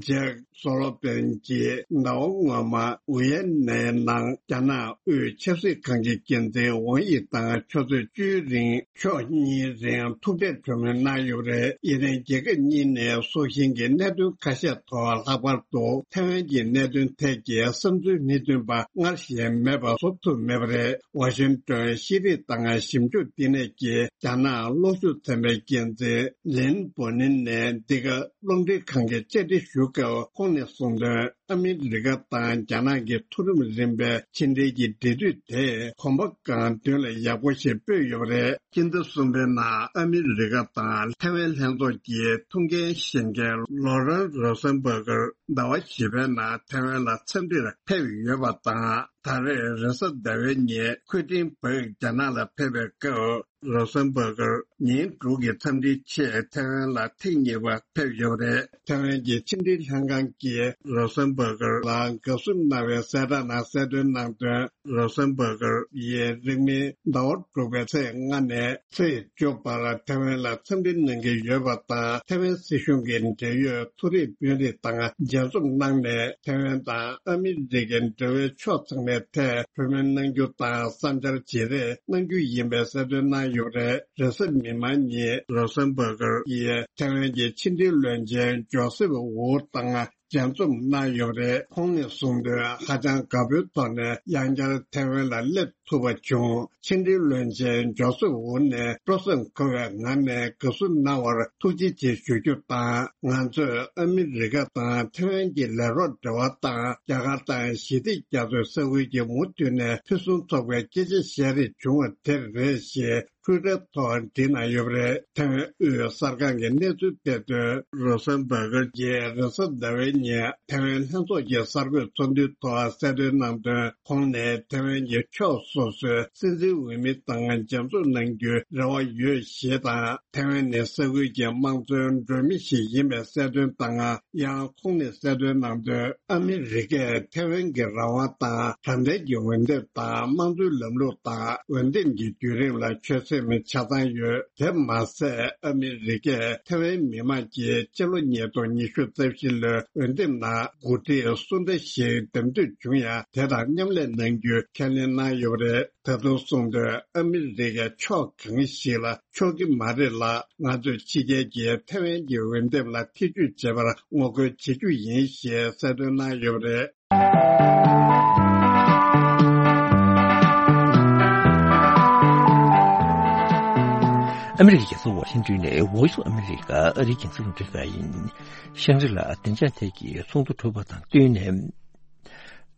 ཇེག་སོ་ལོ་པན་གྱིས་ཟླ་བ་སྔོན་མ་ཝི་ཡེ་ནའི་ནང་རྒྱ་ནག་དབུས་ཆབ་སྲིད་ཁང་གི་འགན་འཛིན་ཝང་ཡི་དང་ཆུ་ཚོད་བཅུའི་རིང་ཕྱོགས་གཉིས་རིང་ཐུག་འཕྲད་གྲོས་མོལ་གནང་ཡོད་པ་རེད། ཡིན་ནའི་རྒྱལ་ཁབ་གཉིས་ནས་སྲོག་ཤིང་གི་གནད་དོན་ཁ་ཤས་ཐོག་ལྷག་པར་དུ་ཐེ་ཝན་གྱི་གནད་དོན་ཐད་ཀྱི་བསམ་ཚུལ་མི་མཐུན་པ་སྔར་བཞིན་མེད་པ་བཟོ་ཐུབ་མེད་པ་རེད། ཝ་ཤིང་ཏོན་ཤེས་རིག་དང་ཞིབ་འཇུག་བསྟི་གནས་ཀྱི་རྒྱ་ནག་གློག་ཤུགས་ཚན་པའི་འགན་འཛིན་ལིན་པོ་ནིན་ནས་འདི་ག་རླུང་འཕྲིན་ཁང་གི་བཅར་འདྲི་ཞུ་སྐབས་ཁོང་ནས་གསུངས་དོན། ཨ་མི་རི་ཀ་དང་རྒྱ་ནག་གི་མཐོ་རིམ་རིམ་པའི་ཕྱི་འབྲེལ་གྱི་འབྲེལ་མཐུད་དེ་གོམ་པ་གང་མདུན་ལ་ཡག་པོ་ཞིག་སྤོས་ཡོད་པ་རེད། སྤྱི་ཟླ་གསུམ་པའི་ནང་ཨ་མི་རི་ཀ་དང་ཐེ་ཝན་ལྷན་ཚོགས་ཀྱི་ཐུགས་འགན་བཞེས་མཁན་ལོ་རན་རོ་སན་བྷ་གར་ཟླ་བ་བཞི་པའི་ནང་ཐེ་ཝན་ལ་འཚམས་འདྲིར་ཕེབས་ཡོད་པ་དང་། ད་རེས་རེས་གཟའ་ཟླ་བའི་ཉིན་ཁུ་ཏིན་བག་རྒྱ་ནག་ལ་ཕེབས་པའི་སྐབས། རོ་སན་བྷ་གར་ཉིན་དྲུག་གི་འཚམས་འདྲིའི་ཆེད་ཐེ་ཝན་ལ་ཐེངས་གཉིས་པ་ཕེབས་ཡོད་པ་རེད། ཐེ་ཝན་གྱི་ཕྱི་འབྲེལ་ལྷན་ཁང་གིས་རོ་སན་བྷ་གར་ལ་དགའ་བསུ་གནང་བའི་གསལ་བསྒྲགས་ནང་གསལ་སྟོན་གནང་དོན། རོ་སན་བྷ་གར་ཡིས་རིང་མིན་ཟླ་བ་དྲུག་པའི་ཚེས་ལྔ་ནས་ཚེས་བཅུ་བར་ཐེ་ཝན་ལ་འཚམས་འདྲི་གནང་གི་ཡོད་པ་དང་། ཐེ་ཝན་སྲིད་གཞུང་གི་འབྲེལ་ཡོད་མཐོ་རིམ་དཔོན་རིགས་དང་མཇལ་འཛོམས་གནང་ནས། ཐེ་ཝན་དང་ཨ་མི་རི་ཀའི་འབྲེལ་བའི་ཕྱོགས་ཚང་མའི་ཐད་གྲོས་མོལ་གནང་རྒྱུ་དང་བསམ་འཆར་བརྗེ་རེས་གནང་རྒྱུ་ཡིན་པའི་གསལ་སྟོན་གནང་ཡོད་པ་རེད། རེས་གཟའ་མིག་དམར་ཉིན་རོ་སན་བྷ་གར་ཡིས་ཐེ་ཝན་གྱི་ཕྱི་འབྲེལ་བློན་ཆེན་ཇོ་སེབ་ཝུ་དང་མཇལ་འཛོམས་གནང་ཡོད་པ་རེད། ཁོང་ནས་གསུངས་དོན། ཧ་ཅང་དགའ་པོའི་ཐོག་ནས་ཡང་བསྐྱར་ཐེ་ཝན་ལ་སླེབས་ཐུབ་པ་བྱུང་། ཕྱི་འབྲེལ་བློན་ཆེན་ཇོ་སེབ་ཝུ་ནས་སྤྲོ་སེམས་འཁོལ་བའི་ངང་ནས་དགའ་བསུ་གནང་བར་ཐུགས་རྗེ་ཆེ་ཞུ་རྒྱུ་དང་། ང་ཚོས་ཨ་མི་རི་ཀ་དང་ཐེ་ཝན་གྱི་ལས་རོགས་འབྲེལ་བ་དང་། རྒྱ་གར་དང་ཞི་བདེ་རྒྱ་མཚོའི་ས་ཁུལ་གྱི་མུ་མཐུད་ནས་ཕུན་སུམ་ཚོགས་པའི་སྐད་ཆ་བཤད་རེས་བྱུང་བ་དེར་རེད་ཞེས། ཊུའི་ཊར་ཐོག་བྲིས་གནང་ཡོད་པ་རེད། ཐེ་ཝན་དབུས་གསར་ཁང་གིས་གནས་ཚུལ་སྤེལ་དོན། རོ་སན་བྷ་གར་གྱིས་རེས་གཟའ་ཟླ་བའི་ཉིན་ཐེ་ཝན་ལྷན་ཚོགས་ཀྱི་གསར་འགོད་ཚོགས་འདུའི་ཐོག་གསལ་སྟོན་གནང་དོན། ཁོང་ནས་ཐེ་ཝན་གྱི་ཕྱོགས་སོ་སོའི་སྲིད་འཛིན་འོས་མི་དང་མཇལ་འཛོམས་གནང་རྒྱུའི་རེ་བ་ཡོད་ཞེས་དང་། ཐེ་ཝན་ནི་ས་ཁུལ་གྱི་དམངས་གཙོའི་མགྲོན་མི་ཞིག་ཡིན་པའི་གསལ་སྟོན་དང་། ཡང་ཁོང་ནས་གསལ་སྟོན་གནང་དོན། ཨ་མི་རི་ཀས་ཐེ་ཝན་གྱི་རང་དབང་དང་། དྲང་བདེན་གྱི་འོས་འདེམས་དང་། དམངས་གཙོའི་ལམ་ལུགས་དང་། འོས་འདེམས་ཀྱི་བརྒྱུད་རིམ་ལ་ཆོད་སེམས་ཆ་ཚང་ཡོད། དེ་མ་ཟད། ཨ་མི་རི་ཀས་ཐེ་ཝན་མི་དམངས་ཀྱིས་སྤྱི་ལོ་ཉིས་སྟོང་ཉི་ཤུ་རྩ་བཞི་ལོའི་འོས་འདེམས་ནང་འགོ་ཁྲིད་སུ་འདྲ་ཞིག་འདེམས་ཐོན་བྱུང་ཡང་། དེ་དང་མཉམ་ལས་གནང་རྒྱུའི་ཁས་ལེན་གནང་ཡོད་པ་རེད། ད་དུང་གསུངས་དོན། ཨ་མི་རི་ཀས་ཕྱོགས་གང་ཞིག་ལ་ཕྱོགས་ཀྱི་མ་རེད་ལ། ང་ཚོས་ཕྱི་རྒྱལ་གྱིས་ཐེ་ཝན་གྱི་འོས་འདེམས་ལ་ཐེ་ཇུས་བྱེད་པར་ངོ་རྒོལ་བྱེད་རྒྱུ་ཡིན་ཞེས་གསལ་སྟོན་གནང་ཡོད་པ་རེད། ཨ་མི་རི་ཀའི་རྒྱལ་ས་ཝ་ཤིང་ཏོན་ནས་Voice of America ཨ་རིའི་རྒྱང་སྲིང་རླུང་འཕྲིན་ཁང་ཡིན། ཤང་རི་ལ་བདེ་འཇགས་ཐད་ཀྱི་ཚོགས་འདུ་གྲུབ་པ་དང་བསྟུན་ནས།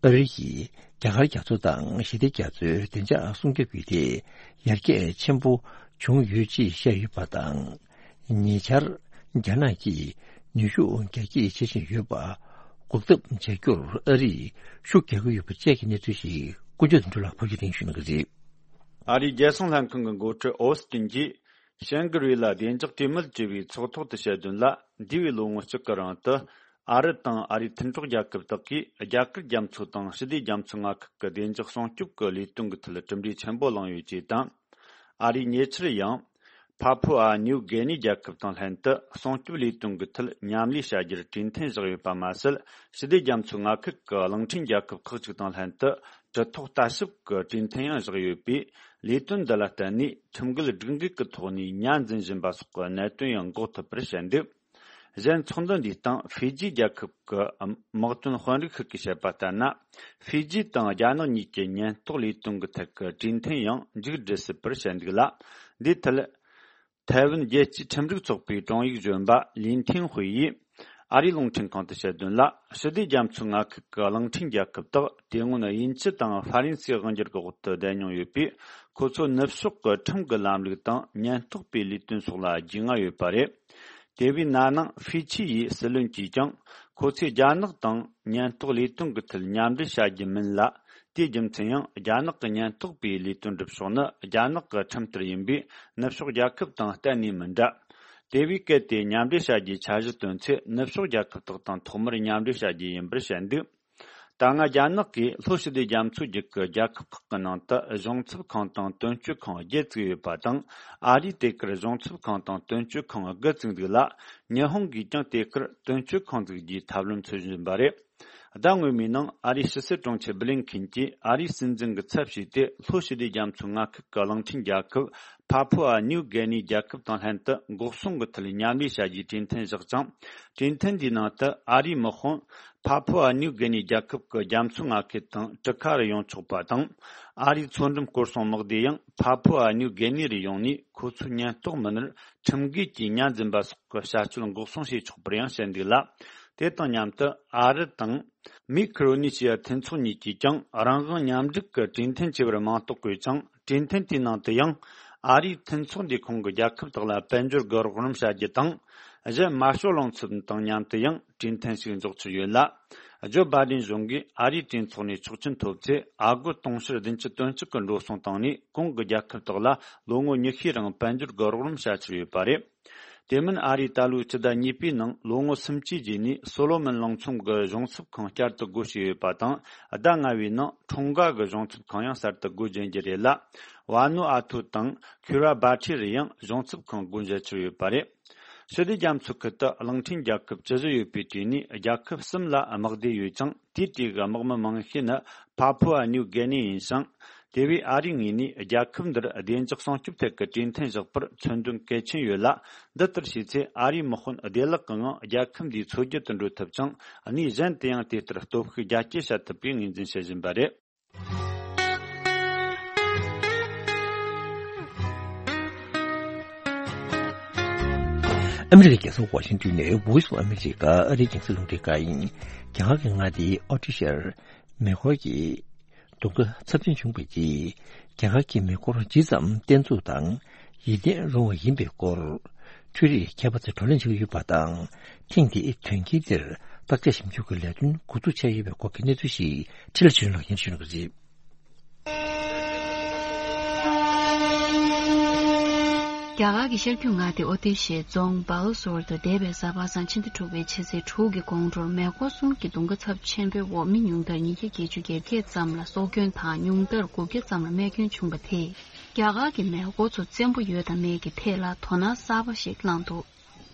ཨ་རི་ཡིས་རྒྱ་གར་རྒྱ་མཚོ་དང་ཞི་བདེ་རྒྱ་མཚོའི་བདེ་འཇགས་སྲུང་སྐྱོབ་ཀྱི་ཐད་ཡར་རྒྱས་ཆེན་པོ་བྱུང་ཡོད་ཅེས་བཤད་ཡོད་པ་དང་། ཉེ་ཆར་རྒྱ་ནག་གིས་ནུས་ཤུགས་རྒྱ་སྐྱེད་བྱེད་བཞིན་ཡོད་པ་འགོག་ཐབས་བྱ་རྒྱུར་ཨ་རིས་ཤུགས་རྒྱག་གི་ཡོད་པ་བཅས་ཀྱི་གནས་ཚུལ་ཞིག་ཀུན་སྤྱོད་དོན་གྲུབ་ལགས་ཕབ་སྒྱུར་གཏིང་ཞུ་གནང་གི་རེད། ཨ་རིའི་རྒྱལ་སྲུང་ལྷན་ཁང་གི་འགོ་ཁྲིད་ཨོ་སི་ཏིན་གྱིས། ཤན་ཀི་རི་ལ་བདེ་འཇགས་གྲོས་མོལ་ཅེས་པའི་ཚོགས་ཐོག་ཏུ་བཤད་དོན་ལ། འདས་པའི་ལོ་ངོ་གཅིག་གི་རིང་དུ། ཨ་རི་དང་ཨ་རིའི་མཐུན་གྲོགས་རྒྱལ་ཁབ་དག་གིས་རྒྱ་གར་རྒྱ་མཚོ་དང་ཞི་བདེ་རྒྱ་མཚོའི་མངའ་ཁུལ་གྱི་བདེ་འཇགས་སྲུང་སྐྱོབ་ཀྱི་ལས་དོན་གྱི་ཐད་གྲུབ་འབྲས་ཆེན་པོ་བླངས་ཡོད་ཅེས་དང་། ཨ་རིས་ཉེ་ཆར་ཡང་། ཕ་ཕུ་ཨ་ནིའུ་གྷེ་ནི་རྒྱལ་ཁབ་དང་ལྷན་དུ་སྲུང་སྐྱོབ་ལས་དོན་གྱི་ཐད་མཉམ་ལས་བྱ་རྒྱུར་གྲོས་མཐུན་བཞག་ཡོད་པ་མ་ཟད། ཞི་བདེ་རྒྱ་མཚོའི་མངའ་ཁུལ་གྱི་གླིང་ཕྲན་རྒྱལ་ཁབ་ཁག་ཅིག་དང་ལྷན་དུ་གྲུ་ཐོག་ལྟ་ཞིབ་ཀྱི་གྲོས་མཐུན་ཡང་བཞག་ཡོད་པས། ལས་དོན་འདི་ལ་བརྟེན་ནས་ཁྲིམས་འགལ་སྒྲིག་འགལ་གྱི་ཐོག་ནས་ཉ་འཛིན་བཞིན་པ་སོགས་ཀྱི་གནད་དོན་ཡང་འགོག་ཐུབ་པར་བཤད་འདུག་གཞན་ཚོགས་འདུ་འདིའི་སྟེང་ཧྥི་ཇི་རྒྱལ་ཁབ་ཀྱི་དམག་དོན་དཔོན་རིགས་ཤིག་གིས་བཤད་པ་ལྟར་ན། ཧྥི་ཇི་དང་རྒྱ་ནག་གཉིས་ཀྱི་ཉེན་རྟོག་ལས་དོན་གྱི་ཐད་ཀྱི་གྲོས་མཐུན་ཡང་མཇུག་སྒྲིལ་སྲིད་པར་བཤད་འདུག་ལ། འདིའི་ཐད། ཐའེ་ཝན་རྒྱལ་སྤྱིའི་ཁྲིམས་རིག་ཚོགས་པའི་དྲུང་ཡིག་གཞོན་པ་ལིན་ཐིང་ཧུའེ་ཡིས་ཨ་རིའི་རླུང་འཕྲིན་ཁང་དུ་བཤད་དོན་ལ། ཞི་བདེ་རྒྱ་མཚོའི་མངའ་ཁུལ་གྱི་གླིང་ཕྲན་རྒྱལ་ཁབ་དག་དེ་སྔོན་དབྱིན་ཇི་དང་ཧྥ་རན་སིའི་དབང་སྒྱུར་གྱི་འོག་ཏུ་བསྡད་མྱོང་ཡོད་པས། ཁོ་ཚོ་ནུབ་ཕྱོགས་ཀྱི་ཁྲིམས་ཀྱི་ལམ་ལུགས་དང་ཉེན་རྟོག་པའི་ལས་དོན་སོགས་ལ་རྒྱུས་མངའ་ཡོད་པ་རེད། དེ་བས་ན་ནིང་ཧྥི་ཆི་ཡི་སྲིད་བློན་གྱིས་ཀྱང་ཁོ་ཚོས་རྒྱ་ནག་དང་ཉེན་རྟོག་ལས་དོན་གྱི་ཐད་མཉམ་འབྲེལ་བྱ་རྒྱུ་མིན་ལ། དེའི་རྒྱུ་མཚན་ཡང་རྒྱ་ནག་གི་ཉེན་རྟོག་པའི་ལས་དོན་སྒྲུབ་ཕྱོགས་ནི་རྒྱ་ནག་གི་ཁྲིམས་ལྟར་ཡིན་པས། ནུབ་ཕྱོགས་རྒྱལ་ཁབ་དང་གཏན་ནས་མི་འདྲ། དེ་བས་གལ་ཏེ་མཉམ་འབྲེལ་བྱ་རྒྱུའི་འཆར་གཞི་བཏོན་ཚེ། ནུབ་ཕྱོགས་རྒྱལ་ཁབ་དག་དང་ཐོག་མར་མཉམ་འབྲེལ་བྱ་རྒྱུ་ཡིན་པར་བཤད་འདུག་ད་སྔ་རྒྱ་ནག་གིས་ལྷོ་ཞི་བདེ་རྒྱ་མཚོ་རྒྱུད་ཀྱི་རྒྱལ་ཁབ་ཁག་གི་ནང་དུ་གཞུང་ཚབ་ཁང་དང་དོན་གཅོད་ཁང་བརྒྱད་བཙུགས་ཡོད་པ་དང་། ཨ་རིས་དེ་གར་གཞུང་ཚབ་ཁང་དང་དོན་གཅོད་ཁང་དགུ་བཙུགས་འདུག་ལ། ཉི་ཧོང་གིས་ཀྱང་དེ་གར་དོན་གཅོད་ཁང་འཛུགས་རྒྱུའི་ཐབས་ལམ་འཚོལ་བཞིན་པ་རེད། ཟླ་སྔོན་མའི་ནང་ཨ་རིའི་ཕྱི་སྲིད་དྲུང་ཆེ་བྷི་ལིན་ཁིན་གྱིས་ཨ་རིའི་སྲིད་འཛིན་གྱི་ཚབ་བྱས་ཏེ། ལྷོ་ཞི་བདེ་རྒྱ་མཚོའི་མངའ་ཁུལ་གྱི་གླིང་ཕྲན་རྒྱལ་ཁབ་ཕ་ཕུ་ཨ་ནིའུ་གེ་ནི་རྒྱལ་ཁབ་དང་ལྷན་དུ་འགོག་སྲུང་གི་ཐད་མཉམ་ལས་བྱ་རྒྱུའི་གྲོས་མཐུན་བཞག་ཅིང་། གྲོས་མཐུན་འདིའི་ནང་དུ་ཨ་རིའི་དམག་དཔུང་ཕ་ཕུ་ཨ་ནིའུ་གེ་ནི་རྒྱལ་ཁབ་ཀྱི་རྒྱ་མཚོའི་མངའ་ཁུལ་དང་གྲུ་ཁ་རུ་ཡོང་ཆོག་པ་དང་། ཨ་རིའི་མཚོ་འགྲམ་སྐོར་སྲུང་དམག་སྡེ་ཡང་ཕ་ཕུ་ཨ་ནིའུ་གེ་ནི་རུ་ཡོང་ནས། ཁོ་ཚོའི་ཉེན་རྟོག་མི་སྣར་ཁྲིམས་འགལ་གྱིས་ཉ་འཛིན་པ་སོགས་ཀྱི་བྱ་སྤྱོད་འགོག་སྲུང་བྱེད་ཆོག་པར་ཡང་བཤད་འདུག་ལ། དེ་དང་མཉམ་དུ་ཨ་རི་དང་མིག་ཁི་རོ་ནི་ཤི་ཡ་མཐུན་ཚོགས་གཉིས་ཀྱིས་ཀྱང་རང་དབང་མཉམ་སྒྲིག་གི་གྲོས་མཐུན་ཆེ་བར་མིང་འདོགས་དགོས་ཀྱང་། གྲོས་མཐུན་དེའི་ནང་དུ་ཡང་ཨ་རིའི་མཐུན་ཚོགས་འདིའི་ཁོངས་ཀྱི་རྒྱལ་ཁབ་དག་ལ་དཔལ་འབྱོར་གྱི་རོགས་རམ་བྱ་རྒྱུ་དང་། གཞན་དམར་ཤོག་རླུང་འཚུབ་དང་མཉམ་དུ་ཡང་གྲོས་མཐུན་ཞིག་འཇོག་ཚུལ་ཡོད་ལ། ཇོ་བྷ་དན་གཞུང་གིས་ཨ་རིའི་གྲོས་ཚོགས་ནས་ཆོག་མཆན་ཐོབ་ཚེ། ཨ་སྒོར་དུང་ཕྱུར་བདུན་ཅུ་དོན་གཅིག་གི་འགྲོ་སོང་བཏང་ནས། གོང་གི་རྒྱལ་ཁབ་དག་ལ་ལོ་ངོ་ཉི་ཤུའི་རིང་དཔལ་འབྱོར་གྱི་རོགས་རམ་བྱ་ཚུལ་ཡོད་པ་རེད། དེ་མིན་ཨ་རིས་ད་ལོའི་སྤྱི་ཟླ་གཉིས་པའི་ནང་ལོ་ངོ་སུམ་ཅུའི་རྗེས་ནས་སོ་ལོ་མོན་གླིང་ཚོམ་གྱི་གཞུང་ཚབ་ཁང་བསྐྱར་དུ་སྒོ་ཕྱེ་ཡོད་པ་དང་། ཟླ་ལྔ་བའི་ནང་ཁྲུང་ག་གི་གཞུང་ཚབ་ཁང་ཡང་གསར་དུ་སྒོ་འབྱེད་རྒྱུ་རེད་ལ། ཝ་ནུ་ཨ་ཐུ་དང་ཁུ་ར་བྷ་ཁྲི་རུ་ཡང་གཞུང་ཚབ་ཁང་སྒོ་འབྱེད་ཚུལ་ཡོད་པ་རེད། ཞི་བདེ་རྒྱ་མཚོའི་ཁུལ་དུ་གླིང་ཕྲན་རྒྱལ་ཁབ་བཅུ་བཞི་ཡོད་པའི་གྲས་ནས་རྒྱལ་ཁབ་གསུམ་ལ་དམག་སྡེ་ཡོད་ཅིང་། དེའི་གྲས་ཀྱི་དམག་མི་མང་ཤོས་ནི་ཕ་ཕུ་ཨ་ནིའུ་གེ་ནི་ཡིན་ཞིང་། དེ་བས་ཨ་རིའི་ངོས་ནས་རྒྱལ་ཁབ་འདིར་བདེ་འཇགས་སྲུང་སྐྱོབ་ཐད་ཀྱི་གྲོས་མཐུན་བཞག་པར་མཚོན་དོན་གལ་ཆེན་ཡོད་ལ། འདི་ལྟར་བྱས་ཚེ་ཨ་རིའི་དམག་དཔོན་བདེ་བླག་གི་ངང་རྒྱལ་ཁབ་འདིའི་མཚོ་རྒྱུད་དུ་འགྲོ་ཐུབ་ཅིང་། གནས་གཞན་དུ་ཡང་དེ་ལྟར་སྟོབས་ཤུགས་རྒྱ་སྐྱེད་བྱ་ཐུབ་པའི་ངོས་འཛིན་བྱེད་བཞིན་པ་རེད། ཨ་མི་རི་ཀའི་རྒྱལ་ས་ཝ་ཤིང་ཏོན་ནས་Voice of America ཨ་རིའི་རྒྱང་སྲིང་རླུང་འཕྲིན་ཁང་ཡིན། རྒྱ་གར་གྱི་མངའ་སྡེ་ཨོ་ཏི་ཤར་མེ་འཁོར་གྱི་གདོང་ཁ་ཚབས་ཆེན་བྱུང་བའི་རྗེས། རྒྱ་གར་གྱི་མེ་འཁོར་ཇི་ཙམ་བརྟན་ཚུགས་དང་ཡིད་བརྟན་རུང་བ་ཡིན་པའི་སྐོར། འཕྲུལ་རིག་མཁས་པ་ཚོས་བགྲོ་གླེང་བྱེད་ཀྱི་ཡོད་པ་དང་། ཐེངས་འདིའི་དོན་རྐྱེན་དེར་བརྟག་དཔྱད་ཞིབ་འཇུག་གི་ལས་དོན་འགོ་འཛུགས་བྱས་ཡོད་པའི་སྐོར་གྱི་གནས་ཚུལ་ཞིག་འཕྲིན་ལས་ཆོས་སྒྲོན་ལགས་སྙན་ཞུ་གནང་གི་རེད། རྒྱ་གར་གྱི་ཤར་རྒྱུད་མངའ་སྡེ་ཨོ་ཏི་ཤའི་རྫོང་སྦ་ལོ་སོར་དུ་འདས་པའི་གཟའ་པ་སངས་ཕྱི་ཟླ་དྲུག་པའི་ཕྱི་ཚེས་དྲུག་གི་དགོང་དྲོར་མེ་འཁོར་གསུམ་གྱི་གདོང་ཁ་ཚབས་ཆེན་པོའི་འོག་མི་ཉུང་མཐར་ཉིས་བརྒྱ་བརྒྱད་ཅུ་གྱ་བརྒྱད་ཙམ་ལ་སྲོག་སྐྱོན་དང་ཉུང་མཐར་དགུ་བརྒྱ་ཙམ་ལ་རྨས་སྐྱོན་བྱུང་བ་དེས། རྒྱ་གར་གྱི་མེ་འཁོར་ཚོ་བཙན་པོ་ཡོད་དང་མེད་ཀྱི་ཐད་ལ་དོ་སྣང་གསར་པ་ཞིག་བསླངས་འདུག་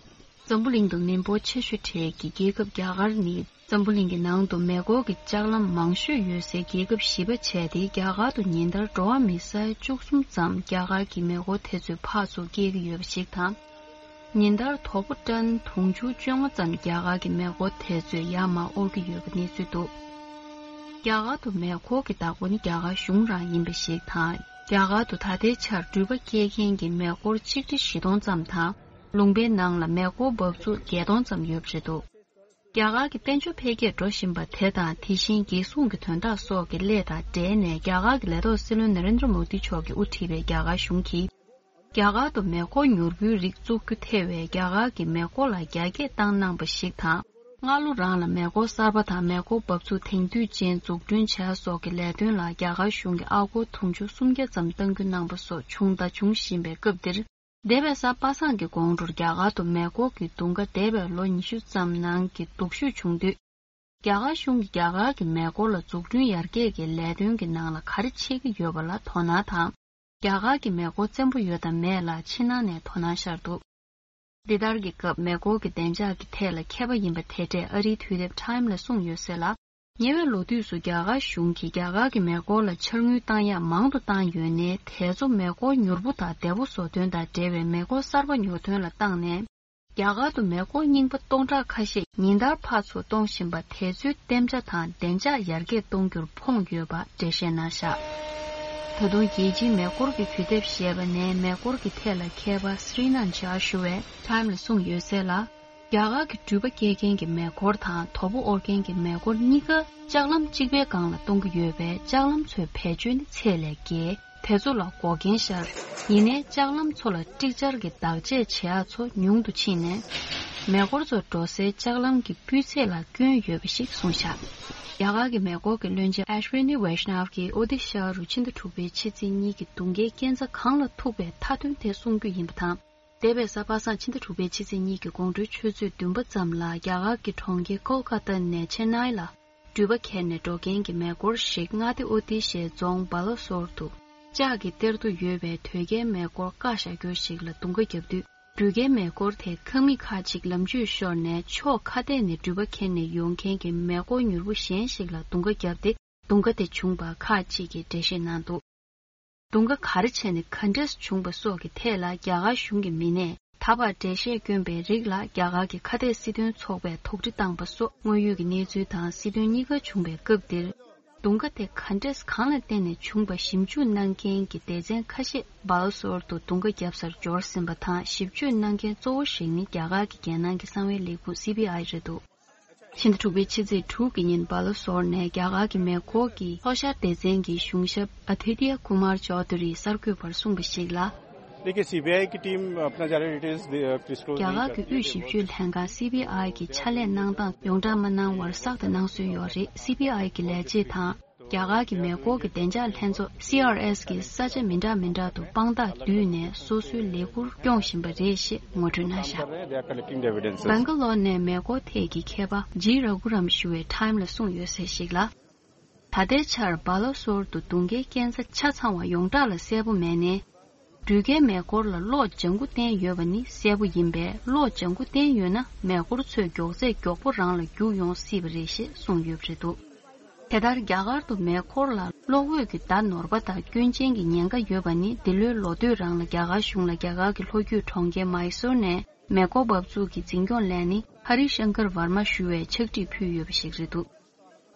འཛམ་བུ་གླིང་དུ་མི་འབོར་ཆེ་ཤོས་གྲས་ཀྱི་རྒྱལ་ཁབ་རྒྱ་གར་ནི། འཛམ་བུ་གླིང་གི་ནང་དུ་མེ་འཁོར་གྱི་ལྕགས་ལམ་མང་ཤོས་ཡོད་སའི་རྒྱལ་ཁབ་བཞི་པ་བྱས་ཏེ། རྒྱ་གར་དུ་ཉིན་ལྟར་འགྲོ་བ་མི་ས་ཡ་བཅུ་གསུམ་ཙམ་རྒྱ་གར་གྱི་མེ་འཁོར་དེ་ཚོའི་ཕར་ཚུར་སྐྱེལ་གྱི་ཡོད་པ་ཞིག་དང་། ཉིན་ལྟར་དོ་པོ་ཊོན་དུང་ཕྱུར་བཅོ་ལྔ་ཙམ་རྒྱ་གར་གྱི་མེ་འཁོར་དེ་ཚོས་ཡར་མར་དབོར་གྱི་ཡོད་པའི་གནས་ཚུལ་འདུག་རྒྱ་གར་དུ་མེ་འཁོར་གྱི་བདག་པོ་ནི་རྒྱ་གར་གཞུང་རང་ཡིན་པ་ཞིག་དང་། རྒྱ་གར་དུ་ད་ལྟའི་ཆར་འགྲུལ་པ་སྐྱེལ་མཁན་གྱི་མེ་འཁོར་ཆིག་ཁྲི་བཞི་སྟོང་ཙམ་དང་། ལུང་པའི་ནང་ལ་མེ་འཁོར་འབབ་ཚུགས་བརྒྱད་སྟོང་ཙམ་ཡོད་པ་རེད་འདུག་རྒྱ་གར་གྱི་དཔལ་འབྱོར་འཕེལ་རྒྱས་འགྲོ་བཞིན་པ་དེ་དང་། དེ་བཞིན་རྒྱལ་སྲུང་གི་དོན་དག་སོགས་ཀྱི་སླད་དང་འབྲེལ་ནས། རྒྱ་གར་གྱི་ལས་ཐོག་སྲིད་བློན་ན་རེན་དྲ་མོ་དི་མཆོག་གིས་དབུ་ཁྲིད་པའི་རྒྱ་གར་གཞུང་གིས། རྒྱ་གར་དུ་མེ་འཁོར་མྱུར་པོའི་རིགས་བཙུགས་རྒྱུ་ཐེ་བའི་རྒྱ་གར་གྱི་མེ་འཁོར་ལ་རྒྱ་སྐྱེད་བཏང་གནང་པ་ཞིག་དང་། སྔ་ལོ་རང་ལ་མེ་འཁོར་གསར་པ་དང་མེ་འཁོར་འབབ་ཚུགས་དེང་དུས་ཅན་འཛུགས་སྐྲུན་བྱ་སོགས་ཀྱི་ལས་དོན་ལ་རྒྱ་གར་གཞུང་གིས་ཨ་སྒོར་དུང་ཕྱུར་སུམ་བརྒྱ་ཙམ་གཏང་རྒྱུ་གནང་པ་སོགས་བྱུང་དང་འབྱུང་བཞིན་པའི་སྐབས་འདིར། འདས་པའི་གཟའ་པ་སངས་ཀྱི་དགོང་དྲོར་རྒྱ་གར་དུ་མེ་འཁོར་གྱི་གདུང་ཁ་འདས་པའི་ལོ་ཉི་ཤུ་ཙམ་ནང་གི་སྡུག་ཤོས་བྱུང་དུས། རྒྱ་གར་གཞུང་གིས་རྒྱ་གར་གྱི་མེ་འཁོར་ལ་འཛུགས་སྐྲུན་ཡར་རྒྱས་ཀྱི་ལས་དོན་གྱི་ནང་ལ་ག་རེ་བྱེད་ཀྱི་ཡོད་པ་ལ་དོ་སྣང་དང་། རྒྱ་གར་གྱི་མེ་འཁོར་བཙན་པོ་ཡོད་དང་མེད་ལ་ཕྱི་ནང་ནས་དོ་སྣང་ཤར་འདུག་འདི་ལྟར་གྱི་སྐབས་མེ་འཁོར་གྱི་བདེ་འཇགས་ཀྱི་ཐད་ལ་མཁས་པ་ཡིན་པ་དེ་འདྲས་ཨ་རིའི་དུས་དེབ་Time་ལ་གསུངས་ཡོད་ཟེར་ལ། ཉེ་བའི་ལོ་དུས་སུ་རྒྱ་གར་གཞུང་གིས་རྒྱ་གར་གྱི་མེ་འཁོར་ལ་འཕྱར་དངུལ་བཏང་ཡག་མང་དུ་བཏང་ཡོད་ནའི། དེ་ཚོ་མེ་འཁོར་མྱུར་པོ་དང་བདེ་པོ་བཟོ་དོན་དང་འབྲེལ་བའི་མེ་འཁོར་གསར་པ་ཉོ་དོན་ལ་བཏང་ནས། རྒྱ་གར་དུ་མེ་འཁོར་རྙིང་པ་སྟོང་ཕྲག་ཁ་ཤས་ཉིན་ལྟར་ཕར་ཚུར་གཏོང་བཞིན་པ་དེ་ཚོའི་གཏན་འཇགས་དང་བདེ་འཇགས་ཡར་རྒྱས་གཏོང་རྒྱུར་ཕོངས་ཡོད་པ་འགྲེལ་བཤད་གནང་བཞག་ད་དུང་རྒྱལ་སྤྱིའི་མེ་འཁོར་གྱི་དུས་དེབ་ཞེས་པ་ནས་མེ་འཁོར་གྱི་ཐད་ལ་མཁས་པ་སྲི་ནན་ཇཱ་ཞུ་བས་ཊའིམ་ལ་གསུངས་ཡོད་གསལ་ལ། རྒྱ་གར་གྱི་འགྲུལ་པ་སྐྱེལ་མཁན་གྱི་མེ་འཁོར་དང་དོ་པོ་དབོར་མཁན་གྱི་མེ་འཁོར་གཉིས་ཀ་ལྕགས་ལམ་གཅིག་པའི་སྒང་ལ་གཏོང་གི་ཡོད་པས་ལྕགས་ལམ་ཚོའི་བེད་སྤྱོད་ནི་ཚད་ལས་བརྒལ། དེ་ཚོ་ལ་འགོག་རྐྱེན་ཤར། ཡིན་ནའི་ལྕགས་ལམ་ཚོ་ལ་ཀྲིག་ཅར་གྱི་བདག་གཅེས་བྱེད་ཡག་ཚོ་ཉུང་དུ་ཕྱིན་ནས། མེ་འཁོར་ཚོ་འགྲོ་སའི་ལྕགས་ལམ་གྱི་སྤུས་ཚད་ལ་སྐྱོན་ཡོད་པ་ཞིག་གསུངས་བཞག་རྒྱ་གར་གྱི་མེ་འཁོར་གྱི་བློན་ཆེན་ཨེཤ་ཝི་ནི་ཝེཤ་ནབ་ཀྱིས་ཨོ་ཏི་ཤ་རུ་ཕྱི་ཟླ་དྲུག་པའི་ཕྱི་ཚེས་གཉིས་ཀྱི་དུང་རྒྱལ་རྐྱེན་རྩ་གང་ལ་ཐུག་པའི་མཐའ་དོན་དེ་གསུང་རྒྱུ་ཡིན་པ་དང་། འདས་པའི་གཟའ་པ་སངས་ཕྱི་ཟླ་དྲུག་པའི་ཕྱི་ཚེས་གཉིས་ཀྱི་དགོང་དྲོའི་ཆུ་ཚོད་བདུན་པ་ཙམ་ལ་རྒྱ་གར་གྱི་གྲོང་ཁྱེར་ཀོལ་ཀ་ཏ་ནས་ཆེན་ནའི་ལ་འགྲུལ་པ་ཁྱེར་ནས་འགྲོ་མཁན་གྱི་མེ་འཁོར་ཞིག་མངའ་སྡེ་ཨོ་ཏི་ཤའི་རྫོང་སྦ་ལོ་སོར་དུ་ལྕགས་ཀྱི་གཏེར་དུ་ཡོད་པའི་དོས་སྐྱེལ་མེ་འཁོར་བཀག་བཞག་རྒྱུ་ཞིག་ལ་རྡུང་ཁ་བརྒྱབ་དུས། འགྲུལ་སྐྱེལ་མེ་འཁོར་དེ་ཁང་མིག་ཁག་ཅིག་ལམ་བཅུད་ཤོར་ནས་ཕྱོགས་ཁ་གཏད་ནས་འགྲུལ་པ་ཁྱེར་ནས་ཡོང་མཁན་གྱི་མེ་འཁོར་མྱུར་པོ་གཞན་ཞིག་ལ་རྡུང་ཁ་བརྒྱབ་སྟེ། རྡུང་ཁ་དེ་བྱུང་བ་ཁག་ཅིག་གིས་འགྲེལ་བཤད་གནང་འདུག་རྡུང་ཁ་ག་རེ་བྱས་ནས་ག་འདྲས་བྱུང་བ་སོགས་ཀྱི་ཐད་ལ་རྒྱ་གར་གཞུང་གི་མི་སྣས་ད་བར་འགྲེལ་བཤད་བསྐྱོན་པའི་རིགས་ལ་རྒྱ་གར་གྱི་ཁ་གཏད་སྲིད་དོན་ཚོགས་པས་དོགས་འདྲི་བཏང་པ་སོགས་དངོས་ཡོད་ཀྱི་གནས་ཚུལ་དང་སྲིད་དོན་གཉིས་ཀ་བྱུང་བའི་སྐབས་འདིར། རྡུང་ཁ་དེ་ག་འདྲས་གང་ལ་བརྟེན་ནས་བྱུང་བ་ཞིབ་འཇུག་གནང་མཁན་གྱི་སྡེ་ཚན་ཁ་ཤས་སྦ་ལོ་སོར་དུ་རྡུང་ཁ་བརྒྱབ་སར་འབྱོར་ཟིན་པ་དང་ཞིབ་དཔྱོད་གནང་མཁན་གཙོ་བོ་ཞིག་ནི་རྒྱ་གར་གྱི་རྒྱལ་ནང་གི་གསང་བའི་ལས་ཁུངས་སི་བྷི་ཨའི་རེད་འདུག་ཕྱི་ཟླ་དྲུག་པའི་ཕྱི་ཚེས་དྲུག་གི་ཉིན་སྦ་ལོ་སོར་ནས་རྒྱ་གར་གྱི་མེ་འཁོར་གྱི་མཚོ་ཤར་སྡེ་ཚན་གྱི་གཞུང་ཞབས་ཨ་དྷི་ཏི་ཡ་ཀུ་མར་ཅོ་དྷུ་རིས་གསར་འགོད་པར་གསུངས་པ་ཞིག་ལ། देखिए, सीबीआई की टीम अपना जा रही है, डिटेल्स दे- अ, डिस्क्लोज རྒྱ་གར་གྱི་དབུས་ཞིབ་དཔྱོད་ལྷན་ཁང་སི་བྷི་ཨའི་གི་ཕྱག་ལས་གནང་སྟངས་ཡོངས་གྲགས་མ་གནང་བར་གསར་དུ་གནང་སྲོལ་ཡོད་རེད། སི་བྷི་ཨའི་གི་ལས་བྱེད་དང་། རྒྱ་གར་གྱི་མེ་འཁོར་གྱི་བདེ་འཇགས་ལྷན་ཚོགས་སི་ཨར་ཨེས་ཀྱིས་ས་ཆ་མི་འདྲ་མི་འདྲ་དུ་དཔང་རྟགས་བསྡུས་ནས་སོ་སོའི་ལས་ཁུར་སྐྱོང་བཞིན་པ་རེད་ཞེས་ངོ་སྤྲོད་གནང་བཞག They are collecting the evidence. སྦེང་ག་ལོར་ནས་མེ་འཁོར་ཐད་ཀྱི་མཁས་པ་ཇི་ར་གུ་རམ་ཞུ་བས་ཊའིམ་ལ་གསུངས་ཡོད་གསལ་ཞིག་ལ། ད་ལྟའི་ཆར་སྦ་ལོ་སོར་དུ་རྡུང་ཁའི་རྐྱེན་རྩ་ཆ་ཚང་བ་ཡོངས་གྲགས་ལ་གསལ་པོ་མེད་ནའི། འགྲུལ་སྐྱེལ་མེ་འཁོར་ལ་གློག་ལྗང་ཁུ་བསྟན་ཡོད་པ་ནི་གསལ་པོ་ཡིན་པས་གློག་ལྗང་ཁུ་བསྟན་ཡོད་ན་མེ་འཁོར་ཚོས་མགྱོགས་ཚད་མགྱོགས་པོ་རང་ལ་རྒྱུག་ཡོང་སྲིད་པ་རེད་ཞེས་གསུངས་ཡོད་པ་རེད་འདུག་དེ་ལྟར་རྒྱ་གར་དུ་མེ་འཁོར་ལ་གློག་འོད་ཀྱི་བརྡ་ནོར་བ་དང་སྐྱོན་ཅན་གྱི་ཉེན་ཁ་ཡོད་པ་ནི་འདི་ལོའི་ལོ་སྟོད་རང་ལ་རྒྱ་གར་གཞུང་ལ་རྒྱ་གར་གྱི་ལྷོ་རྒྱུད་གྲོང་ཁྱེར་མཱི་སོར་ནས་མེ་འཁོར་འབབ་ཚུགས་ཀྱི་འཛིན་སྐྱོང་ལས་སྣེ་ཧ་རི་ཤང་ཀར་ཝར་མ་ཞུ་བས་ཕྱག་བྲིས་ཕུལ་ཡོད་པ་ཞིག་རེད་འདུག་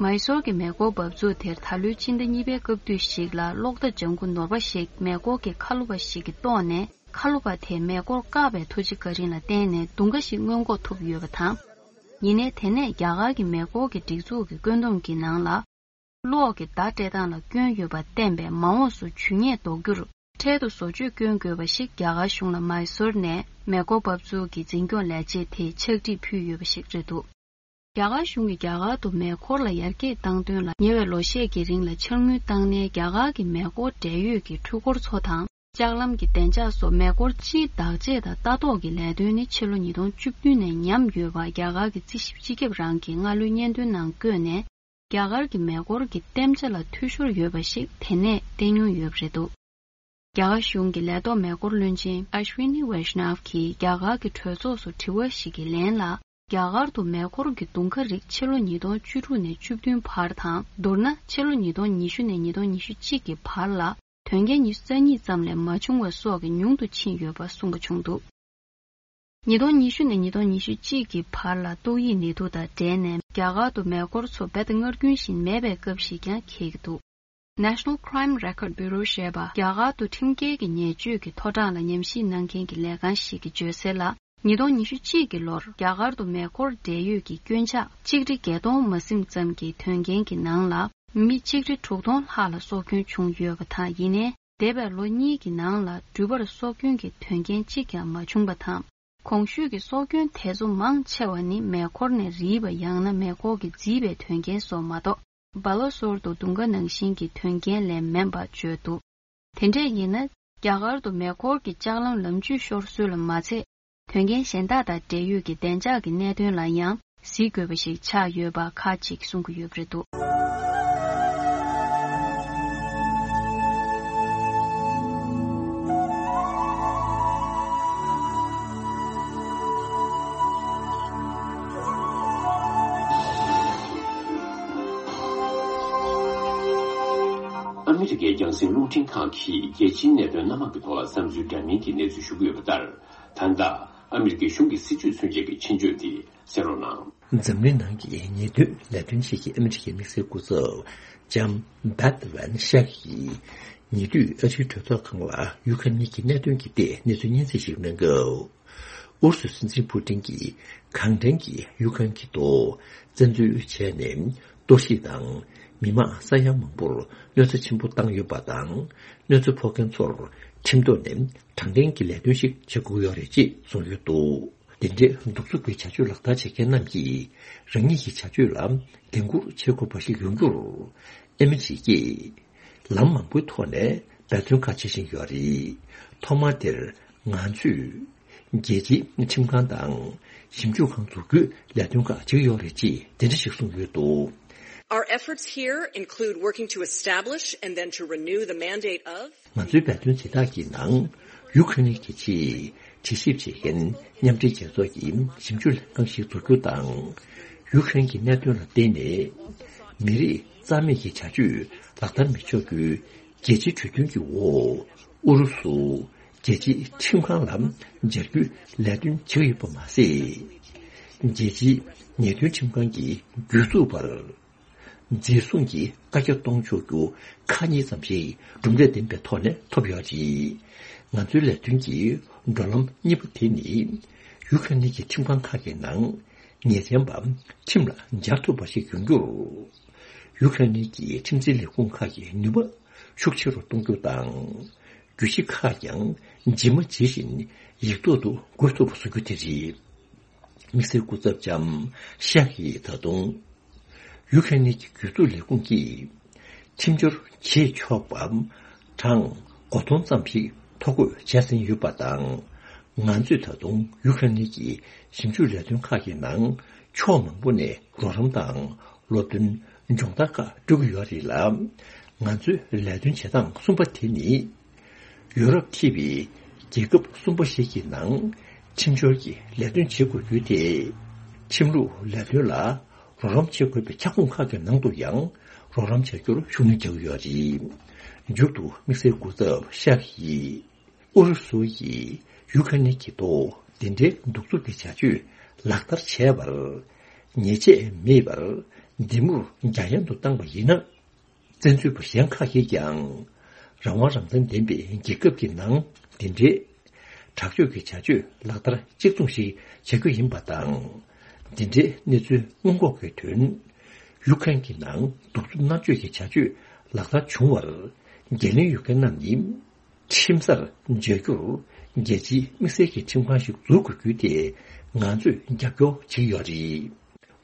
མཱི་སོར་གྱི་མེ་འཁོར་འབབ་ཚུགས་དེར་ད་ལོའི་ཕྱི་ཟླ་གཉིས་པའི་སྐབས་དུས་ཤིག་ལ་གློག་བརྡ་ལྗང་ཁུ་ནོར་བ་ཞིག་མེ་འཁོར་གྱི་ཁ་ལོ་པ་ཞིག་གིས་གཏོར་ནས་ཁ་ལོ་པ་དེས་མེ་འཁོར་བཀག་པའི་ཐུགས་རྗེ་བཀའ་དྲིན་ལ་བརྟེན་ནས་རྡུང་ཁ་ཞིག་སྔོན་འགོག་ཐུབ་ཡོད་པ་དང་། ཡིན་ནའི་དེ་ནས་རྒྱ་གར་གྱི་མེ་འཁོར་གྱི་སྒྲིག་འཛུགས་ཀྱི་བཀོད་འདོམས་ཀྱི་ནང་ལ། གློག་གི་བརྡ་སྤྲད་སྟངས་ལ་སྐྱོན་ཡོད་པ་བསྟན་པས་མ་འོངས་སུ་ཇུས་ཉེས་འདོགས་རྒྱུར་འཕྲལ་དུ་བཟོ་བཅོས་བསྐྱོན་དགོས་པ་ཞིག་རྒྱ་གར་གཞུང་ལ་མཱི་སོར་ནས་མེ་འཁོར་འབབ་ཚུགས་ཀྱི་འཛིན་སྐྱོང་ལས་བྱེད་དེས་ཕྱག་བྲིས་ཕུལ་ཡོད་པ་ཞིག་རེད་འདུག་རྒྱ་གར་གཞུང་གིས་རྒྱ་གར་དུ་མེ་འཁོར་ལ་ཡར་རྒྱས་བཏང་དོན་ལ་ཉེ་བའི་ལོ་ཤས་ཀྱི་རིང་ལ་འཆར་དངུལ་བཏང་ནས་རྒྱ་གར་གྱི་མེ་འཁོར་འབྲེལ་ཡོད་ཀྱི་འཕྲུལ་འཁོར་ཚོ་དང་ལྕགས་ལམ་གྱི་བདེ་འཇགས་སོགས་མེ་འཁོར་སྤྱིའི་བདག་གཅེས་དང་ལྟ་རྟོག་གི་ལས་དོན་ནི་ཕྱི་ལོ་ཉིས་སྟོང་བཅུ་བདུན་ནས་ཉམས་ཡོད་པ་རྒྱ་གར་གྱི་རྩིས་ཞིབ་སྤྱི་ཁྱབ་རང་གིས་སྔ་ལོའི་སྙན་ཐོའི་ནང་བཀོད་ནས་རྒྱ་གར་གྱི་མེ་འཁོར་གྱི་བརྟན་ཆ་ལ་འཐུས་ཤོར་ཡོད་པ་ཞིག་དེ་ནས་བསྟན་མྱོང་ཡོད་པ་རེད་འདུག་རྒྱ་གར་གཞུང་གི་ལས་ཐོག་མེ་འཁོར་བློན་ཆེན་ཨ་ཤ་ཝི་ནི་ཝེ་ཤ་ནབ་ཀྱིས་རྒྱ་གར་གྱི་གྲོས་ཚོགས་སུ་དྲི་བ་ཞིག་གི་ལན་ལ། རྒྱ་གར་དུ་མེ་འཁོར་གྱི་རྡུང་ཁ་རིགས་ཕྱི་ལོ་ཉིས་སྟོང་བཅུ་དྲུག་ནས་བཅུ་བདུན་བར་དང་། མདོར་ན་ཕྱི་ལོ་ཉིས་སྟོང་ཉི་ཤུ་ནས་ཉིས་སྟོང་ཉི་ཤུ་གཅིག་གི་བར་ལ་དོན་རྐྱེན་ཉི་ཤུ་རྩ་གཉིས་ཙམ་ལས་མ་བྱུང་བ་སོགས་ཀྱི་ཉུང་དུ་ཕྱིན་ཡོད་པ་གསུངས་པ་བྱུང་འདུག་ཉིས་སྟོང་ཉི་ཤུ་ནས་ཉིས་སྟོང་ཉི་ཤུ་གཅིག་གི་བར་ལ་ཏོག་དབྱིབས་ནད་དུག་དང་འབྲེལ་ནས་རྒྱ་གར་དུ་མེ་འཁོར་ཚོ་རྦད་དེ་སྔར་རྒྱུན་བཞིན་མེད་པའི་སྐབས་ཤིག་ཀྱང་འཁེལ་གྱི་འདུག National Crime Record Bureau ཞེས་པ་རྒྱ་གར་དུ་ཁྲིམས་འགལ་གྱི་ཉེས་སྤྱོད་ཀྱི་མཐོ་གྲངས་ལ་ཉམས་ཞིབ་གནང་མཁན་གྱི་ལས་ཁང་ཞིག་གིས་བརྗོད་གསལ་ལ། ཉིས་སྟོང་ཉི་ཤུ་གཅིག་གི་ལོར་རྒྱ་གར་དུ་མེ་འཁོར་འབྲེལ་ཡོད་ཀྱི་སྐྱོན་ཆ་ཆིག་ཁྲི་བརྒྱད་སྟོང་མ་ཟིན་ཙམ་གྱི་དོན་རྐྱེན་གྱི་ནང་ལ་མི་ཆིག་ཁྲི་དྲུག་སྟོང་ལྷག་ལ་སྲོག་སྐྱོན་བྱུང་ཡོད་པ་དང་། ཡིན་ནའི་འདས་པའི་ལོ་གཉིས་ཀྱི་ནང་ལ་འགྲུལ་པར་སྲོག་སྐྱོན་གྱི་དོན་རྐྱེན་གཅིག་ཀྱང་མ་བྱུང་བ་དང་། གོང་ཞུས་ཀྱི་སྲོག་སྐྱོན་དེ་ཚོ་མང་ཆེ་བ་ནི་མེ་འཁོར་ནས་རིལ་བ་ཡང་ན་མེ་འཁོར་གྱིས་བརྫིས་པའི་དོན་རྐྱེན་སོགས་མ་གཏོགས། སྦ་ལོ་སོར་དུ་རྡུང་ཁ་ནང་བཞིན་གྱི་དོན་རྐྱེན་ལས་མིན་པ་བརྗོད་འདུག་དེ་འདྲས་ཡིན་ན། རྒྱ་གར་དུ་མེ་འཁོར་གྱི་ལྕགས་ལམ་ལམ་བཅུད་ཤོར་སྲོལ་ལ་མ་ཚད། དོན་རྐྱེན་གཞན་དག་དང་འབྲེལ་ཡོད་ཀྱི་བདེ་འཇགས་ཀྱི་གནད་དོན་ལ་ཡང་གཟིགས་དགོས་པ་ཞིག་ཆགས་ཡོད་པ་ཁག་ཅིག་གསུང་གི་ཡོད་པ་རེད་འདུག་ཨ་མི་རི་ཀའི་རྒྱང་སྲིང་རླུང་འཕྲིན་ཁང་གིས་རྒྱལ་སྤྱིའི་གནད་དོན་སྣ་མང་གི་ཐོག་ལ་བསམ་ཚུལ་འདྲ་མིན་གྱི་གནས་ཚུལ་ཞུ་གི་ཡོད་པ་ལྟར། ད་ལྟ་ ཨ་མི་རི་ཀའི་གཞུང་གི་སྲིད་བྱུས་མཚོན་བྱེད་ཀྱི་ཆེད་བརྗོད་དེ་གསན་རོགས་གནང་། འཛམ་གླིང་ནང་གི་ཉེས་དོན་ལས་དོན་ཆེད་ཀྱི་ཨ་མི་རི་ཀའི་དམིགས་བསལ་སྐུ་ཚབ་ལྕམ་བྷད་ཝན་ཤག་གིས། ཉེ་དུས་ཨ་རིའི་གྲོས་ཚོགས་ཁང་ལ་ཡུ་ཁ་རེན་གྱི་གནད་དོན་གྱི་ཐད་གནས་ཚུལ་སྙན་སེང་ཞིག་གནང་སྐབས། ཨུ་རུ་སུའི་སྲིད་འཛིན་ཕུ་ཏིན་གྱིས་གང་དྲན་གྱིས་ཡུ་ཁ་རེན་གྱི་ཐོག་བཙན་འཛུལ་བྱས་ནས་གཏོར་བཤིག་དང་མི་མང་ས་ཡ་མང་པོར་གནོད་འཚེ་ཆེན་པོ་བཏང་ཡོད་པ་དང་། གནོད་འཚེ་ཕོག་མཁན་ཚོར་ཁྲིམས་ཐོག་ནས་དྲང་བདེན་གྱི་ལས་དོན་ཞིག་བྱེད་དགོས་ཀྱི་ཡོད་རེད་ཅེས་གསུངས་ཡོད་འདུག་དེ་འདྲའི་གདུག་རྩུབ་ཀྱི་བྱ་སྤྱོད་ལག་བསྟར་བྱེད་མཁན་རྣམས་ཀྱིས་རང་ཉིད་ཀྱི་བྱ་སྤྱོད་ལ་འགན་འཁུར་བྱེད་དགོས་པ་ཞིག་ཡོང་རྒྱུར། ཨ་མི་རི་ཀས་ལམ་མང་པོའི་ཐོག་ནས་འབད་བརྩོན་ཁག་བྱེད་བཞིན་ཡོད་རེད། ཐོག་མ་དེར་ང་ཚོས་རྒྱལ་སྤྱིའི་ཁྲིམས་ཁང་དང་ཞིབ་འཇུག་ཁང་འཛུགས་རྒྱུའི་ལས་དོན་ཁག་བྱེད་ཀྱི་ཡོད་རེད་ཅེས་དེ་འདྲ་ཞིག་གསུངས་ཡོད་འདུག Our efforts here include working to establish and then to renew the mandate of ང་ཚོའི་འབད་བརྩོན་དེ་དག་གི་ནང་ཡུ་ཁ་རེན་གྱི་ཆེད་དྲི་ཞིབ་བྱེད་མཁན་མཉམ་འབྲེལ་རྒྱལ་ཚོགས་ཀྱི་ཞིབ་འཇུག་ལྷན་ཁང་ཞིག་འཛུགས་རྒྱུ་དང་། ཡུ་ཁ་རེན་གྱི་གནད་དོན་ལ་བརྟེན་ནས་མི་རིགས་རྩ་མེད་ཀྱི་བྱ་སྤྱོད་ལག་བསྟར་མི་ཆོག་རྒྱུའི་རྒྱལ་སྤྱིའི་གྲོས་མཐུན་གྱི་འོག་ཨུ་རུ་སུ་རྒྱལ་སྤྱིའི་ཁྲིམས་ཁང་ལ་སྦྱར་རྒྱུའི་ལས་དོན་བྱེད་ཀྱི་ཡོད་པ་མ་ཟད། རྒྱལ་སྤྱིའི་ཉེས་དོན་ཁྲིམས་ཁང་གི་བརྒྱུད་འཛུགས་པར། འཛིན་བཟུང་གི་བཀའ་རྒྱ་གཏོང་ཆོག་རྒྱུ་ཁག་གཉིས་ཙམ་ཞིག་གྲུབ་འབྲས་ལྡན་པའི་ཐོག་ནས་ཐོབ་ཡོད་རེད། ང་ཚོའི་ལས་དོན་གྱི་འགྲོ་ལམ་གཉིས་པ་དེ་ནི། ཡུ་ཁ་རེན་གྱི་ཁྲིམས་ཁང་ཁག་གི་ནང་ཉེས་ཅན་པ་ཁྲིམས་ལ་སྦྱར་ཐུབ་པ་ཞིག་ཡོང་རྒྱུར། ཡུ་ཁ་རེན་གྱི་ཁྲིམས་འཛིན་ལས་ཁུངས་ཁག་གི་ནུས་པ་ཤུགས་ཆེ་རུ་གཏོང་རྒྱུ་དང་། གྱོད་གཞི་ཁག་ཀྱང་ཇི་མ་ཇི་བཞིན་ཡིག་ཐོག་ཏུ་འགོད་ཐུབ་པ་བཟོ་རྒྱུ་དེ་རེད། དམིགས་བསལ་སྐུ་ཚབ་ལྕམ་ཤག་གིས་ད་དུང་། ཡུ་ཁ་རེན་གྱི་གྱོད་འཛུགས་ལས་ཁུངས་ཀྱིས་ཁྲིམས་སྦྱོར་བྱེད་ཆོག་པ་གྲངས་སྒོར་སྟོང་ཙམ་ཞིག་ཐོ་འགོད་བྱས་ཟིན་ཡོད་པ་དང་། ང་ཚོས་ད་དུང་ཡུ་ཁ་རེན་གྱི་ཞིབ་འཇུག་ལས་དོན་ཁག་གི་ནང་ཕྱོགས་མང་པོ་ནས་རོགས་རམ་དང་སློབ་སྟོན་སྦྱོང་བརྡར་ཁག་སྤྲོད་ཀྱི་ཡོད་རེད་ལ། ང་ཚོའི་ལས་དོན་བྱེད་སྟངས་གསུམ་པ་དེ་ནི། ཡུ་རོབ་ཁེ་པའི་རྒྱལ་ཁབ་གསུམ་པ་ཞིག་གི་ནང་ཁྲིམས་སྦྱོར་གྱི་ལས་དོན་བྱེད་དགོས་རྒྱུ་དེ། ཁྲིམས་ལུགས་ལས་དོན་ལ་རོགས་རམ་བྱེད་དགོས་པའི་ཁྱབ་ཁོངས་ཁག་གི་ནང་དུ་ཡང་རོགས་རམ་བྱ་རྒྱུར་ཤུགས་སྣོན་རྒྱག་གི་ཡོད་རེད། མཇུག་ཏུ་དམིགས་བསལ་སྐུ་ཚབ་ཤག་གིས་ཨུ་རུ་སུ་ཡིས་ཡུ་ཁ་རེན་གྱི་ཐོག་དེ་འདྲའི་གདུག་རྩུབ་ཀྱི་བྱ་སྤྱོད་ལག་བསྟར་བྱས་པར་ཉེས་ཆད་མེད་པར་འདེམས་ངོར་འཇམ་དབྱངས་སུ་བཏང་པ་ཡིན་ན། བཙན་འཛུལ་པ་གཞན་ཁག་གིས་ཀྱང་རང་དབང་རང་བཙན་ལྡན་པའི་རྒྱལ་ཁབ་ཀྱི་ནང་འདི་འདྲའི་དྲག་སྤྱོད་ཀྱི་བྱ་སྤྱོད་ལག་བསྟར་གཅིག་མཚུངས་ཤིག་བྱ་རྒྱུ་ཡིན་པ་དང་། འདི་འདྲའི་གནས་ཚུལ་སྔོན་འགོག་གི་དོན། ཡུ་ཁ་རེན་གྱི་ནང་གདུག་རྩུབ་མནར་གཅོད་ཀྱི་བྱ་སྤྱོད་ལག་བསྟར་བྱུང་བར་འགན་ལེན་ཡོད་མཁན་རྣམས་ནི། ཁྲིམས་སར་འཇལ་རྒྱུར་རྒྱལ་སྤྱིའི་དམིགས་བསལ་གྱི་ཁྲིམས་ཁང་ཞིག་འཛུགས་དགོས་རྒྱུ་དེ་ང་ཚོས་རྒྱབ་སྐྱོར་བྱེད་ཀྱི་ཡོད་རེད།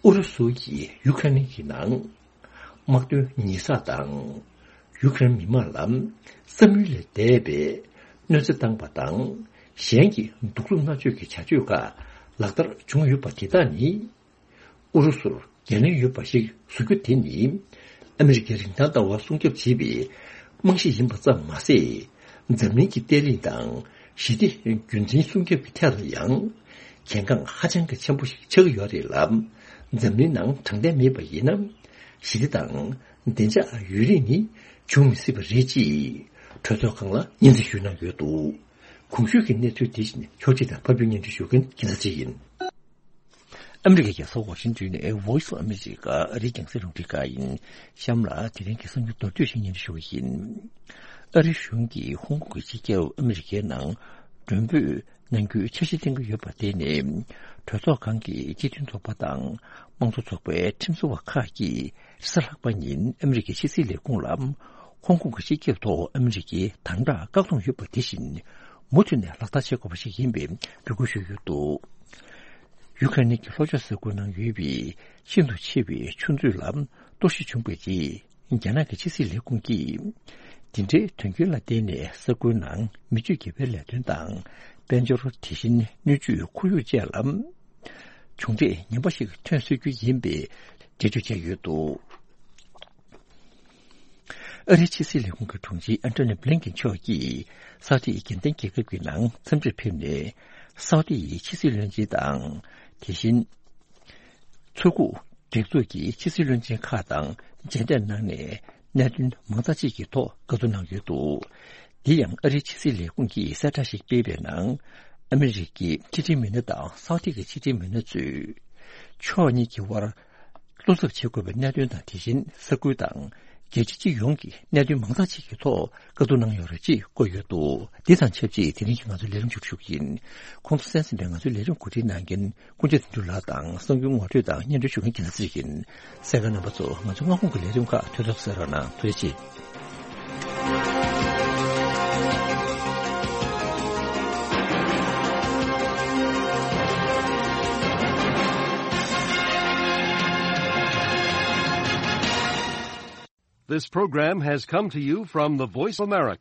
ཨུ་རུ་སུ་ཡིས་ཡུ་ཁ་རེན་གྱི་ནང་དམག་དོན་ཉེས་བསགས་དང་། ཡུ་ཁ་རེན་མི་མང་ལ་བསམ་ཡུལ་ལས་འདས་པའི་གནོད་འཚེ་བཏང་པ་དང་། གཞན་གྱི་གདུག་རྩུབ་མནར་གཅོད་ཀྱི་བྱ་སྤྱོད་ཁག་ལག་བསྟར་བྱུང་ཡོད་པ་དེ་དག་ནི། ཨུ་རུ་སུར་འགན་ལེན་ཡོད་པ་ཞིག་བཟོ་རྒྱུ་དེ་ནི། ཨ་མི་རི་ཀའི་རིན་ཐང་ལྟ་བ་སྲུང་སྐྱོབ་བྱེད་པའི་རྨང་གཞི་ཡིན་པ་ཙམ་མ་ཟད། འཛམ་གླིང་གི་བརྟན་ལྷིང་དང་ཞི་བདེ་རྒྱུན་འཛིན་སྲུང་སྐྱོབ་ཀྱི་ཐད་ལ་ཡང་གལ་འགངས་ཧ་ཅང་གི་ཆེན་པོ་ཞིག་ཆགས་ཀྱི་ཡོད་རེད་ལ། འཛམ་གླིང་ནང་དྲང་བདེན་མེད་པ་ཡིན་ན། ཞི་བདེ་དང་བདེ་འཇགས་ཡུན་རིང་ནི་འབྱུང་མི་སྲིད་པ་རེད་ཅེས་གྲོས་ཚོགས་ཁང་ལ་སྙན་སེང་ཞུས་གནང་ཡོད་འདུག་གོང་ཞུས་ཀྱི་གནས་ཚུལ་དེ་བཞིན་ཕྱོགས་སྒྲིག་དང་ཕབ་སྒྱུར་སྙན་སྒྲོན་ཞུ་མཁན་རྒྱལ་མཚན་ཆེ་ཡིན། ཨ་མི་རི་ཀའི་རྒྱལ་ས་ཝ་ཤིང་ཏོན་ནས་Voice of America ཨ་རིའི་རྒྱང་སྲིང་རླུང་འཕྲིན་ཁང་ཡིན། གཤམ་ལ་དེ་རིང་གི་གསར་འགྱུར་མདོར་བསྡུས་ཤིག་སྙན་སྒྲོན་ཞུ་གི་ཡིན། ཨ་རིའི་གཞུང་གིས་ཧོང་ཀོང་གི་སྤྱི་ཁྱབ་ཨ་མི་རི་ཀའི་ནང་མགྲོན་འབོད་གནང་རྒྱུའི་འཆར་གཞི་བཏིང་གི་ཡོད་པ་དེ་ནི། གྲོས་ཚོགས་ཁང་གི་སྤྱི་མཐུན་ཚོགས་པ་དང་དམངས་གཙོ་ཚོགས་པའི་ཁྲིམས་བཟོ་བ་ཁག་གིས་རེས་གཟའ་ལྷག་པ་ཉིན་ཨ་མི་རི་ཀའི་ཕྱི་སྲིད་ལས་ཁུངས་ལ། ཧོང་ཀོང་གི་སྤྱི་ཁྱབ་ཐོག་ཨ་མི་རི་ཀའི་དམ་དྲག་བཀག་སྡོམ་ཡོད་པ་དེ་བཞིན་མུ་མཐུད་ནས་ལག་བསྟར་བྱེད་དགོས་པ་ཞིག་ཡིན་པའི་འབོད་སྐུལ་ཞུས་ཡོད་འདུག་ཡུ་ཁ་རེན་གྱི་ལྷོ་ཕྱོགས་ས་ཁུལ་ནང་ཡོད་པའི་ཤིན་ཏུ་ཆེ་བའི་ཆུ་མཛོད་ལ་གཏོར་བཤིག་བྱུང་བའི་རྗེས། རྒྱ་ནག་གི་ཕྱི་སྲིད་ལས་ཁུངས་ཀྱིས། འདི་འདྲའི་དོན་རྐྱེན་ལ་བརྟེན་ནས་ས་ཁུལ་ནང་མི་སྤྱོད་དགེ་བའི་ལས་དོན་དང་། དཔལ་འབྱོར་དེ་བཞིན་སྣོད་བཅུད་ཁོར་ཡུག་བཅས་ལ། གྱོང་གཏད་ངན་པ་ཞིག་ཐོན་སྲིད་རྒྱུ་ཡིན་པའི་འགྲེལ་བརྗོད་བྱས་ཡོད་འདུག་ཨ་རིའི་ཕྱི་སྲིད་ལས་ཁུངས་ཀྱི་དྲུང་ཆེ་ཨན་ཐོ་ནི་བྷི་ལིན་ཀེན་མཆོག་གིས་སའུ་ཏི་དགེ་ལྡན་རྒྱལ་ཁབ་ཀྱི་ནང་འཚམས་འདྲིར་ཕེབས་ནས། སའུ་ཏི་ཡི་ཕྱི་སྲིད་བློན་ཆེན་དང་། དེ་བཞིན། མཚོ་ཁུག་སྒྲིག་འཛུགས་ཀྱི་ཕྱི་སྲིད་བློན་ཆེན་ཁག་དང་མཇལ་འཕྲད་གནང་ནས། གནད་དོན་མང་དག་ཅིག་གི་ཐོག་བཀའ་བསྡུར་གནང་ཡོད་འདུག་འདི་ཡང་ཨ་རིའི་ཕྱི་སྲིད་ལས་ཁུངས་ཀྱིས་གསལ་བསྒྲགས་ཤིག་སྤེལ་བའི་ནང་། ཨ་མི་རི་ཀའི་ཕྱི་འབྲེལ་མི་སྣ་དང་སའུ་ཏི་གི་ཕྱི་འབྲེལ་མི་སྣ་ཚོས་ཕྱོགས་གཉིས་ཀྱི་དབར་བློ་འཚབ་བྱེད་དགོས་པའི་གནད་དོན་དང་། དེ་བཞིན་ས་ཁུལ་དང་རྒྱལ་སྤྱི་སྤྱི་ཡོངས་ཀྱི་གནད་དོན་མང་དག་ཅིག་གི་ཐོག་བཀའ་བསྡུར་གནང་ཡོད་རེད་ཅེས་བཀོད་ཡོད་འདུག་འདི་དང་ཆབས་ཅིག་དེ་རིང་གི་ང་ཚོའི་ལས་རིམ་མཇུག་སྒྲིལ་ཞུ་གི་ཡིན། གོང་དུ་གསན་ཟིན་པའི་ང་ཚོའི་ལས་རིམ་གོ་སྒྲིག་གནང་མཁན་ཀུན་མཁྱེན་དོན་གྲུབ་ལགས་དང་གསར་འགྱུར་ངོ་སྤྲོད་དང་སྙན་སྒྲོན་ཞུ་མཁན་རྒྱལ་མཚན་ཡིན། གསན་མཁན་རྣམ་པ་ཚོ། ང་ཚོ་སྔ་དགོང་གི་ལས་རིམ་ཁག་ཐུགས་ཐག་གསལ་རོགས་གནང་། ཐུགས་རྗེ་ཆེ། This program has come to you from the Voice of America.